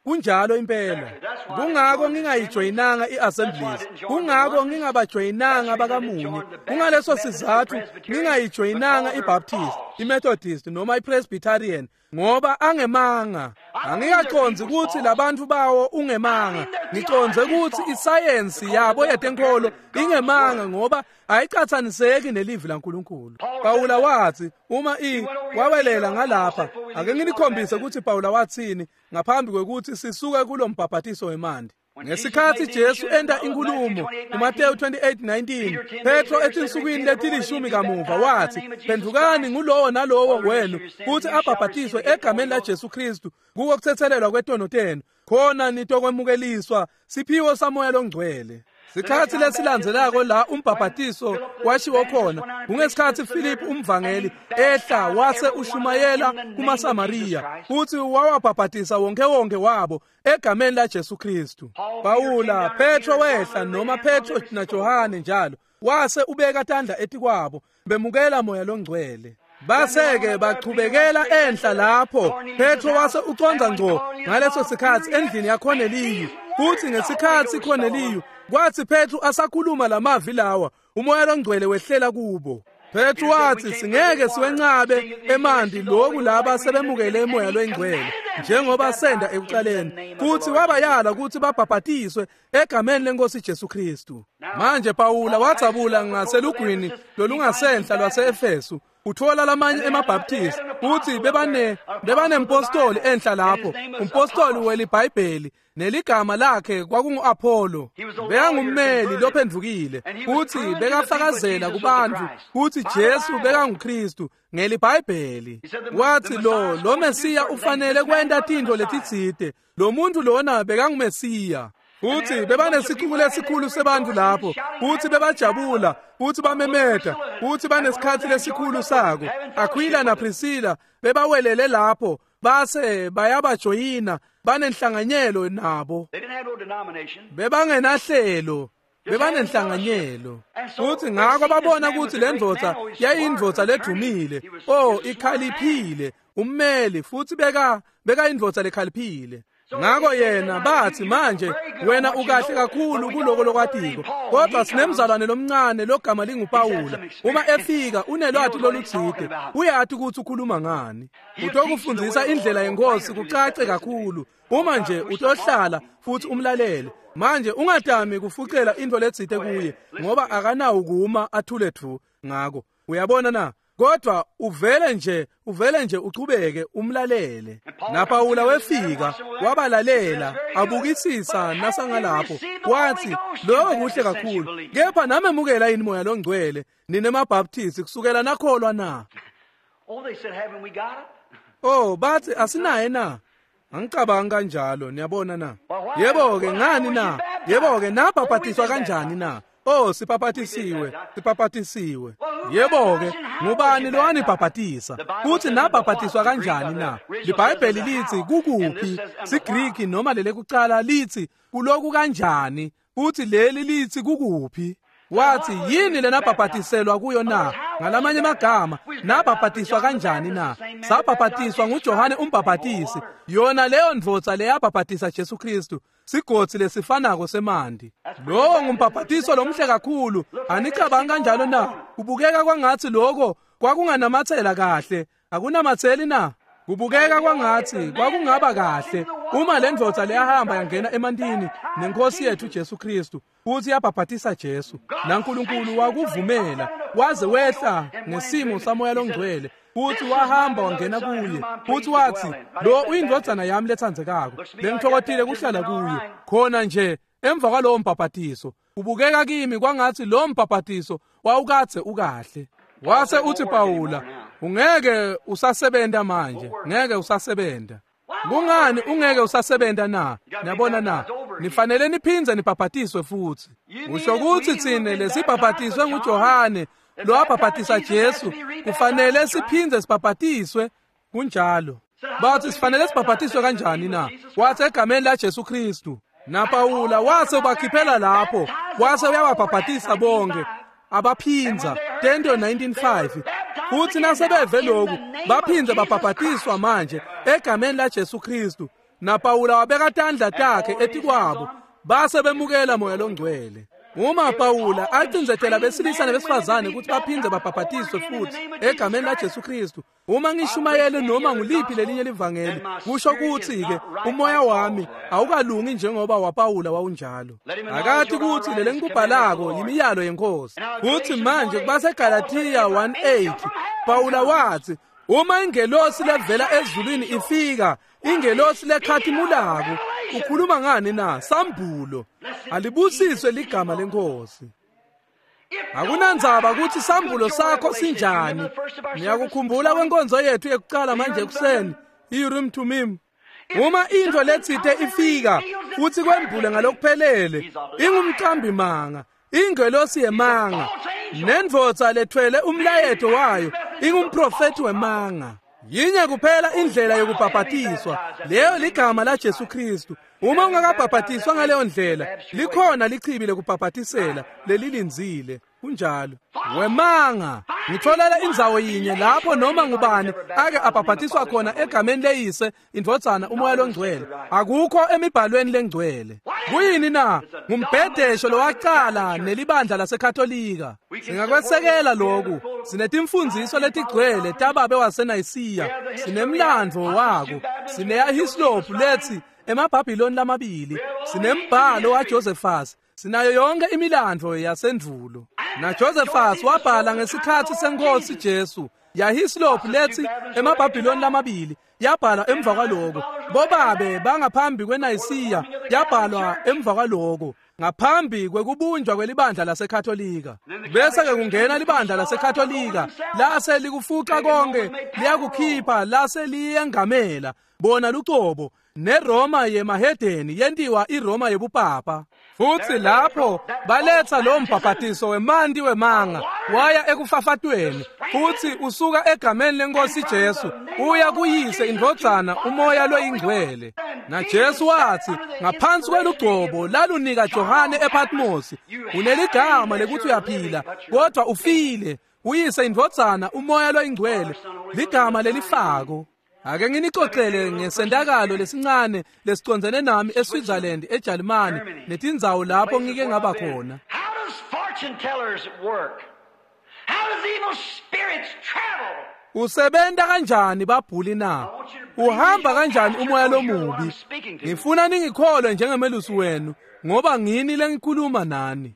A: Kunjalo impela. Kungako ngingayijoyinanga iAssemblies, kungako ngingabajoyinanga bakamunye. Kungaleso sizathu ngingayijoyinanga iBaptist, iMethodist noma iPresbyterian, ngoba angemanga. Angikacondzi kutsi labantu bawo ungemanga. Ngicondze kutsi isayensi yabo yetenkholo ingemanga ngoba ayicatsaniseki nelivi laNkulunkulu. Pawula wathi uma i wawelela ngalapha, ake nginikhombise kutsi Pawula wathini ngaphambi kwekuthi sisuke kulombhaphatiso wemanti. Ngesikhatsi Jesu enta inkulumo kuMateyu twenty-eight nineteen, Petro etinsukwini letilishumi kamuva watsi, "Phendvukani ngulowo nalowo wenu kutsi abhabhatiswe egameni laJesu Kristu kuko kutsetselelwa kwetono tenu, khona nitokwemukeliswa siphiwo saMoya loNgcwele." Sikhatsi lesilandzelako la umbhabhatiso washiwo khona kungesikhatsi Philip umvangeli ehla wase ushumayela kumaSamariya futhi wawabhabhatisa wonke wonke wabo egameni laJesu Kristu. Pawula, Petro wehla noma Petro naJohane njalo wase ubeka tandla etikwabo bemukela Moya loNgcwele. Base-ke bachubekela enhla lapho Petro wase ucondza ngco ngaleso sikhatsi endlini yaKorneliyu, futhi ngesikhatsi Korneliyu kwathi Petro asakhuluma lamavi lawa uMoya loNgcwele wehlela kubo. Petro wathi, "Singeke siwencabe emanti loku laba sebemukele uMoya loNgcwele njengoba senda ekuqaleni." Futhi wabayala ukuthi babhabhatiswe egameni lenkosi Jesu Kristu. Manje Pawula wadzabula ngaselugwini lolungasenhla lwase-Efesu uthola lamanye emaBaptist futhi bebane bebanempostoli enhla lapho, umpostoli weliBhayibheli neligama lakhe kwakungu-Apollo. Bekangummeli lophendvukile futhi bekafakazela kubantu kutsi Jesu bekanguKristu ngeliBhayibheli. Wathi lo lo Mesiya ufanele kwenta tintfo letitsite, lo muntu lona bekanguMesiya. Futhi bebanesicuku lesikhulu sebantu lapho, futhi bebajabula, futhi bamemeta, futhi banesikhatsi lesikhulu sako. Aquila na Priscilla bebawelele lapho, base bayabajoyina, banenhlanganyelo nabo. Bebangenahlelo, bebanenhlanganyelo. Futhi ngako babona ukuthi le ndvodza yayindvodza ledumile, oh ikhaliphile, ummeli, futhi beka beka indvodza lekhaliphile. Ngako yena bathi, "Manje wena ukahle kakhulu kuloko lokwatiko, kodwa sinemzalwane lomncane logama linguPawula. Uma efika unelwati lolutsite, uyati ukuthi ukhuluma ngani. Utokufundisa indlela yenkosi kucace kakhulu uma nje utohlala futhi umlalele. Manje ungadami kufucela into letsite kuye ngoba akanawo kuma athule thu ngako. Uyabona na? Kodwa uvele nje uvele nje uchubeke umlalele." NaPawula wefika wabalalela abukisisa nasangalapho wathi, "Lokho kuhle kakhulu, kepha namemukela yini Moya loNgcwele nine maBaptist kusukela nakholwa na?" Oh, bathi, "Asinaye na?" Angicabangi kanjalo, niyabona na? Yebo-ke ngani na? Yebo-ke nabhabhatiswa kanjani na? Oh, sibhabhatisiwe, sibhabhatisiwe. Yebo-ke, ngubani lowanibhabhatisa? Futhi nabhabhatiswa kanjani na? LiBhayibheli lithi kukuphi? SiGriki noma lelekucala lithi kuloku kanjani? Futhi leli lithi kukuphi? Wathi, "Yini lenabhabhatiselwa kuyo na?" Ngalamanye amagama, nabhabhatiswa kanjani na? Sabhabhatiswa nguJohane umbhabhatisi, yona leyo ndvodza leyabhabhatisa Jesu Kristu, sigodzi lesifanako semanti. Lowo ngumbhabhatiso lomhle kakhulu, anicabangi kanjalo na? Kubukeka kwangathi lokho kwakunganamathela kahle, akunamatheli na? Kubukeka kwangathi kwakungaba kahle uma le ndvodza leyahamba yangena emantini nenkosi yethu Jesu Kristu futhi yabhabhatisa Jesu, naNkulunkulu wakuvumela waze wehla ngesimo saMoya loNgcwele futhi wahamba wangena kuye futhi wathi, "Lo uyindvodzana yami letsandzekako, lengitfokotile kuhlala kuyo." Khona nje emva kwalowo mbhabhatiso kubukeka kimi kwangathi lo mbhabhatiso wawukadze ukahle. Wase uthi Pawula, "Ungeke usasebenta manje, ngeke usasebenta." Kungani ungeke usasebenta na? Niyabona na? Nifanele niphindze nibhabhatiswe futhi. Usho ukuthi thine lesibhabhatiswe nguJohane lo wabhabhatisa Jesu kufanele siphindze sibhabhatiswe? Kunjalo. Bathi, "Sifanele sibhabhatiswe kanjani na?" Wathi, "Egameni laJesu Kristu." NaPawula wase ubakhiphela lapho, wase uyababhabhatisa bonke abaphindza tento nineteen five. Futhi nasebeve lokhu baphindze babhabhatiswa manje egameni laJesu Kristu. NaPawula wabeka tandla takhe etikwabo base bemukela Moya loNgcwele. Uma Pawula acindzetela besilisa nabesifazane ukuthi baphindze babhabhatiswe futhi egameni laJesu Kristu, uma ngishumayele noma nguliphi lelinye livangeli, kusho ukuthi-ke umoya wami awukalungi njengoba waPawula wawunjalo. Akathi ukuthi lele ngikubhalako yimiyalo yenkosi. Futhi manje kubaseGalathiya one eight Pawula wathi, "Uma ingelosi levela ezulwini ifika, ingelosi lekhathimulako Ukhuluma ngani na? Sambulo. Alibusiswe ligama leNkhosi. Akunandzaba ukuthi sambulo sakho sinjani. Niyakukhumbula kwenkonzo yethu yekucala manje ekuseni, i-Urim Thummim. Uma into letsite ifika futhi kwembule ngalokuphelele, ingumqambi manga, ingelosi yemanga, nendvodza lethwele umlayeto wayo ingumprofeti wemanga. Yinye kuphela indlela yokubhabhatiswa, leyo ligama la Jesu Kristu. Uma ungakabhabhatiswa ngaleyo ndlela, likhona lichibi lekubhabhatisela lelilindzile. Kunjalo. Wemanga, ngitholela indzawo yinye lapho noma ngubani ake abhabhatiswa khona egameni leyise, indvodzana, umoya longcwele. Akukho emibhalweni lengcwele. Kuyini na? Ngumbhedesho lowacala nelibandla laseKatolika. Singakwesekela lokhu. Sinetimfundiso letigcwele tababe waseNayisiya. Sinemlandvo wako. Sineyahislop lethi emaBhabhiloni lamabili. Sinembhalo waJosephus. Sinayo yonke imilandvo yasendvulo. Na Josephus wabhala ngesikhatsi senkosi Jesu. Yahislop lethi emaBhabhiloni lamabili yabhala emva kwaloko. Bobabe bangaphambi kweNayisiya yabhalwa emva kwaloko, ngaphambi kwekubunjwa kwelibandla laseKatolika. Bese ke kungena libandla laseKatolika, lase likufuqa konke, liyakukhipha, lase liyengamela bona lucobo. NeRoma yemahedeni yentiwa iRoma yebupapa. Futhi lapho baletha lo mbhabhatiso wemanti wemanga waya ekufafatweni, futhi usuka egameni lenkosi Jesu uya kuyise, indvodzana, umoya loyingcwele. Na Jesu wathi ngaphansi kwelugcobo lalunika Johane ePatmos, uneligama lekuthi uyaphila kodwa ufile. Uyise, indvodzana, umoya loyingcwele, ligama lelifako. Ake nginicocele ngesentakalo lesincane lesicondzene nami eSwitzerland, eJalimane, netindzawo lapho ngike ngaba khona.
B: How does fortune tellers work? How does evil spirits travel?
A: Usebenta kanjani babhuli na? Uhamba kanjani umoya lomubi? Ngifuna ningikholwe njengemelusi wenu, ngoba ngini lengikhuluma nani.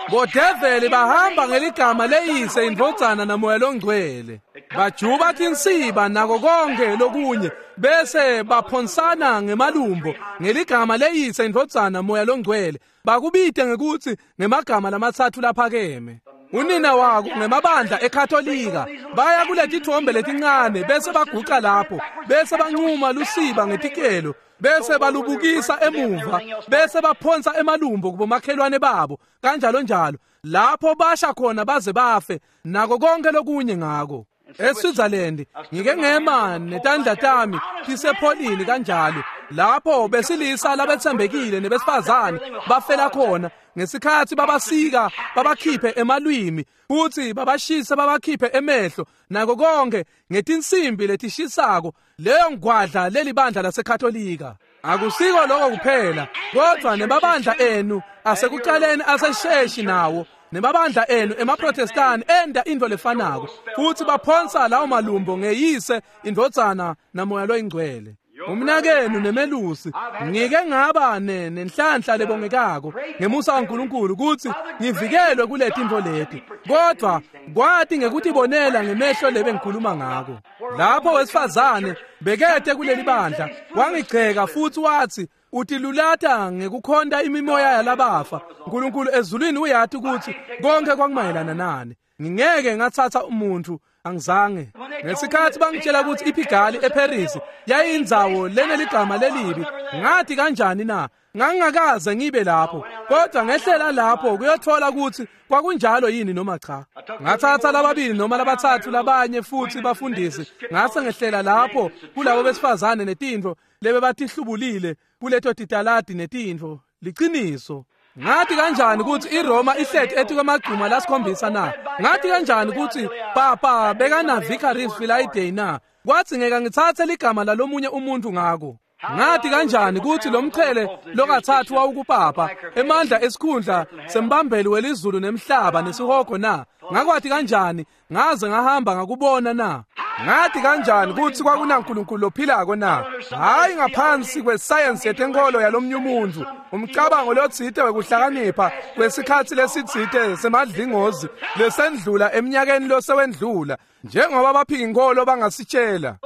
A: Bodeveli bahamba ngeligama leyise, indvodzana, namoya longcwele. Bajuba tinsiba nako konke lokunye, bese baphonsana ngemalumbo ngeligama leyise, indvodzana, moya longcwele. Bakubite ngekuthi ngemagama lamatsatfu laphakeme. Unina wako ngemabandla eKatolika baya kuletithombe letincane, bese baguca lapho, bese bancuma lusiba ngetikelo, bese balubukisa emuva, bese baphonsa emalumbo kubomakhelwane babo, kanjalo njalo. Lapho basha khona baze bafe, nako konke lokunye ngako. eSwitzerland ngike ngema netandla tami tisepholini kanjalo, lapho besilisa labetsembekile nebesifazane bafela khona ngesikhatsi babasika babakhiphe emalwimi, futhi babashise babakhiphe emehlo, nako konke ngetinsimbi letishisako. Leyo ngwadla lelibandla laseKatolika. Akusiko lokho kuphela, kodwa nemabandla enu asekucaleni asesheshi nawo, nemabandla enu emaProtestani enda into lefanako, futhi baphonsa lawo malumbo ngeyise, indvodzana, namoya loyingcwele. Umnakenu nemelusi, ngike ngaba nenhlanhla lebongekako ngemusa kaNkulunkulu ukuthi ngivikelwe kule tintfo leti, kodwa kwati ngekutibonela ngemehlo lebe ngikhuluma ngako. Lapho wesifazane bekete kuleli bandla wangigceka futhi wathi utilulata ngekukhonta imimoya yalabafa. uNkulunkulu ezulwini uyati ukuthi konke kwakumayelana nani. Ngingeke ngathatha umuntu, angizange. Ngesikhathi bangitshela ukuthi iPigali eParis yayindzawo leneligama lelibi, ngathi kanjani na? Ngangingakaze ngibe lapho, kodwa ngehlela lapho kuyothola ukuthi kwakunjalo yini noma cha. Ngathatha lababili noma labathathu labanye futhi bafundisi, ngase ngehlela lapho kulabo besifazane netintfo lebe batihlubulile kuleto titaladi netintfo. Liciniso. Ngathi kanjani ukuthi iRoma ihleti etikwemagcuma lasikhombisa na? Ngathi kanjani ukuthi papa bekana Vicarius Filii na? Kwathi ngeke ngitsatse ligama lalomunye umuntu ngako. Ngathi kanjani ukuthi lo mchele lokathathu wawukupapa emandla esikhundla sembambeli welizulu nemhlaba nesihogo na? Ngakwathi kanjani ngaze ngahamba ngakubona na? Ngathi kanjani ukuthi kwakunaNkulunkulu lophilako na? Hayi ngaphansi kwesayensi yetenkolo yalomnye umuntu, umcabango lotsite wekuhlakanipha kwesikhatsi lesitsite semadlingozi lesendlula eminyakeni losewendlula, njengoba baphika inkolo bangasitshela.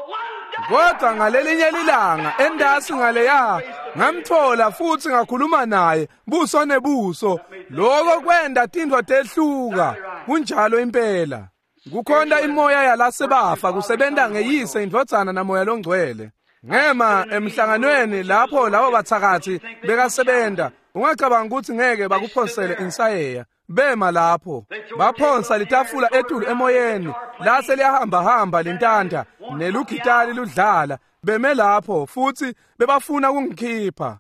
A: Kodwa ngalelinye lilanga endasi ngaleya Ngamthola futhi ngakhuluma naye buso nebuso. Lokho kwenda tintfo tehluka. Kunjalo impela. Kukhonta imoya yalasebafa kusebenta ngeyise indvodzana namoya longcwele. Ngema emhlanganweni lapho labo bathakathi bekasebenta. Ungacabanga ukuthi ngeke bakuphonsele insayeya. Bema lapho baphonsa litafula etulu emoyeni lase liyahamba hamba lentanta nelugitali ludlala. Beme lapho futhi bebafuna kungikhipha.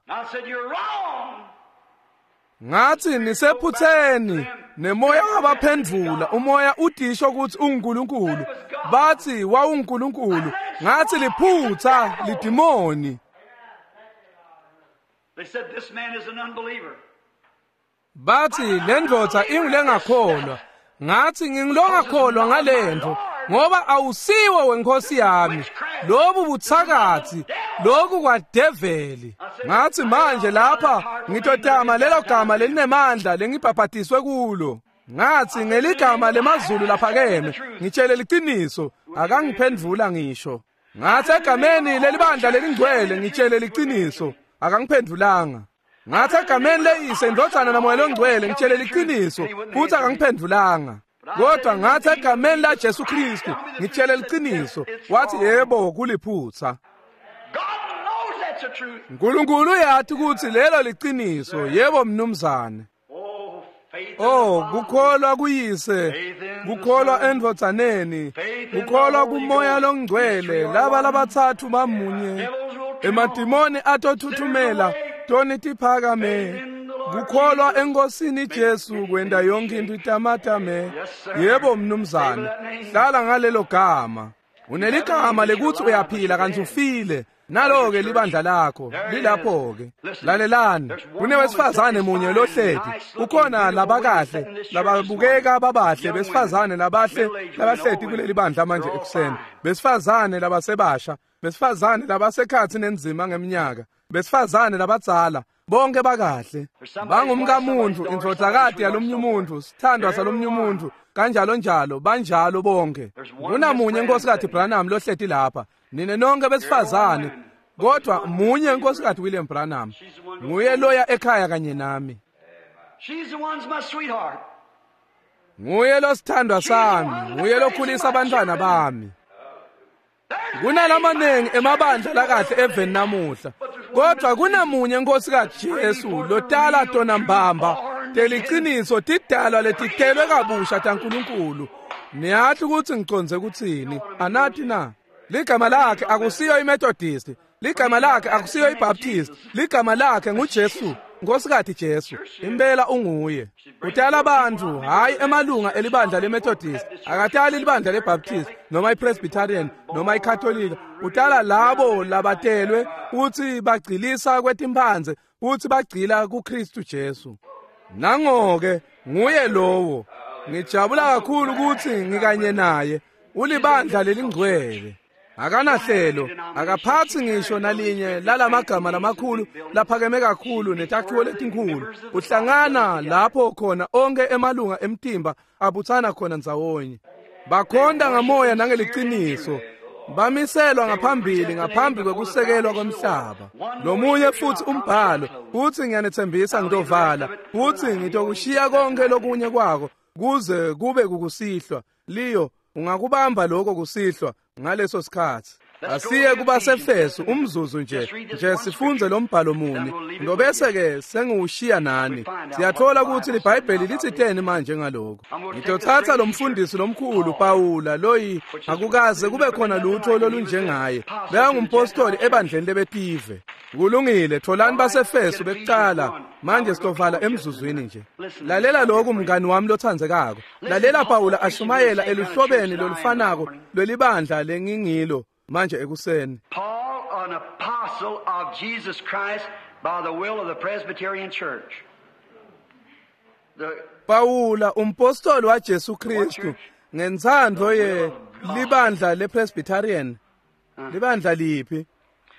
A: Ngathi nisephutheni. Nemoya wabaphendvula. Umoya udisho ukuthi unguNkulunkulu. Bathi wawunguNkulunkulu. Ngathi liphutha lidimoni.
B: They said this man is an unbeliever.
A: Bathi lendvodza ingulengakholwa. Ngathi ngingilongakholwa ngalento ngoba awusiwo wenkosi yami. Lobu buthakathi, lokhu kwadeveli. Ngathi manje lapha ngitotama lelo gama lelinemandla lengibhabhatiswe kulo. Ngathi ngeligama lemazulu laphakeme ngitshele liqiniso. Akangiphendvula ngisho. Ngathi egameni lelibandla lelingcwele ngitshele liqiniso. Akangiphendvulanga. Ngathi egameni leyise indvodzana namoya longcwele ngitshele liqiniso futhi akangiphendvulanga. Kodwa ngathi egameni la Jesu Kristu ngitshele liqiniso. Wathi yebo kuliphutha. uNkulunkulu uyathi ukuthi lelo liqiniso. Yebo mnumzane. Oh, kukholwa kuyise, kukholwa endvodzaneni, kukholwa kumoya longcwele. Laba labathathu bamunye. Emadimoni atothuthumela toni tiphakame. Kukholwa enkosini Jesu kwenda yonke into itamatame. Yebo mnumzane, hlala ngalelo gama. Uneligama lekuthi uyaphila kanti ufile. Nalo ke libandla lakho lilapho ke. Lalelani, kunewesifazane munye lohleti. Ukhona labakahle lababukeka babahle, besifazane labahle labahleti kuleli bandla manje ekuseni. Besifazane labasebasha, besifazane labasekhathi nenzima ngeminyaka, besifazane labadzala, bonke bakahle. Bangumkamuntu, indvodzakati yalomnye umuntu, sithandwa salomnye umuntu, kanjalo njalo, banjalo bonke. Kunamunye inkosikazi Branham lohleti lapha. Nine nonke besifazane, kodwa munye inkosikazi William Branham. Nguye loya ekhaya kanye nami.
B: She's the one's my sweetheart.
A: Nguye lo sithandwa sami, nguye lokhulisa abantwana bami. Kunalamanengi emabandla lakahle eveni namuhla, kodwa kunamunye inkosikazi Jesu lotala tona mbamba teliqiniso tidalwa letitelwe kabusha taNkulunkulu. Niyathi ukuthi ngiconze ukuthini? Anathi na? Ligama lakhe akusiyo iMethodist, ligama lakhe akusiyo iBaptist, ligama lakhe nguJesu, Nkosikazi Jesu. Impela unguye. Utala abantu, hayi emalunga elibandla leMethodist, akatali libandla leBaptist noma iPresbyterian noma iCatholic. Utala labo labatelwe uthi bagcilisa kwetimphandze, uthi bagcila kuKristu Jesu. Nangoke nguye lowo. Ngijabula kakhulu ukuthi ngikanye naye. Ulibandla lelingcwele. Akanahlelo, akaphathi ngisho nalinye lalamagama lamakhulu laphakeme kakhulu netakhiwo letinkulu. Uhlangana lapho khona onke emalunga emtimba abuthana khona ndzawonye. Bakhonda ngamoya nangeliciniso. Bamiselwa ngaphambili ngaphambi kwekusekelwa komhlaba. Lomunye futhi umbhalo uthi ngiyanethembisa ngitovala, uthi ngitokushiya konke lokunye kwako kuze kube kukusihlwa. Liyo ungakubamba lokho kusihlwa ngaleso sikhathi. Asiye kubaseFesu umzuzu nje nje sifunze lo mbhalo muni, ngobese ke sengiwushiya nani. Siyathola ukuthi liBhayibheli lithi teni manje ngaloko. Ngitothatha lo mfundisi lomkhulu Pawula loyi akukaze kube khona lutho lolunjengaye. Bekangumpostoli ebandleni lebetive. Kulungile, tholani baseFesu bekuqala. Manje sitovala emzuzwini nje. Lalela lokhu mngani wami lothandzekako. Lalela Pawula ashumayela eluhlobeni lolufanako lwelibandla lengingilo manje ekuseni.
B: Paul, an apostle of Jesus Christ by the will of the Presbyterian Church. The
A: Pawula umpostoli wa Jesu Kristu ngentsandvo ye libandla lePresbyterian. Libandla liphi?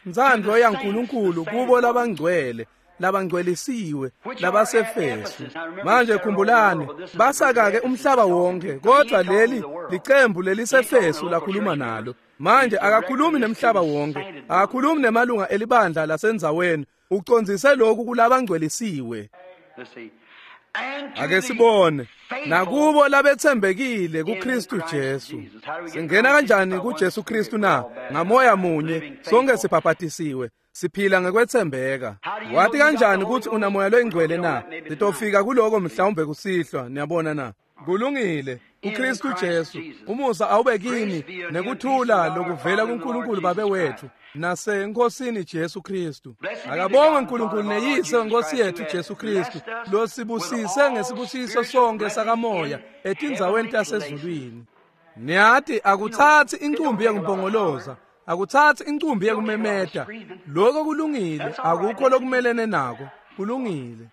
A: Ntsandvo yaNkulunkulu kubo labangcwele labangcwelisiwe labaseFesu. Manje khumbulani, basakake umhlaba wonke, kodwa leli licembu leliseFesu lakhuluma nalo. Manje akakhulumi nemhlaba wonke, akakhulumi nemalunga elibandla lasendzaweni, ucondzise lokhu kulabangcwelisiwe. Ake sibone nakubo labetsembekile kuKristu Jesu. Singena kanjani kuJesu Kristu na? Ngamoya munye sonke sibhabhatisiwe, siphila ngekwetsembeka. Wathi kanjani ukuthi unamoya loyingcwele na? Sitofika kuloko mhlawumbe kusihlwa, niyabona na? Kulungile. uKristu Jesu, umusa awube kini nekuthula lokuvela kuNkulunkulu Babe wethu naseNkosini Jesu Kristu. Akabongwe uNkulunkulu neyise wenkosi yethu Jesu Kristu, losibusise ngesibusiso sonke sakamoya etindzaweni tasezulwini. Niyathi akuthathi incumbi yekumpongoloza, akuthathi incumbi yekumemeta. Lokho kulungile, akukho lokumelene nako. Kulungile.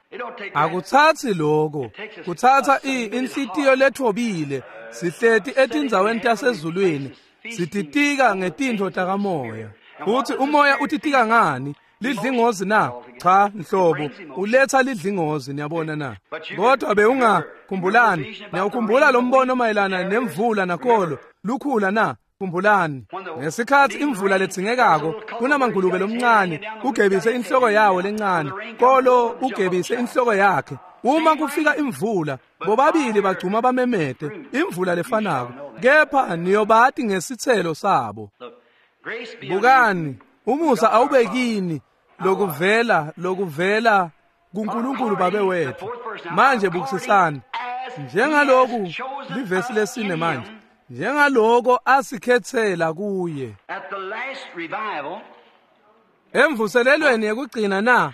A: Akuthathi lokho, kuthatha inhlitiyo lethobile, sihleti etindzaweni tasezulwini, sititika ngetintfo takamoya. Uthi umoya utitika ngani? Lidlingozi na? Cha, nhlobo, uletha lidlingozi, niyabona na? Kodwa bewungakhumbulani, niyawukhumbula lo mbono mayelana nemvula nakolo lukhula na? Khumbulani, ngesikhathi imvula ledzingekako kunamangulube lomncane ugebise inhloko yawo lencane, kolo ugebise inhloko yakhe. Uma kufika imvula, bobabili bagcuma bamemete imvula lefanako, kepha niyobati ngesithelo sabo. Bukani, umusa awube kini lokuvela lokuvela kuNkulunkulu Babe wethu. Manje bukisisani, njengaloku livesi lesine manje, njengaloko asikhethela kuye emvuselelweni yekugcina na?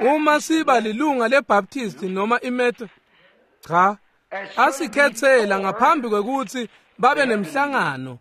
A: Uma siba lilunga leBaptist noma iMethodist, cha, asikhethela ngaphambi kwekuthi babe nemhlangano.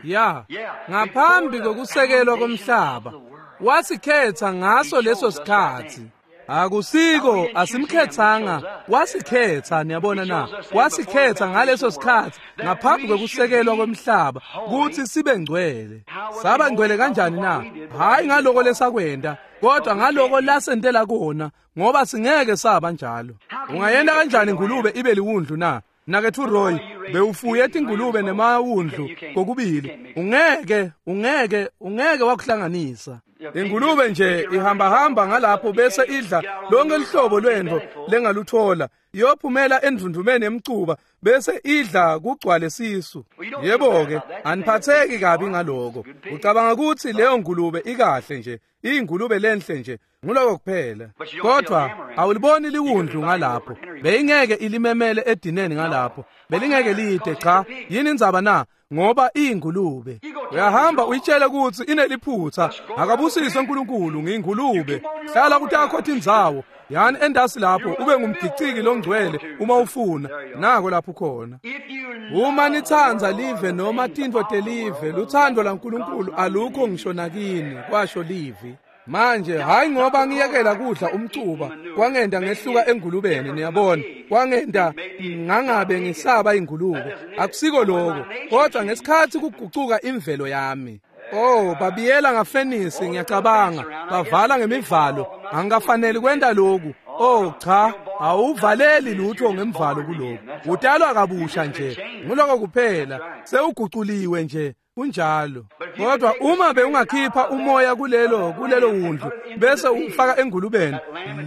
A: Ya, ngaphambi kokusekelwa komhlaba wasikhetha ngaso leso sikhathi. Akusiko asimkhethanga, wasikhetha, niyabona na? Wasikhetha ngaleso sikhathi ngaphambi kokusekelwa komhlaba ukuthi sibe ngcwele. Saba ngcwele kanjani na? Hayi ngaloko lesakwenda, kodwa ngaloko lasentela kona, ngoba singeke saba njalo. Ungayenda kanjani ingulube ibe liwundlu na? Nakethu Roy, bewufuye tingulube nemawundlu kokubili. Ungeke, ungeke, ungeke wakuhlanganisa. Ingulube nje ihamba hamba ngalapho bese idla lonke lihlobo lwendvo lengaluthola, iyophumela endvundvumeni emcuba bese idla kugcwale sisu. Yebo-ke, aniphatheki kabi ngaloko. Ucabanga ukuthi leyo ngulube ikahle nje, iyingulube lenhle nje, nguloko kuphela. Kodwa awuliboni liwundlu ngalapho, beyingeke ilimemele edineni ngalapho, belingeke lide. Cha, yini indzaba na? Ngoba iyingulube. Uyahamba uyitshele ukuthi ineliphutha, akabusiswe uNkulunkulu, ngiyingulube. Hlala kutakho tindzawo, yani endasi lapho ube ngumgiciki longcwele uma ufuna. Nako lapho khona. Uma nitsandza live noma tintfo telive, luthando laNkulunkulu alukho ngisho nakini, kwasho livi. Manje hayi ngoba ngiyekela kudla umcuba kwangenda ngehluka engulubeni, niyabona, kwangenda ngangabe ngisaba ingulube. Akusiko lokho, kodwa ngesikhathi kugucuka imvelo yami. Oh, babiyela ngafenisi, ngiyacabanga bavala ngemivalo, angikafanele kwenta lokhu. Oh cha, awuvaleli lutho ngemvalo kulokhu. Utalwa kabusha nje, nguloko kuphela, sewuguculiwe nje. Kunjalo. Kodwa uma bewungakhipha umoya kulelo kulelo wundlu bese ufaka engulubeni,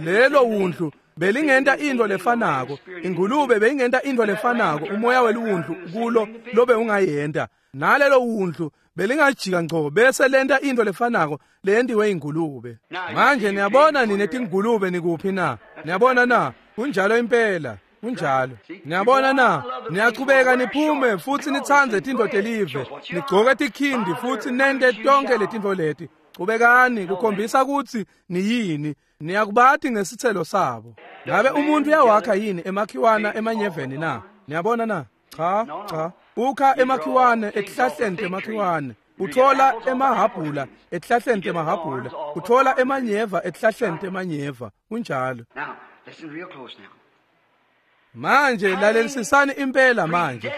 A: lelo wundlu belingenta into lefanako, ingulube beyingenta into lefanako, umoya weluwundlu kulo lobe ungayenta, nalelo wundlu belingajika ngco bese lenta into lefanako leyentiwe ingulube. Manje niyabona nine tingulube nikuphi na? Niyabona na? Kunjalo impela. Kunjalo. Niyabona na? Niyachubeka niphume futhi nitsandze tintfo telive, nigcoke tikhindi futhi nente tonke letintfo leti. Chubekani kukhombisa ukuthi niyini, niyakubati ngesithelo sabo. Ngabe umuntu uyawakha yini emakhiwana emanyeveni na? Niyabona na? Cha, cha. Ukha emakhiwane etihlahleni temakhiwane, uthola emahabhula etihlahleni temahabhula, uthola emanyeva etihlahleni temanyeva. Kunjalo. Manje lalelisisani impela manje.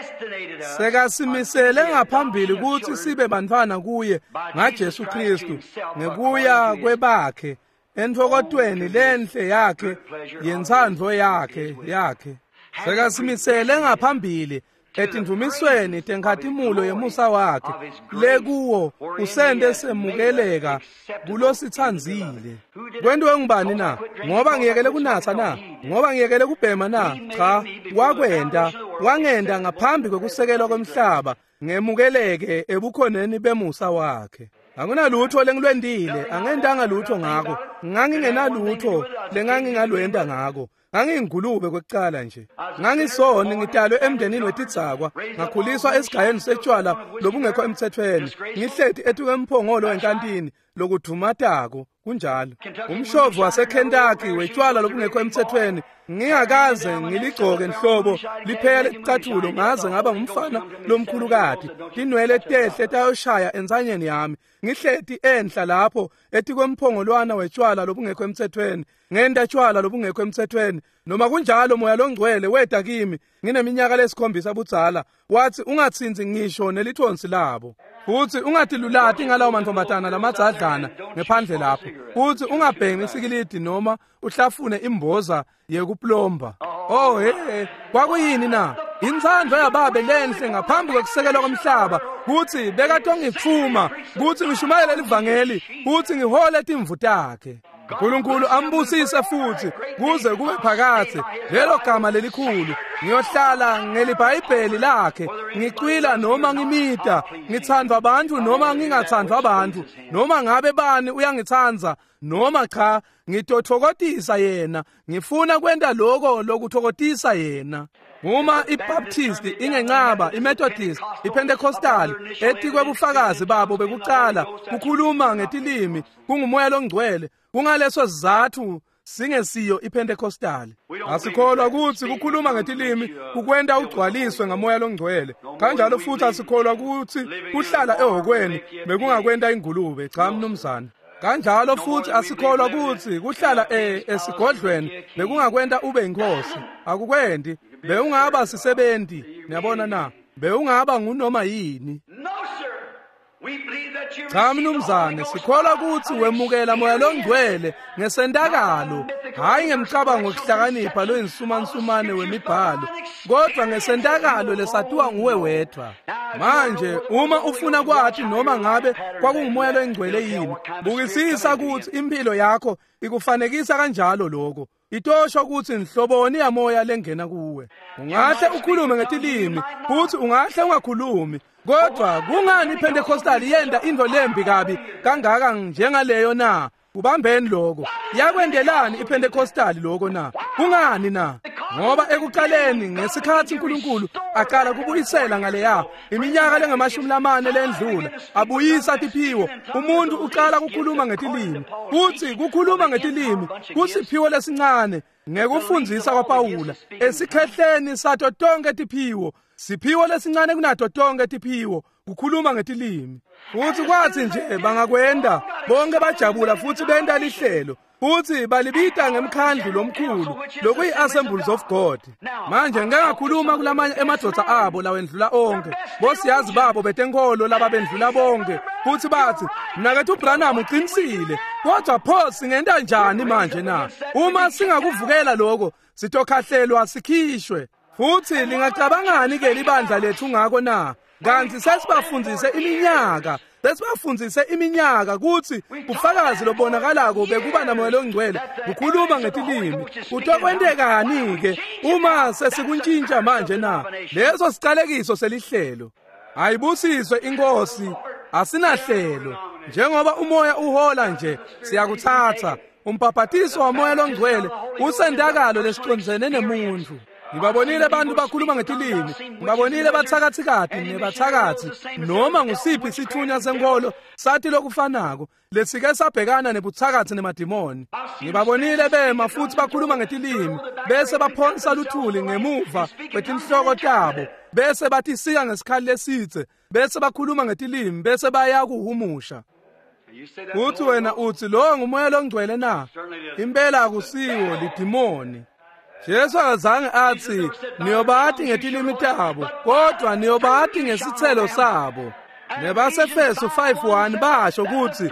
A: Sekasimisele ngaphambili ukuthi sibe bantwana kuye ngaJesu Kristu ngekuya kwebakhe Entfokotweni lenhle yakhe yentsandvo yakhe yakhe sekasimisele ngaphambili etindvumisweni tenkhatimulo yemusa wakhe lekuwo usente semukeleka kulositsandzile. Kwentiwe ngubani na? Ngoba ngiyekele kunatsa na? Ngoba ngiyekele kubhema na? Cha, wakwenta wangenta ngaphambi kwekusekelwa kwemhlaba ngemukeleke ebukhoneni bemusa wakhe. Akunalutho lengilwentile, angentanga lutho ngako, ngangingenalutho lengangingalwenta ngako. Ngangiyingulube kwekucala nje. Ngangisoni ngidalwe emndenini wetidzakwa, ngakhuliswa esigayeni setshwala lobungekho emthethweni. Ngihleti etukemphongolo enkantini lokudvumatako kunjalo. Umshovu waseKentucky wetshwala lobungekho emthethweni, ngingakaze ngiligcoke nhlobo liphele licathulo ngaze ngaba ngumfana lomkhulukati. Tinwele tehle tayoshaya entsanyeni yami. Ngihleti enhla lapho etikwemphongolwana wetshwala lobungekho emthethweni, ngenta tshwala lobungekho emthethweni. Noma kunjalo moya longcwele weta kimi ngineminyaka lesikhombisa budzala, wathi ungatsintsi ngisho nelithonsi labo, futhi ungatilulati ngalawo mantombazana lamadzadlana ngephandle lapho, futhi ungabhemi isikilidi noma uhlafune imboza yekuplomba. Oh hey, kwakuyini na? Intsandvo yababe lenhle ngaphambi kwekusekelwa komhlaba kutsi bekatongitfuma kutsi ngishumayele livangeli kutsi ngihole timvu takhe. uNkulunkulu ambusise futhi kuze kube phakathe. Lelo gama lelikhulu ngiyohlala ngeliBhayibheli lakhe, ngicwila noma ngimita, ngithandwa abantu noma ngingathandwa abantu, noma ngabe bani uyangitsandza noma cha, ngitotfokotisa yena. Ngifuna kwenta lokho lokutfokotisa yena. Uma iBaptist ingencaba, iMethodist, iPentecostal etikwe bufakazi babo bekucala kukhuluma ngetilimi kungumoya longcwele, kungaleso sizathu singesiyo iPentecostal. Asikholwa ukuthi kukhuluma ngetilimi kukwenta ugcwaliswe ngamoya longcwele. Kanjalo futhi asikholwa ukuthi kuhlala ehokweni bekungakwenta ingulube. Cha mnumzane. Kanjalo futhi asikholwa ukuthi kuhlala e esigodlweni bekungakwenta ube inkosi. Akukwendi. Bewungaba sisebenti, niyabona na? Bewungaba ngunoma yini. Cha mnumzane, sikholwa ukuthi wemukela moya longcwele ngesentakalo, hayi ngemcabango wokuhlakanipha loyinsumansumane wemibhalo, kodwa ngesentakalo lesatiwa nguwe wedwa. Manje uma ufuna kwathi noma ngabe kwakungumoya longcwele yini, bukisisa ukuthi impilo yakho ikufanekisa kanjalo lokho. Itosho ukuthi inhloboni yamoya lengena kuwe. Ungahle ukhulume ngetilimi, futhi ungahle ungakhulumi, kodwa kungani iPentecostal yenda into lembi kabi kangaka njengaleyo na? Ubambeni lokho. Yakwendelani iPentecostal lokho na? Kungani na? Ngoba ekuqaleni ngesikhathi uNkulunkulu aqala kubuyisela ngaleya iminyaka lengamashumi lamane lendlula, abuyisa tiphiwo, umuntu uqala ukukhuluma ngetilimi. Kuthi kukhuluma ngetilimi kusiphiwo lesincane ngekufundzisa kwaPawula esikhehleni sato tonke tiphiwo, siphiwo lesincane kunato tonke tiphiwo kukhuluma ngetilimi. Futhi kwathi nje bangakwenda bonke bajabula futhi benta lihlelo, futhi balibita ngemkhandlu lomkhulu lokuyi-Assemblies of God. Manje ngeke ngakhuluma kulamanye emadvodza abo lawendlula onke, bosiyazi babo betenkolo lababendlula bonke, futhi bathi mnakethu Branham uqinisile, kodwa pho singenta njani manje na? Uma singakuvukela lokho sitokhahlelwa sikhishwe. Futhi lingacabangani ke libandla lethu ngako na? Kanti sesibafundzise iminyaka, sesibafundzise iminyaka ukuthi ufakazi lobonakalako bekuba namoya longcwele kukhuluma ngetilimi. Kutokwentekani ke uma sesikuntshintsha manje na? Leso sicalekiso selihlelo. Ayibusiswe inkosi, asinahlelo. Njengoba umoya uhola nje, siyakuthatha. Umbhabhatiso wamoya longcwele usentakalo lesicondzene nemuntu. Ngibabonile abantu bakhuluma ngetilimi, ngibabonile bathakathikati nebathakathi, noma ngusiphi isithunywa senkolo sathi lokufanako lesike sabhekana nebuthakathi nemadimoni. Ngibabonile bema futhi bakhuluma ngetilimi, bese baphonsa luthuli ngemuva kwetinhloko tabo, bese batisika ngesikhali lesitse, bese bakhuluma ngetilimi, bese bayakuhumusha. Uthi wena uthi lo ngumoya longcwele na? Impela akusiwo, lidimoni. Jesu akazange athi niyobati ngetilimi tabo, kodwa niyobati ngesithelo sabo. NebaseEfesu five one basho ukuthi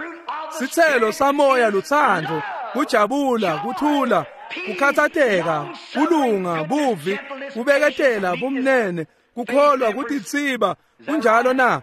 A: sithelo samoya luthando, kujabula, kuthula, kukhatsateka, kulunga, buvi, kubeketela, bumnene, kukholwa, kutitsiba. Kunjalo na?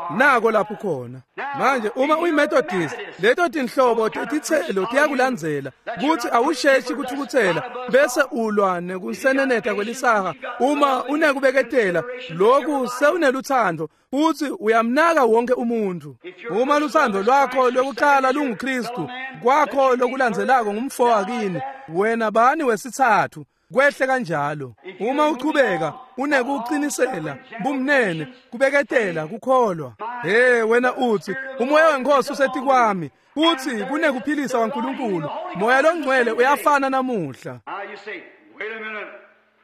A: Nako lapho khona. Manje uma uyiMethodist, leto tinhlobo tetitselo tiyakulandzela kutsi awusheshi kuthukutsela bese ulwa nekuseneneta kwelisaha. Uma unekubeketela lokhu sewuneluthando futsi uyamnaka wonke umuntu. Uma luthando lwakho lokuqala lunguKristu, kwakho lokulandzelako ngumfo wakini, wena bani wesithathu. Kwehle kanjalo. Uma uchubeka unekuqinisela, bumnene, kubeketela, kukholwa. Hey wena uthi umoya wenkosi usetikwami, uthi kunekuphilisa kwaNkulunkulu. Moya longcwele uyafana namuhla.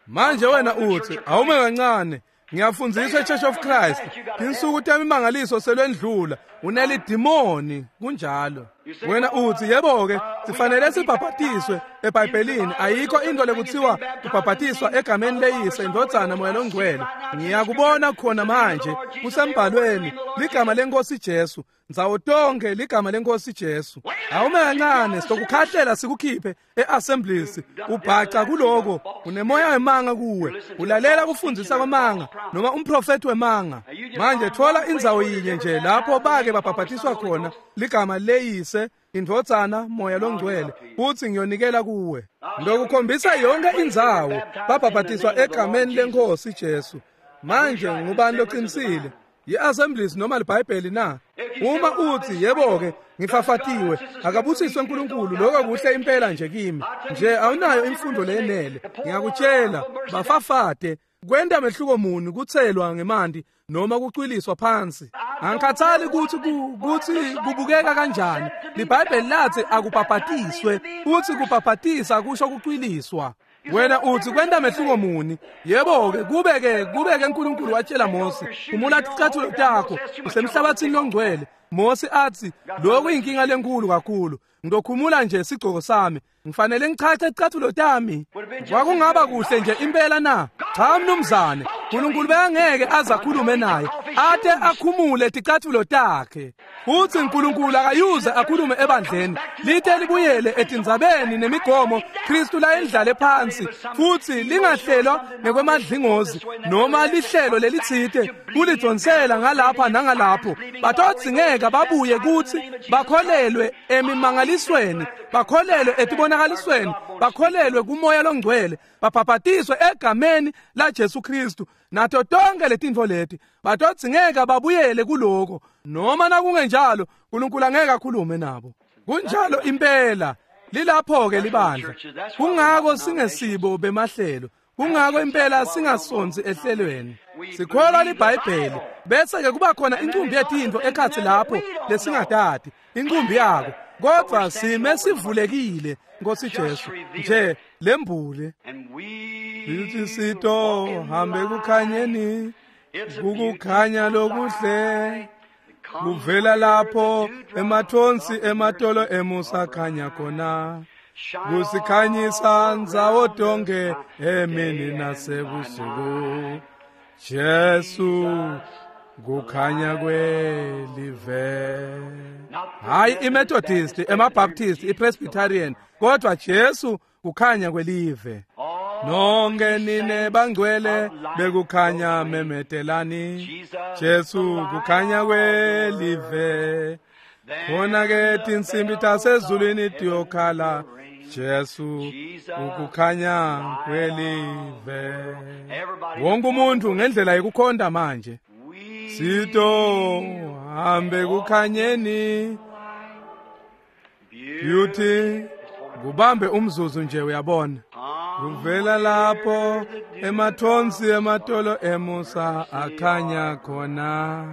A: Manje wena uthi awume kancane, ngiyafundziswa eChurch of Christ, tinsuku temimangaliso selwendlula, unelidimoni. Kunjalo. Wena uthi yebo-ke sifanele sibhabhatiswe eBhayibhelini, ayikho into lekuthiwa kubhabhatiswa egameni leyise, indvodzana, moya longcwele. Ngiyakubona khona manje kusembhalweni ligama lenkosi Jesu, ndzawo tonke ligama lenkosi Jesu. Awume kancane, sitokukhahlela sikukhiphe e-assemblies. Ubhaca kuloko, unemoya wemanga kuwe, ulalela kufundzisa kwemanga noma umprofethi wemanga. Manje thola indzawo yinye nje lapho bake babhabhatiswa khona ligama leyise, indvodzana, moya longcwele, futhi ngiyonikela kuwe. Ngokukhombisa yonke indzawo babhabhatiswa egameni lenkosi Jesu. Manje ngubani loqinisile? Yi-assemblies noma liBhayibheli na? Uma uthi yebo-ke ngifafatiwe, akabusiswe uNkulunkulu, lokho kuhle impela nje kimi nje, awunayo imfundo leyenele. Ngiyakutshela, bafafate. Kwenta mehluko muni kutselwa ngemanti noma kucwiliswa phansi? Angikhathali ukuthi ukuthi kubukeka kanjani. LiBhayibheli lathi akubhabhatiswe, futhi kubhabhatisa kusho kucwiliswa. Wena uthi kwenta mehluko muni? Yebo-ke kube-ke kube-ke uNkulunkulu watshela Mose, khumula ticathulo takho, usemhlabathini longcwele. Mose athi lokhu inkinga lenkulu kakhulu, ngizokhumula nje sigcoko sami, ngifanele ngichache icathulo tami. Kwakungaba kuhle nje impela na? Cha mnumzane, uNkulunkulu bekangeke aze akhulume naye ate akhumule ticathulo takhe. Futhi uNkulunkulu akayuze akhulume ebandleni lite libuyele etindzabeni nemigomo Kristu layendlale phansi, futhi lingahlelwa ngekwemadlingozi noma lihlelo lelitsite kulidonsela ngalapha nangalapho. Batodzingeka babuye kuthi bakholelwe emimangalisweni, bakholelwe etibonakalisweni, bakholelwe kumoya longcwele, babhabhatiswe egameni la Jesu Kristu nato tonke letintfo leti. Batodzingeka babuyele kuloko, noma nakungenjalo uNkulunkulu angeke akhulume nabo. Kunjalo impela. Lilapho-ke libandla. Kungako singesibo bemahlelo, kungako impela singasonsi ehlelweni. Sikholwa liBhayibheli, bese-ke kuba khona incumbi yetintfo ekhatsi lapho lesingatati incumbi yako, kodwa sime sivulekile Nkosi Jesu nje lembule. Lithi sito hambe kukhanyeni, kukukhanya lokuhle kuvela lapho emathonsi ematolo emusa khanya khona, kusikhanyisa ndzawo tonke emini nasebusuku. Jesu kukhanya kwelive. Hayi iMethodist, emaBaptist, iPresbyterian, kodwa Jesu kukhanya kwelive. Nonke nine bangcwele bekukhanya memetelani, Jesu kukhanya kwelive. Khona ke tinsimbi tasezulwini tiyokhala, Jesu ukukhanya kwelive. Wonke umuntu ngendlela yokukhonda manje. Sito hambe kukhanyeni. Beauty kubambe umzuzu nje uyabona. Kuvela lapho emathonsi ematolo emusa akhanya khona,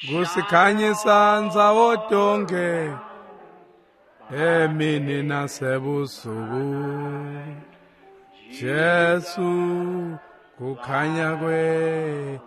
A: kusikhanyisa ndzawo tonke emini nasebusuku. Jesu kukhanya kwelive.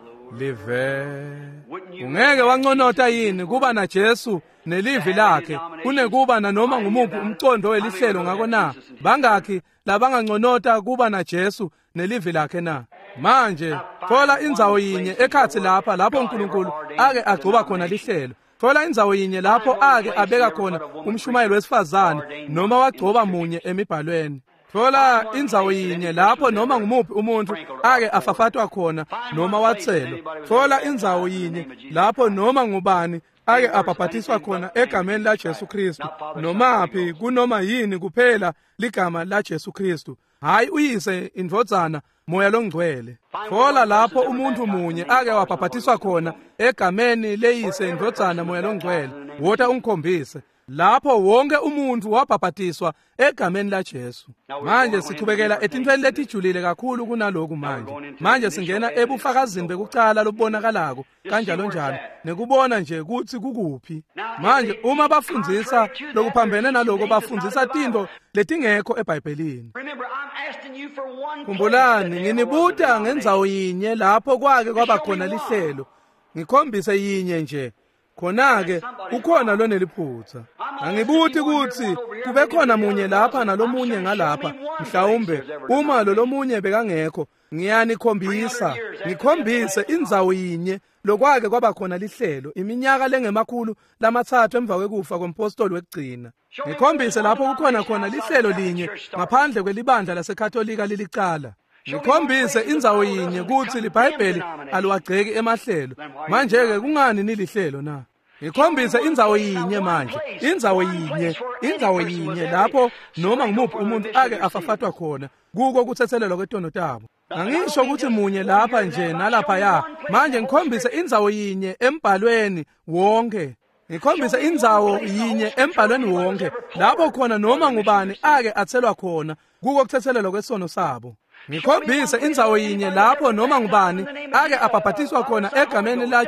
A: Ungeke wanconota yini kuba na Jesu nelivi lakhe kunekuba nanoma ngumuphi umcondo welihlelo ngako na? Bangakhi labanganconota kuba na Jesu nelivi lakhe na? Manje thola indzawo yinye ekhatsi lapha lapho uNkulunkulu ake agcoba khona lihlelo. Thola indzawo yinye lapho ake abeka khona umshumayeli wesifazane noma wagcoba munye emibhalweni. Thola indzawo yinye lapho noma ngumuphi umuntu ake afafatwa khona noma watselwa. Thola indzawo yinye lapho noma ngubani ake abhabhatiswa khona egameni la Jesu Kristu, nomaphi kunoma yini kuphela ligama la Jesu Kristu, hayi uyise, indvodzana, Moya loNgcwele. Thola lapho umuntu munye ake wabhabhatiswa khona egameni leyise, indvodzana, Moya loNgcwele. Wota ungikhombise lapho wonke umuntu wabhabhatiswa egameni la Jesu. Manje sichubekela etintfweni letijulile kakhulu kunaloku manje. Manje singena ebufakazini bekucala lobubonakalako kanjalo njalo, nekubona nje kutsi kukuphi. Manje uma bafundzisa lokuphambene naloko, bafundzisa tintfo letingekho eBhayibhelini. Khumbulani, nginibuta ngendzawo yinye lapho kwake kwaba khona lihlelo. Ngikhombise yinye nje. Khona-ke ukhona loneliphutha. Angibuti kutsi kube khona munye lapha nalomunye ngalapha, mhlawumbe uma lolomunye bekangekho, ngiyanikhombisa, ngikhombise indzawo yinye lokwake kwaba khona lihlelo iminyaka lengemakhulu lamatsatfu emva kwekufa kompostoli wekugcina. Ngikhombise lapho kukhona khona lihlelo linye ngaphandle kwelibandla laseKatolika lilicala. Ngikhombise indzawo yinye kutsi liBhayibheli aliwagceki emahlelo. Manje-ke kungani nilihlelo na? Ngikhombise indzawo yinye manje, indzawo yinye, indzawo yinye lapho noma ngumuphi umuntu ake afafatwa khona kuko kutsetselelwa kwetono tabo. Angisho ukuthi munye lapha nje nalapha ya. Manje ngikhombise indzawo yinye embhalweni wonke. Ngikhombise indzawo yinye embhalweni wonke lapho khona noma ngubani ake atselwa khona kuko kutsetselelwa kwesono sabo. Ngikhombise indzawo yinye lapho noma ngubani ake abhabhatiswa khona egameni la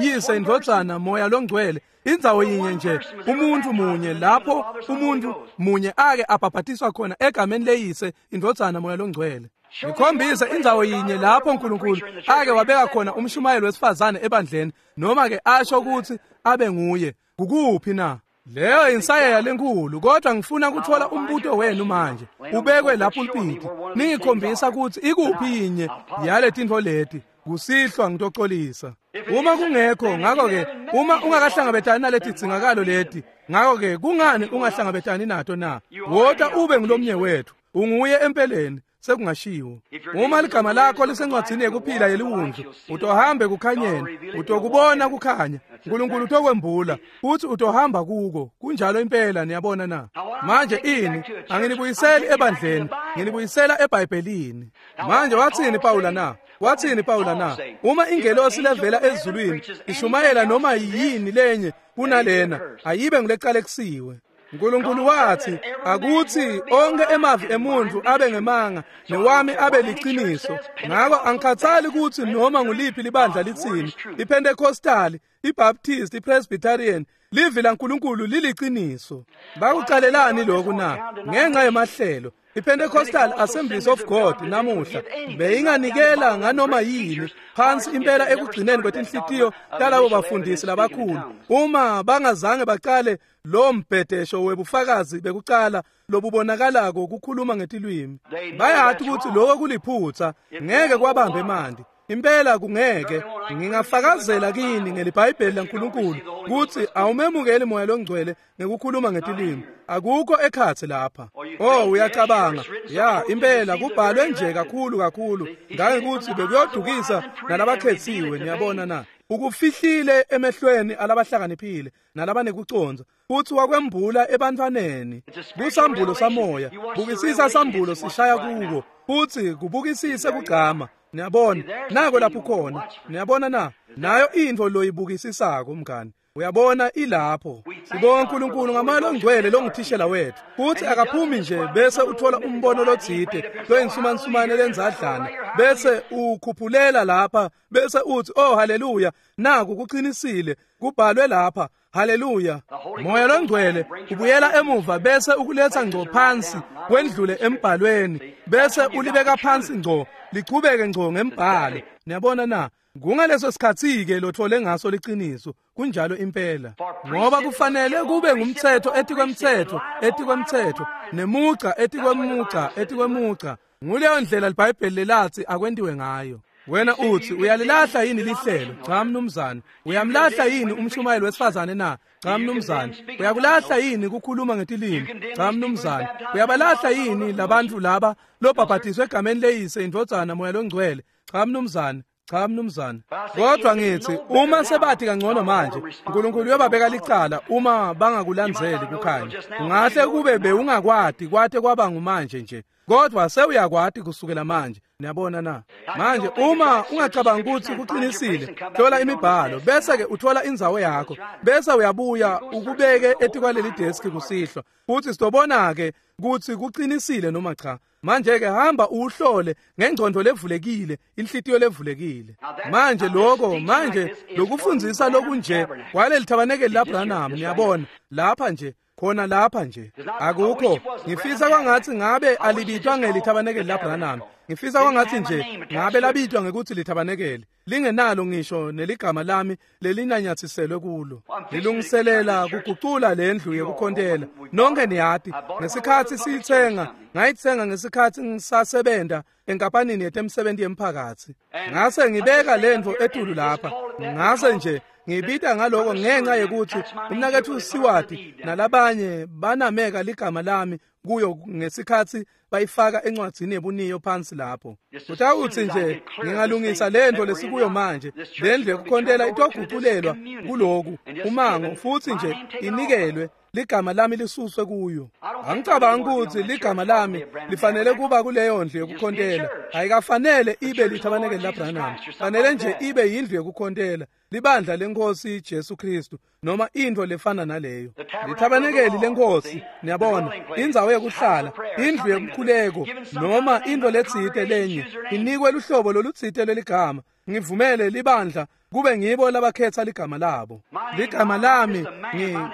A: Yise, indvodzana, Moya loNgcwele. Indzawo yinye nje, umuntu munye lapho umuntu munye ake abhabhatiswa khona egameni leyise, indvodzana, Moya loNgcwele. Ngikhombise indzawo yinye lapho uNkulunkulu ake wabeka khona umshumayeli wesifazane ebandleni, noma ke asho ukuthi abe nguye. Kukuphi na? Leyo insayeya lenkulu, kodwa ngifuna kuthola umbuto wenu manje ubekwe lapho ulpiti. Ningikhombisa ukuthi ikuphi yinye yale tintfo leti. Kusihlwa ngitoxolisa uma kungekho. Ngakho-ke uma ungakahlangabetani naleti dzingakalo leti, ngakho-ke kungani ungahlangabetani nato na? Wota ube ngulomnye wethu, unguye empeleni. Sekungashiwo uma ligama lakho lisencwadzini yekuphila yeliwundlu, utohambe kukhanyeni, utokubona kukhanya, uNkulunkulu utokwembula futhi utohamba kuko. Kunjalo impela. Niyabona na? Manje ini anginibuyiseli ebandleni, nginibuyisela eBhayibhelini. Manje wathini Pawula na? Wathini Pawula na? Uma ingelosi levela ezulwini ishumayela noma yini lenye kunalena, ayibe ngulecalekisiwe. uNkulunkulu wathi akuthi onke emavi emuntu abe ngemanga newami abe liciniso. Ngakho angikhathali ukuthi noma nguliphi libandla litsini, iPentecostal, iBaptist, iPresbyterian, livi laNkulunkulu liliciniso. Bakucalelani lokhu na? Ngenxa yemahlelo. iPentecostal Assemblies of God namuhla beyinganikela nganoma yini phansi impela ekugcineni kwetinhlitiyo talabo bafundisi labakhulu, uma bangazange baqale lo mbhedesho webufakazi bekucala lobubonakalako kukhuluma ngetilwimi. Bayathi ukuthi lokho kuliphutha, ngeke kwabambe emanti. Impela kungeke. Ngingafakazela kini ngeliBhayibheli laNkulunkulu ukuthi awumemukeli Moya loNgcwele ngekukhuluma ngetilwimi. Akukho ekhatsi lapha. Oh, uyacabanga ya impela kubhalwe nje kakhulu kakhulu ngangekuthi bekuyodukisa nalabakhethiwe. Niyabona na? Ukufihlile emehlweni alabahlakaniphile nalabanekuconza, futhi wakwembula ebantwaneni. Kusambulo samoya. Bukisisa sambulo sishaya kuko, futhi kubukisise kugcama. Niyabona nako lapho khona. Niyabona na? Nayo intfo loyibukisisako mngani, uyabona ilapho. Sibonga uNkulunkulu ngamoya longcwele longuthishela wethu, futhi akaphumi nje bese uthola umbono lotsite loyinsumansumane lenzadlana bese ukhuphulela lapha bese uthi oh haleluya, naku kuqinisile kubhalwe lapha, haleluya. Moya longcwele ubuyela emuva bese ukuletha ngco phansi kwendlule embhalweni bese ulibeka phansi ngco, lichubeke ngco ngembhalo. Niyabona na? Kungaleso sikhathi-ke lothole ngaso liciniso, kunjalo impela. Ngoba kufanele kube ngumthetho etikwemthetho, etikwemthetho, nemugca etikwemugca, etikwemugca. Nguleyo ndlela liBhayibheli lelathi akwentiwe ngayo. Wena uthi uyalilahla yini lihlelo? Cha mnumzane. Uyamlahla yini umshumayeli wesifazane na? Cha mnumzane. Uyakulahla yini kukhuluma ngetilimi? Cha mnumzane. Uyabalahla yini labantu laba lobhabhatiswe egameni leyise indvodzana moya longcwele? Cha mnumzane. Cha mnumzane. Kodwa ngithi uma sebathi kangcono manje, uNkulunkulu uyobabeka licala uma bangakulandzeli kukhanya. Ungahle kube bewungakwati kwate kwaba ngumanje nje. Kodwa sewuyakwati kusukela manje. Niyabona na? Manje uma ungacabanga ukuthi kuqinisile, hlola imibhalo bese ke uthola indzawo yakho, bese uyabuya ukubeke etikwaleli desk kusihlwa. Futhi sizobona ke ukuthi kuqinisile noma cha. Manje ke hamba uhlole ngengqondo levulekile, inhlitiyo levulekile. Manje lokho, manje lokufundzisa lokunje kwaleli thabanekeli laBranham, niyabona, lapha nje khona lapha nje akukho. Ngifisa kwangathi ngabe alibitwa ngelithabanekeli laBranham. Ngifisa kwangathi nje ngabe labitwa ngekuthi lithabanekeli, lingenalo ngisho neligama lami lelinanyathiselwe kulo. Lilungiselela kugucula lendlu yekukhontela. Nonke niyati ngesikhathi siyithenga, ngayithenga ngesikhathi ngisasebenta enkampanini yetemsebenzi yemphakathi. Ngase ngibeka lendlu etulu lapha, ngase nje ngibita ngaloko ngenxa yekuthi umnakethu Siwati nalabanye banameka ligama lami kuyo ngesikhathi bayifaka encwadzini yebuniyo phansi lapho. Utawuthi nje ngingalungisa lento lesikuyo manje, lendlu yekukhontela itoguculelwa kuloku umango futhi nje inikelwe ligama lami lisuswe kuyo. Angicabangi ukuthi ligama lami lifanele kuba kuleyo ndlu yekukhontela. Ayikafanele ibe lithabanekeli laBranham. Fanele nje ibe yindlu yekukhontela, libandla lenkosi Jesu Kristu noma into lefana naleyo. Lithabanekeli lenkosi, niyabona, indzawo yokuhlala, indlu yemkhuleko noma into letsite lenye inikwe luhlobo lolutsite leligama. Ngivumele libandla kube ngibo labakhetha ligama labo. Ligama lami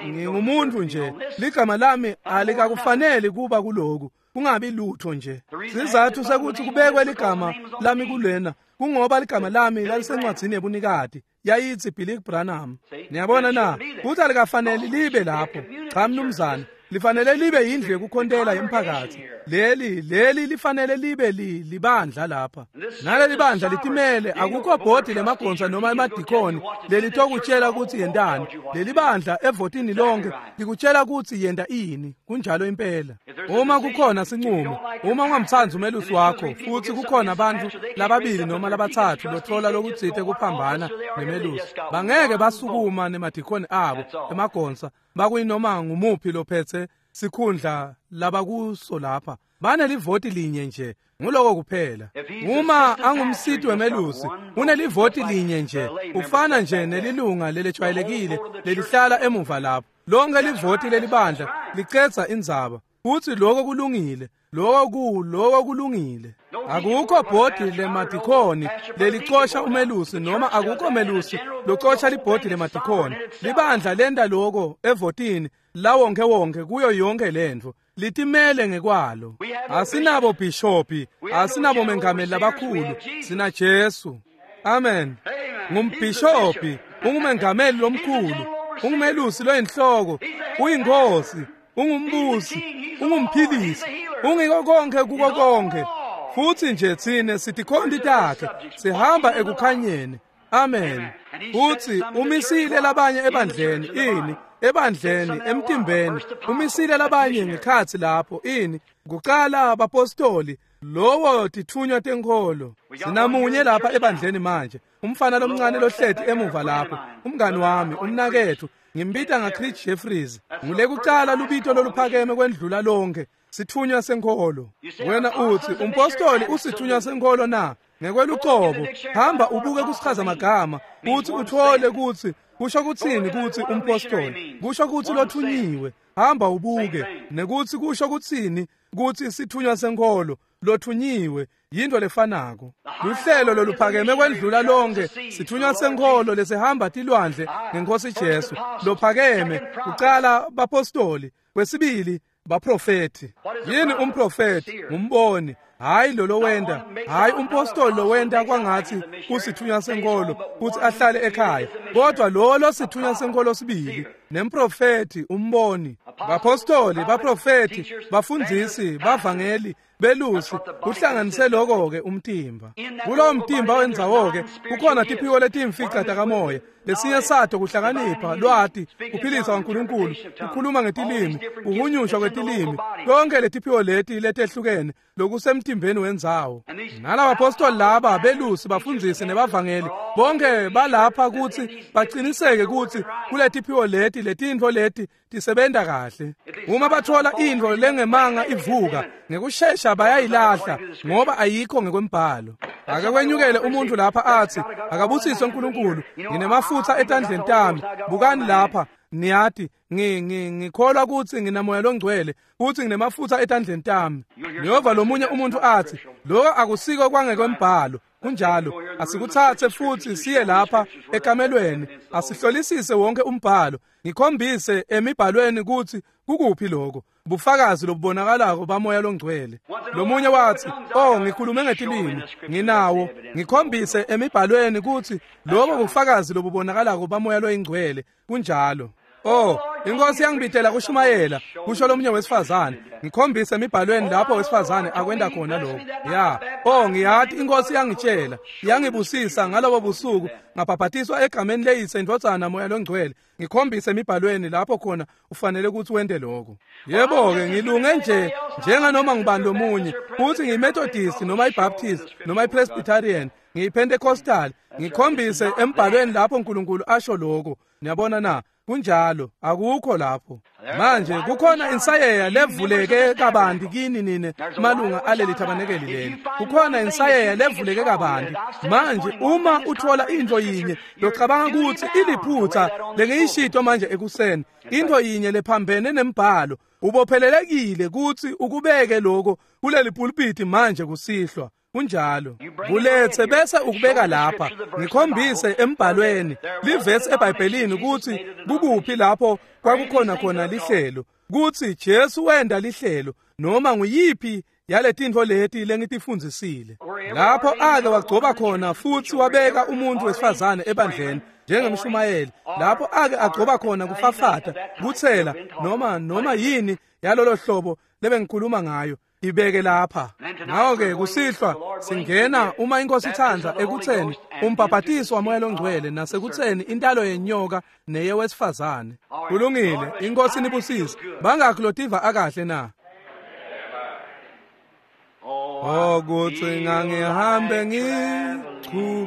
A: ngingumuntu nje, ligama lami alikakufanele kuba kuloku, kungabi lutho nje. Sizathu sekuthi kubekwe ligama lami kulena kungoba ligama lami lalisencwadzini yebunikati, yayithi Billy Branham. Niyabona na? Kuthi alikafanele libe lapho. Cha mnumzane, lifanele libe yindlu yekukhontela yemphakathi. Leli leli lifanele libe li libandla lapha. Naleli bandla litimele, akukho bhodi lemagonsa noma emadikoni lelitokutshela ukuthi yentani. Leli bandla evotini lonke likutshela ukuthi yenta ini. Kunjalo impela. Uma kukhona sinqumo, uma ungamtsandzi umelusi wakho futhi kukhona abantu lababili noma labathathu lothola lokutsite kuphambana nemelusi, bangeke basukuma nemadikoni abo emagonsa bakuyinoma ngumuphi lophethe sikhundla labakuso lapha. Banelivoti linye nje, nguloko kuphela. Uma angumsiti wemelusi, unelivoti linye nje, ufana nje nelilunga lelejwayelekile lelihlala emuva lapho. Lonke livoti lelibandla licetsa indzaba. Futhi lokho kulungile, lokho ku lokho kulungile. Akukho bhodi lemadikoni lelicosha umelusi noma akukho melusi locosha libhodi lemadikoni. Libandla lenda lokho evotini lawonke wonke kuyo yonke lento. Litimele ngekwalo. Asinabo bhishopi, asinabo mengameli labakhulu, sina Jesu. Amen. Ngumbhishopi, ungumengameli lomkhulu, ungumelusi loyinhloko, uyinkosi, ungumbusi, ungumphilisi, ungiko konke kuko konke. Futhi nje thine sitikhonti takhe, sihamba ekukhanyeni. Amen. Futhi umisile labanye ebandleni, ini ebandleni emtimbeni, umisile labanye ngekhathi lapho, ini kuqala abapostoli, lowo tithunywa tenkholo. Sinamunye lapha ebandleni manje, umfana lomncane lohleti emuva lapho, umngani wami, umnakethu, ngimbita ngaChris Jeffries. Ngule kuqala lubito loluphakeme kwendlula lonke, sithunywa senkholo. Wena uthi umpostoli usithunywa senkholo na? Ngekwelucobo, hamba ubuke kusichaza magama, uthi uthole ukuthi kusho kuthini kuthi umpostoli, kusho kuthi lothunyiwe. Hamba ubuke nekuthi kusho kuthini kuthi sithunywa senkholo lothunyiwe, yinto lefanako. Luhlelo loluphakeme kwendlula lonke, sithunywa senkholo lesihamba tilwandle ngenkosi Jesu. Lophakeme kuqala bapostoli, kwesibili Baprofeti. Yini umprofeti? Ngumboni. Hayi lo lowenda, hayi umpostoli lowenda kwangathi kusithunywa senkolo kuthi ahlale ekhaya, kodwa lo losithunywa senkolo sibili nemprofeti umboni. Bapostoli, baprofeti, bafundzisi, bavangeli, belusi, kuhlanganise lokho ke umtimba. Kulowo mtimba wendzawo ke kukhona tiphiwo letimfica takamoya. Lesinye sato kuhlakanipha, lwati, kuphilisa kwaNkulunkulu, kukhuluma ngetilimi, kuhunyushwa kwetilimi. Konke letiphiwo leti letehlukene lokusemtimbeni wendzawo. Nalabapostoli laba, belusi, bafundzisi nebavangeli, bonke balapha kutsi baqiniseke kutsi kuletiphiwo leti letintfo leti tisebenta kahle. Uma bathola intfo lengemanga ivuka, ngekushesha bayayilahla ngoba ayikho ngekwembhalo. Ake kwenyukele umuntu lapha athi, akabusiswe uNkulunkulu, nginemafutha etandleni tami. Bukani lapha, niyati, ngi ngi ngikholwa kutsi nginamoya longcwele, kutsi nginemafutha etandleni tami. Niyova lomunye umuntu athi, lokho akusiko kwangekwembhalo. Kunjalo, asikuthathe futhi siye lapha ekamelweni, asihlolisise wonke umbhalo, ngikhombise emibhalweni kutsi kukuphi lokho bufakazi lobubonakalako bamoya longcwele. Lomunye wathi, oh, ngikhulume ngetilimi, nginawo, ngikhombise emibhalweni kutsi lokho bufakazi lobubonakalako bamoya loyingcwele. Kunjalo. Oh, inkosi yangibitela kushumayela, kusho lomunye wesifazane. Ngikhombise emibhalweni lapho wesifazane akwenda khona lokho. Ya, oh, ngiyati inkosi yangitshela, yangibusisa ngalobo busuku, ngabhabhatiswa egameni leyise, indvodzana, moya longcwele. Ngikhombise emibhalweni lapho khona ufanele ukuthi wente lokho. Yebo ke, ngilunge nje njenganoma ngibani lomunye, futhi ngiyiMethodist noma iBaptist noma iPresbyterian, ngiyiPentecostal. Ngikhombise embhalweni lapho uNkulunkulu asho lokho. Niyabona na? Kunjalo, akukho lapho. Manje kukhona insayeya levuleke kabanti kini nine malunga aleli thabanekeli leli. Kukhona insayeya levuleke kabanti. Manje uma uthola into yinye locabanga ukuthi iliphutha lengiyishito manje ekuseni, into yinye lephambene nembhalo, ubophelelekile ukuthi ukubeke lokho kuleli pulpiti manje kusihlwa. Kunjalo. Kulethe bese ukubeka lapha. Ngikhombise embhalweni, livesi eBhayibhelini ukuthi kukuphi lapho kwakukhona khona lihlelo, kuthi Jesu wenda lihlelo noma nguyiphi yaletintfo leti lengitifundzisile. Lapho ake wagcoba khona futhi wabeka umuntu wesifazane ebandleni njengemshumayeli, lapho ake agcoba khona kufafata, kuthela noma noma yini yalolo hlobo lebengikhuluma ngayo, ibeke lapha. Ngakho-ke kusihlwa singena uma inkosi ithanda ekutheni umbhabhatiso wamoya longcwele nasekutheni intalo yenyoka neyewesifazane. Kulungile, inkosi nibusise. Bangakhi lotiva akahle na? Ukuthi ngangihambe ngichubeke,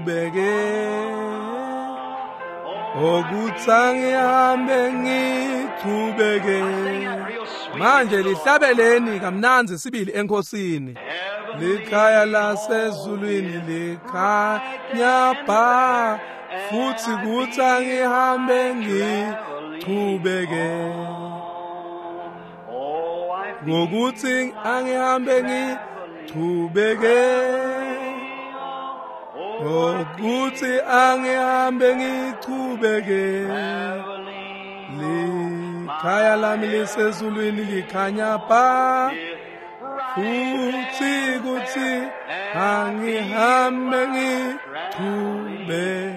A: ukuthi angihambe ngichubeke. Manje lihlabeleni kamnandzi sibili enkosini. Likhaya lasezulwini likhanya ba, futhi kuthi angihambe ngichubeke. Ngokuthi angihambe ngichubeke, ngokuthi angihambe ngichubeke. Likhaya lami lisezulwini likhanya ba, futhi kuthi angihambe ngichubeke.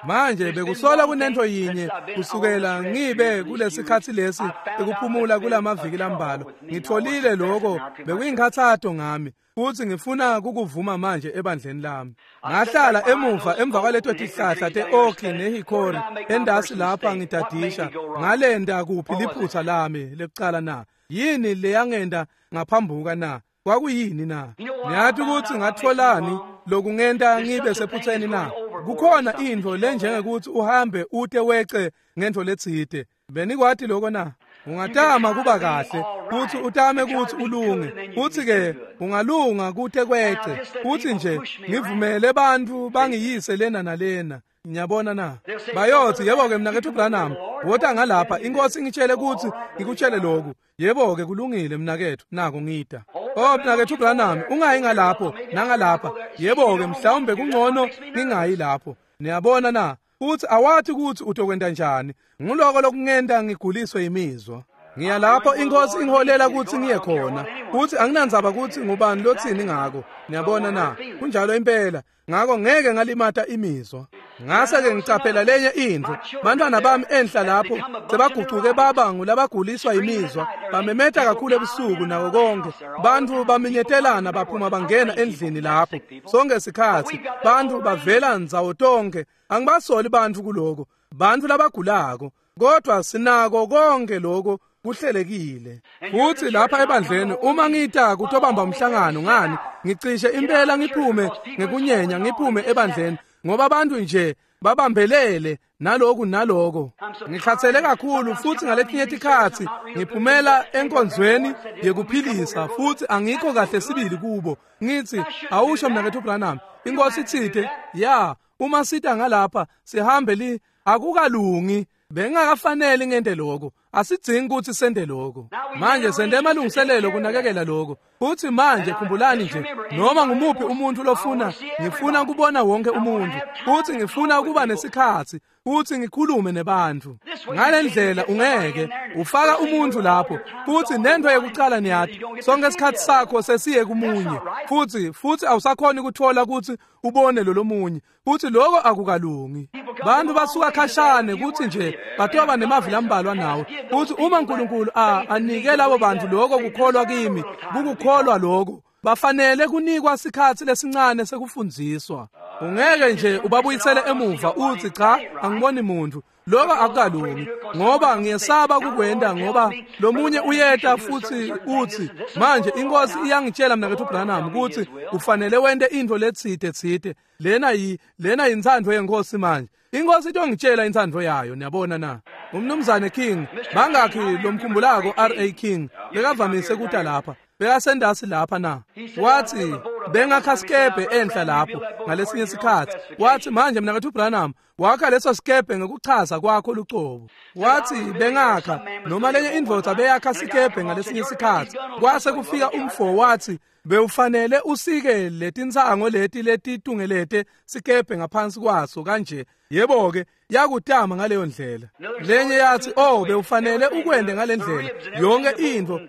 A: Manje bekusola kunento yinye kusukela ngibe kulesikhathi lesi ekuphumula kulamaviki lambalwa. Ngitholile lokho bekuyingikhathato ngami, futhi ngifuna ukukuvuma manje ebandleni lami. Ngahlala emuva emva kwaleto tihlahla te-oki nehikori endasi lapha ngidadisha, ngalenda kuphi liphutha lami lekucala na? Yini leyangenda ngaphambuka na? Kwakuyini na? Niyathi ukuthi ngatholani lokungenta ngibe sephutheni na? Kukhona intfo lenjengekuthi uhambe ute wece ngentfo letsite. Benikwati lokho na? Ungatama kuba kahle, uthi utame ukuthi ulunge, uthi ke ungalunga kute kwece, uthi nje ngivumele bantfu bangiyise lena nalena. Ngiyabona na? Bayothi yebo ke mnaketfu Branham, wota ngalapha, inkosi ingitshele ukuthi ngikutshele lokhu. Yebo ke kulungile mnaketfu, nako ngida. Oh mnaketfu Branham, ungayi ngalapho nangalapha. Yebo ke mhlawumbe kungcono ngingayi lapho. Niyabona na? Futhi awathi ukuthi utokwenta njani. Nguloko lokungenta ngiguliswe imizwa. Ngiya lapho inkosi ingiholela ukuthi ngiye khona. Futhi anginandzaba ukuthi ngubani lothini ngako. Niyabona na? Kunjalo impela. Ngako ngeke ngalimata imizwa. Ngase ke ngicaphela lenye intfo. Bantwana bami enhla lapho sebagucuke baba ngulabaguliswa imizwa, bamemeta kakhulu ebusuku nako konke. Bantfu baminyetelana baphuma bangena endlini lapho. Sonke sikhatsi bantfu bavela ndzawo tonke. Angibasoli bantfu kuloko. Bantfu labagulako. Kodwa sinako konke lokho kuhlelekile. Futhi lapha ebandleni uma ngita kutobamba umhlangano ngani ngicishe impela ngiphume ngekunyenya ngiphume ebandleni ngoba abantu nje babambelele naloku naloko. Ngikhathele kakhulu futhi ngaletinye tikhatsi ngiphumela enkonzweni yekuphilisa futhi angikho kahle sibili kubo. Ngithi awusho mnakethu Branham, inkosi itsite ya uma sita ngalapha sihambe li akukalungi. Bengakafanele ngente lokho. Asidzingi ukuthi sende lokho. Manje sende emalungiselelo kunakekela lokho. Futhi manje khumbulani nje noma ngumuphi umuntu lofuna ngifuna ukubona wonke umuntu. Futhi ngifuna ukuba nesikhatsi futhi ngikhulume nebantu. Ngalendlela ungeke ufaka umuntu lapho futhi nento yekucala niyathi sonke isikhatsi sakho sesiye kumunye futhi futhi awusakhoni ukuthola ukuthi ubone lo lomunye futhi lokho akukalungi. Bantu basuka khashane kuthi nje batoba nemavi lambalwa nawe. Futhi uma uNkulunkulu a anike labo bantu lokho kukholwa kimi kukukholwa lokho bafanele kunikwa sikhatsi lesincane sekufundziswa. Ungeke nje ubabuyisele emuva uthi cha angiboni muntu. Lokho akukalungi ngoba ngiyesaba kukwenda ngoba lomunye uyeta futhi uthi manje inkosi iyangitshela mnakethu Branham ukuthi ufanele wente into letsite tsite lena yi lena intsandvo yenkosi manje. Inkosi itongitshela intsandvo yayo. Niyabona na? Umnumzane King bangakhi lomkhumbulako R A King bekavamise kuta lapha bekasendasi lapha na? Wathi bengakha sikebhe enhla lapho ngalesinye sikhatsi. Wathi manje mnakethu Branham wakha leso sikebhe ngekuchaza kwakho lucobo. Wathi bengakha noma lenye indvodza beyakha sikebhe ngalesinye sikhatsi. Kwase kufika umfo wathi bewufanele usike letinsango leti letitungelete sikebhe ngaphansi kwaso kanje. Yebo ke yakutama ngaleyo ndlela. Lenye yathi oh bewufanele ukwende ngalendlela yonke into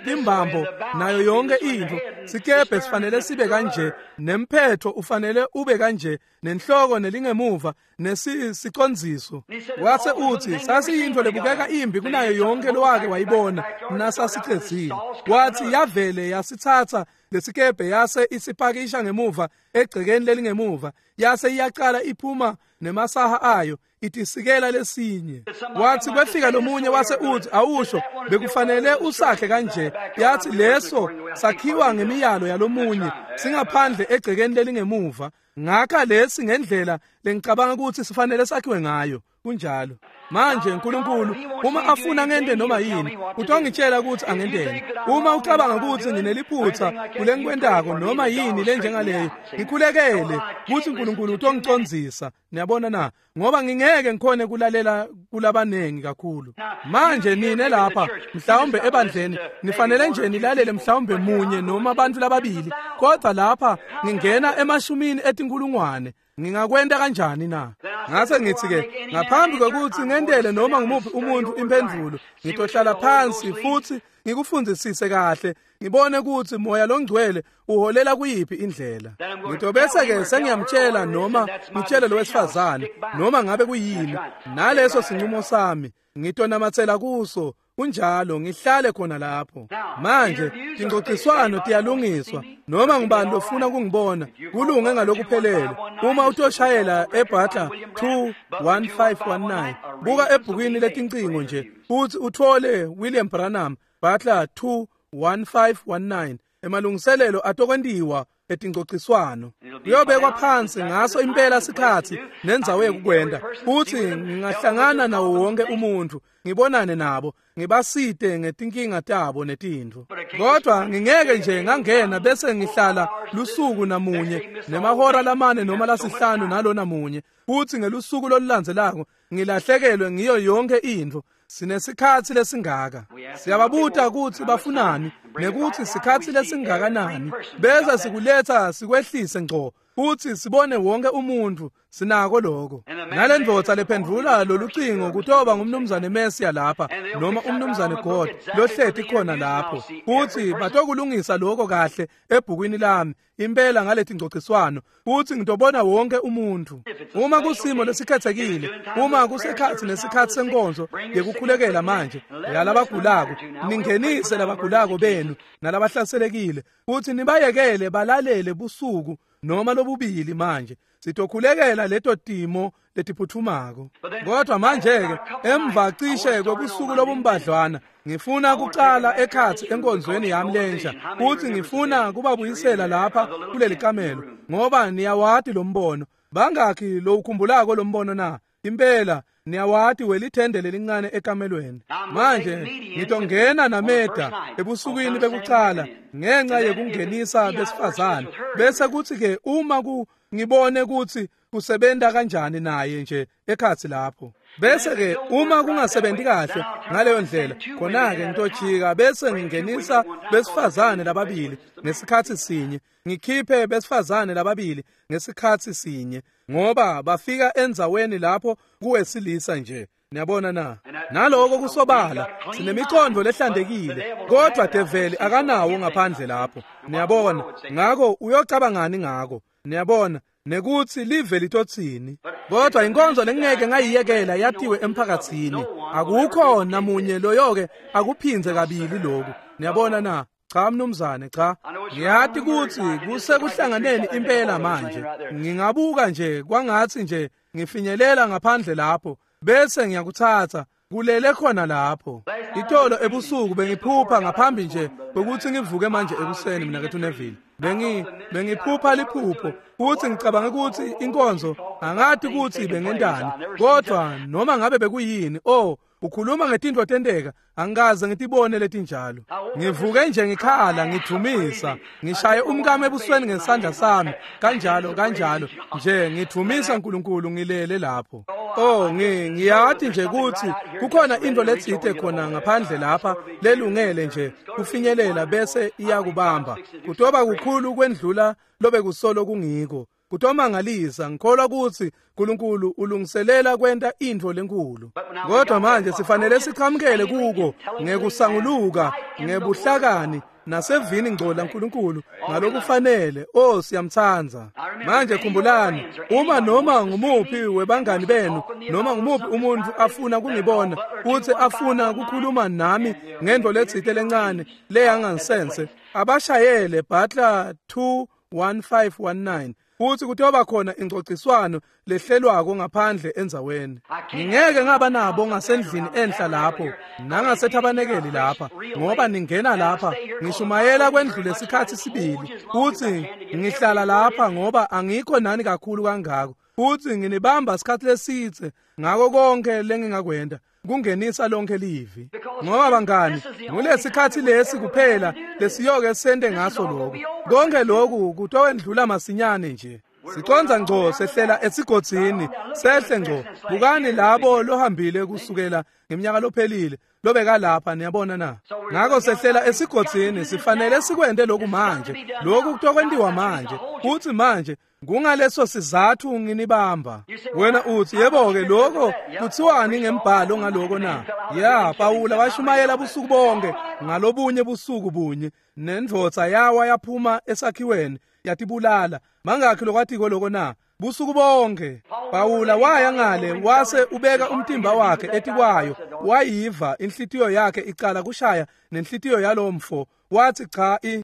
A: timbambo nayo yonke into sikebhe sifanele sibe kanje nemphetho ufanele ube kanje nenhloko nelingemuva nesicondziso. Wase uthi sasiyinto lebukeka imbi kunayo yonke lowake wayibona nasasicedzile. Wathi yavele yasithatha lesikebhe yase isipakisha ngemuva egcekeni lelingemuva yase iyaqala iphuma nemasaha ayo itisikela lesinye. Wathi kwefika lomunye wase uthi awusho bekufanele usakhe kanje. Yathi leso sakhiwa ngemiyalo yalomunye singaphandle egcekeni lelingemuva ngakha lesi ngendlela lengicabanga ukuthi sifanele sakhiwe ngayo. Kunjalo. Manje uNkulunkulu uma afuna ngente noma yini utongitshela ukuthi angenteni. Uma ucabanga ukuthi ngineliphutha kulengikwentako noma yini lenjengaleyo ngikhulekele ukuthi uNkulunkulu utongicondzisa. Niyabona na? Ngoba ngingeke ngikhone kulalela kulabanengi kakhulu. Manje nine lapha mhlawumbe ebandleni nifanele nje nilalele mhlawumbe munye noma abantu lababili, kodwa lapha ngingena emashumini etinkulungwane. Ngingakwenta kanjani na? Ngase ngithi ke ngaphambi kokuthi ngentele noma ngumuphi umuntu impendvulo ngitohlala phansi futhi ngikufundzisise kahle ngibone ukuthi moya longcwele uholela kuyiphi indlela. Ngitobese ke sengiyamtshela noma ngitshele lo wesifazane noma ngabe kuyini naleso sinqumo sami ngitonamatsela kuso. Kunjalo ngihlale khona lapho. Manje tincociswano tiyalungiswa noma ngubani lofuna kungibona kulunge ngalokuphelele. Uma utoshayela eButler two one five one nine buka ebhukwini letincingo nje futhi uthole William Branham Butler two one five one nine. Emalungiselelo atokwentiwa etincociswano kuyobekwa phansi ngaso impela sikhatsi nendzawo yekukwenda futhi ngingahlangana nawo wonke umuntu ngibonane nabo ngibasite ngetinkinga tabo netintfo. Kodwa ngingeke nje ngangena bese ngihlala lusuku namunye nemahora lamane noma lasihlanu nalona munye futhi ngelusuku lolulandzelako ngilahlekelwe ngiyo yonke intfo. Sinesikhatsi lesingaka. Siyababuta ukuthi bafunani nekuthi sikhatsi lesingakanani bese sikuletha sikwehlise ngco futhi sibone wonke umuntu. Sinako lokho. Nalendvodza lephendvula lolucingo kutoba ngumnumzane Mesiya lapha noma umnumzane God lohleti khona lapho, futsi batokulungisa lokho kahle ebhukwini lami impela ngaletingcociswano, futsi ngitobona wonke umuntu. Uma kusimo lesikhethekile, uma kusekhatsi nesikhatsi senkonzo yekukhulekela manje yalabagulako, ningenise labagulako benu nalabahlaselekile, futsi nibayekele balalele busuku noma lobubili. Manje sitokhulekela leto timo letiphuthumako. Kodwa manje-ke emva cishe kwebusuku lobumbadlwana ngifuna kucala ekhatsi enkonzweni yami lensha, futhi ngifuna kubabuyisela lapha kuleli kamelo, ngoba niyawati lo mbono. Bangakhi lowukhumbulako lo mbono na? Impela niyawati welithende lelincane ekamelweni. Manje ngitongena naMeda ebusukwini bekucala ngenxa yekungenisa besifazane, bese kuthi-ke uma ku ngibone kuthi kusebenta kanjani naye nje ekhatsi lapho. Bese-ke uma kungasebenti kahle ngaleyo ndlela, khona-ke ngitojika bese ngingenisa besifazane lababili ngesikhatsi sinye, ngikhiphe besifazane lababili ngesikhatsi sinye, ngoba bafika endzaweni lapho kuwesilisa nje. Niyabona na? Naloko kusobala sinemicondvo lehlantekile, kodwa develi akanawo ngaphandle lapho. Niyabona? Ngako uyocabangani ngako? Niyabona? Nekuthi live litotsini. Kodwa inkonzo lengeke ngayiyekela yatiwe emphakatsini. Akukho namunye loyoke akuphindze kabili lokhu. Niyabona na? Cha mnumzane, cha. Ngiyati kutsi kusekuhlanganeni impela manje. Ngingabuka nje kwangatsi nje ngifinyelela ngaphandle lapho, bese ngiyakuthatha kulele khona lapho. Itolo ebusuku bengiphupha ngaphambi nje kwekutsi ngivuke manje ekuseni mina kethu Neville. Bengi bengiphupha liphupho futhi ngicabanga ukuthi inkonzo angati ukuthi bengentani, kodwa noma ngabe bekuyini, oh ukhuluma ngetintfo tenteka, angikaze ngitibone letinjalo. Ngivuke nje ngikhala ngidvumisa, ngishaye umkami ebusweni ngesandla sami kanjalo kanjalo nje ngidvumisa uNkulunkulu ngilele lapho. Oh ngi ngiyati nje ukuthi kukhona into letsite khona ngaphandle lapha lelungele nje kufinyelela bese iyakubamba. Kutoba kukhulu kwendlula lobe kusolo kungiko. Kutomangalisa, ngikholwa ukuthi uNkulunkulu ulungiselela kwenta intfo lenkulu. Kodwa manje sifanele sichamukele kuko ngekusanguluka, ngebuhlakani nasevini ngco laNkulunkulu ngalokufanele. Oh siyamtsandza. Manje khumbulani, uma noma ngumuphi webangani benu noma ngumuphi umuntu afuna kungibona futhi afuna kukhuluma nami ngento letsite lencane leyangansense, abashayele Butler two one five one nine futhi kutoba khona ingcociswano lehlelwako ngaphandle endzaweni. Ngingeke ngaba nabo ngasendlini enhla lapho nangasethabanekeli lapha, ngoba ningena lapha ngishumayela kwendlule isikhatsi sibili, futhi ngihlala lapha ngoba angikho nani kakhulu kangako, futhi nginibamba isikhatsi lesitse ngako konke lengingakwenta kungenisa lonke livi. Ngoba bangani, ngulesikhatsi lesi kuphela lesiyoke sente ngaso lokhu. Konke lokhu kutowendlula masinyane nje. Siconza ngco sehlela esigodzini, sehle ngco. Bukani labo lohambile kusukela ngeminyaka lophelile lobeka lapha, niyabona na? Ngako sehlela esigodzini, sifanele sikwente lokhu manje. Lokhu kutokwentiwa manje. Futhi manje kungaleso sizathu nginibamba. Wena uthi, yebo-ke lokho kuthiwani ngembhalo ngaloko na? Ya, Pawula washumayela busuku bonke ngalobunye busuku bunye, nendvodza yawa yaphuma esakhiweni yatibulala. Mangakhi lokwatiko loko na? Busuku bonke. Pawula waya ngale wase ubeka umtimba wakhe etikwayo, wayiva inhlitiyo yakhe icala kushaya nenhlitiyo yalomfo. Wathi cha i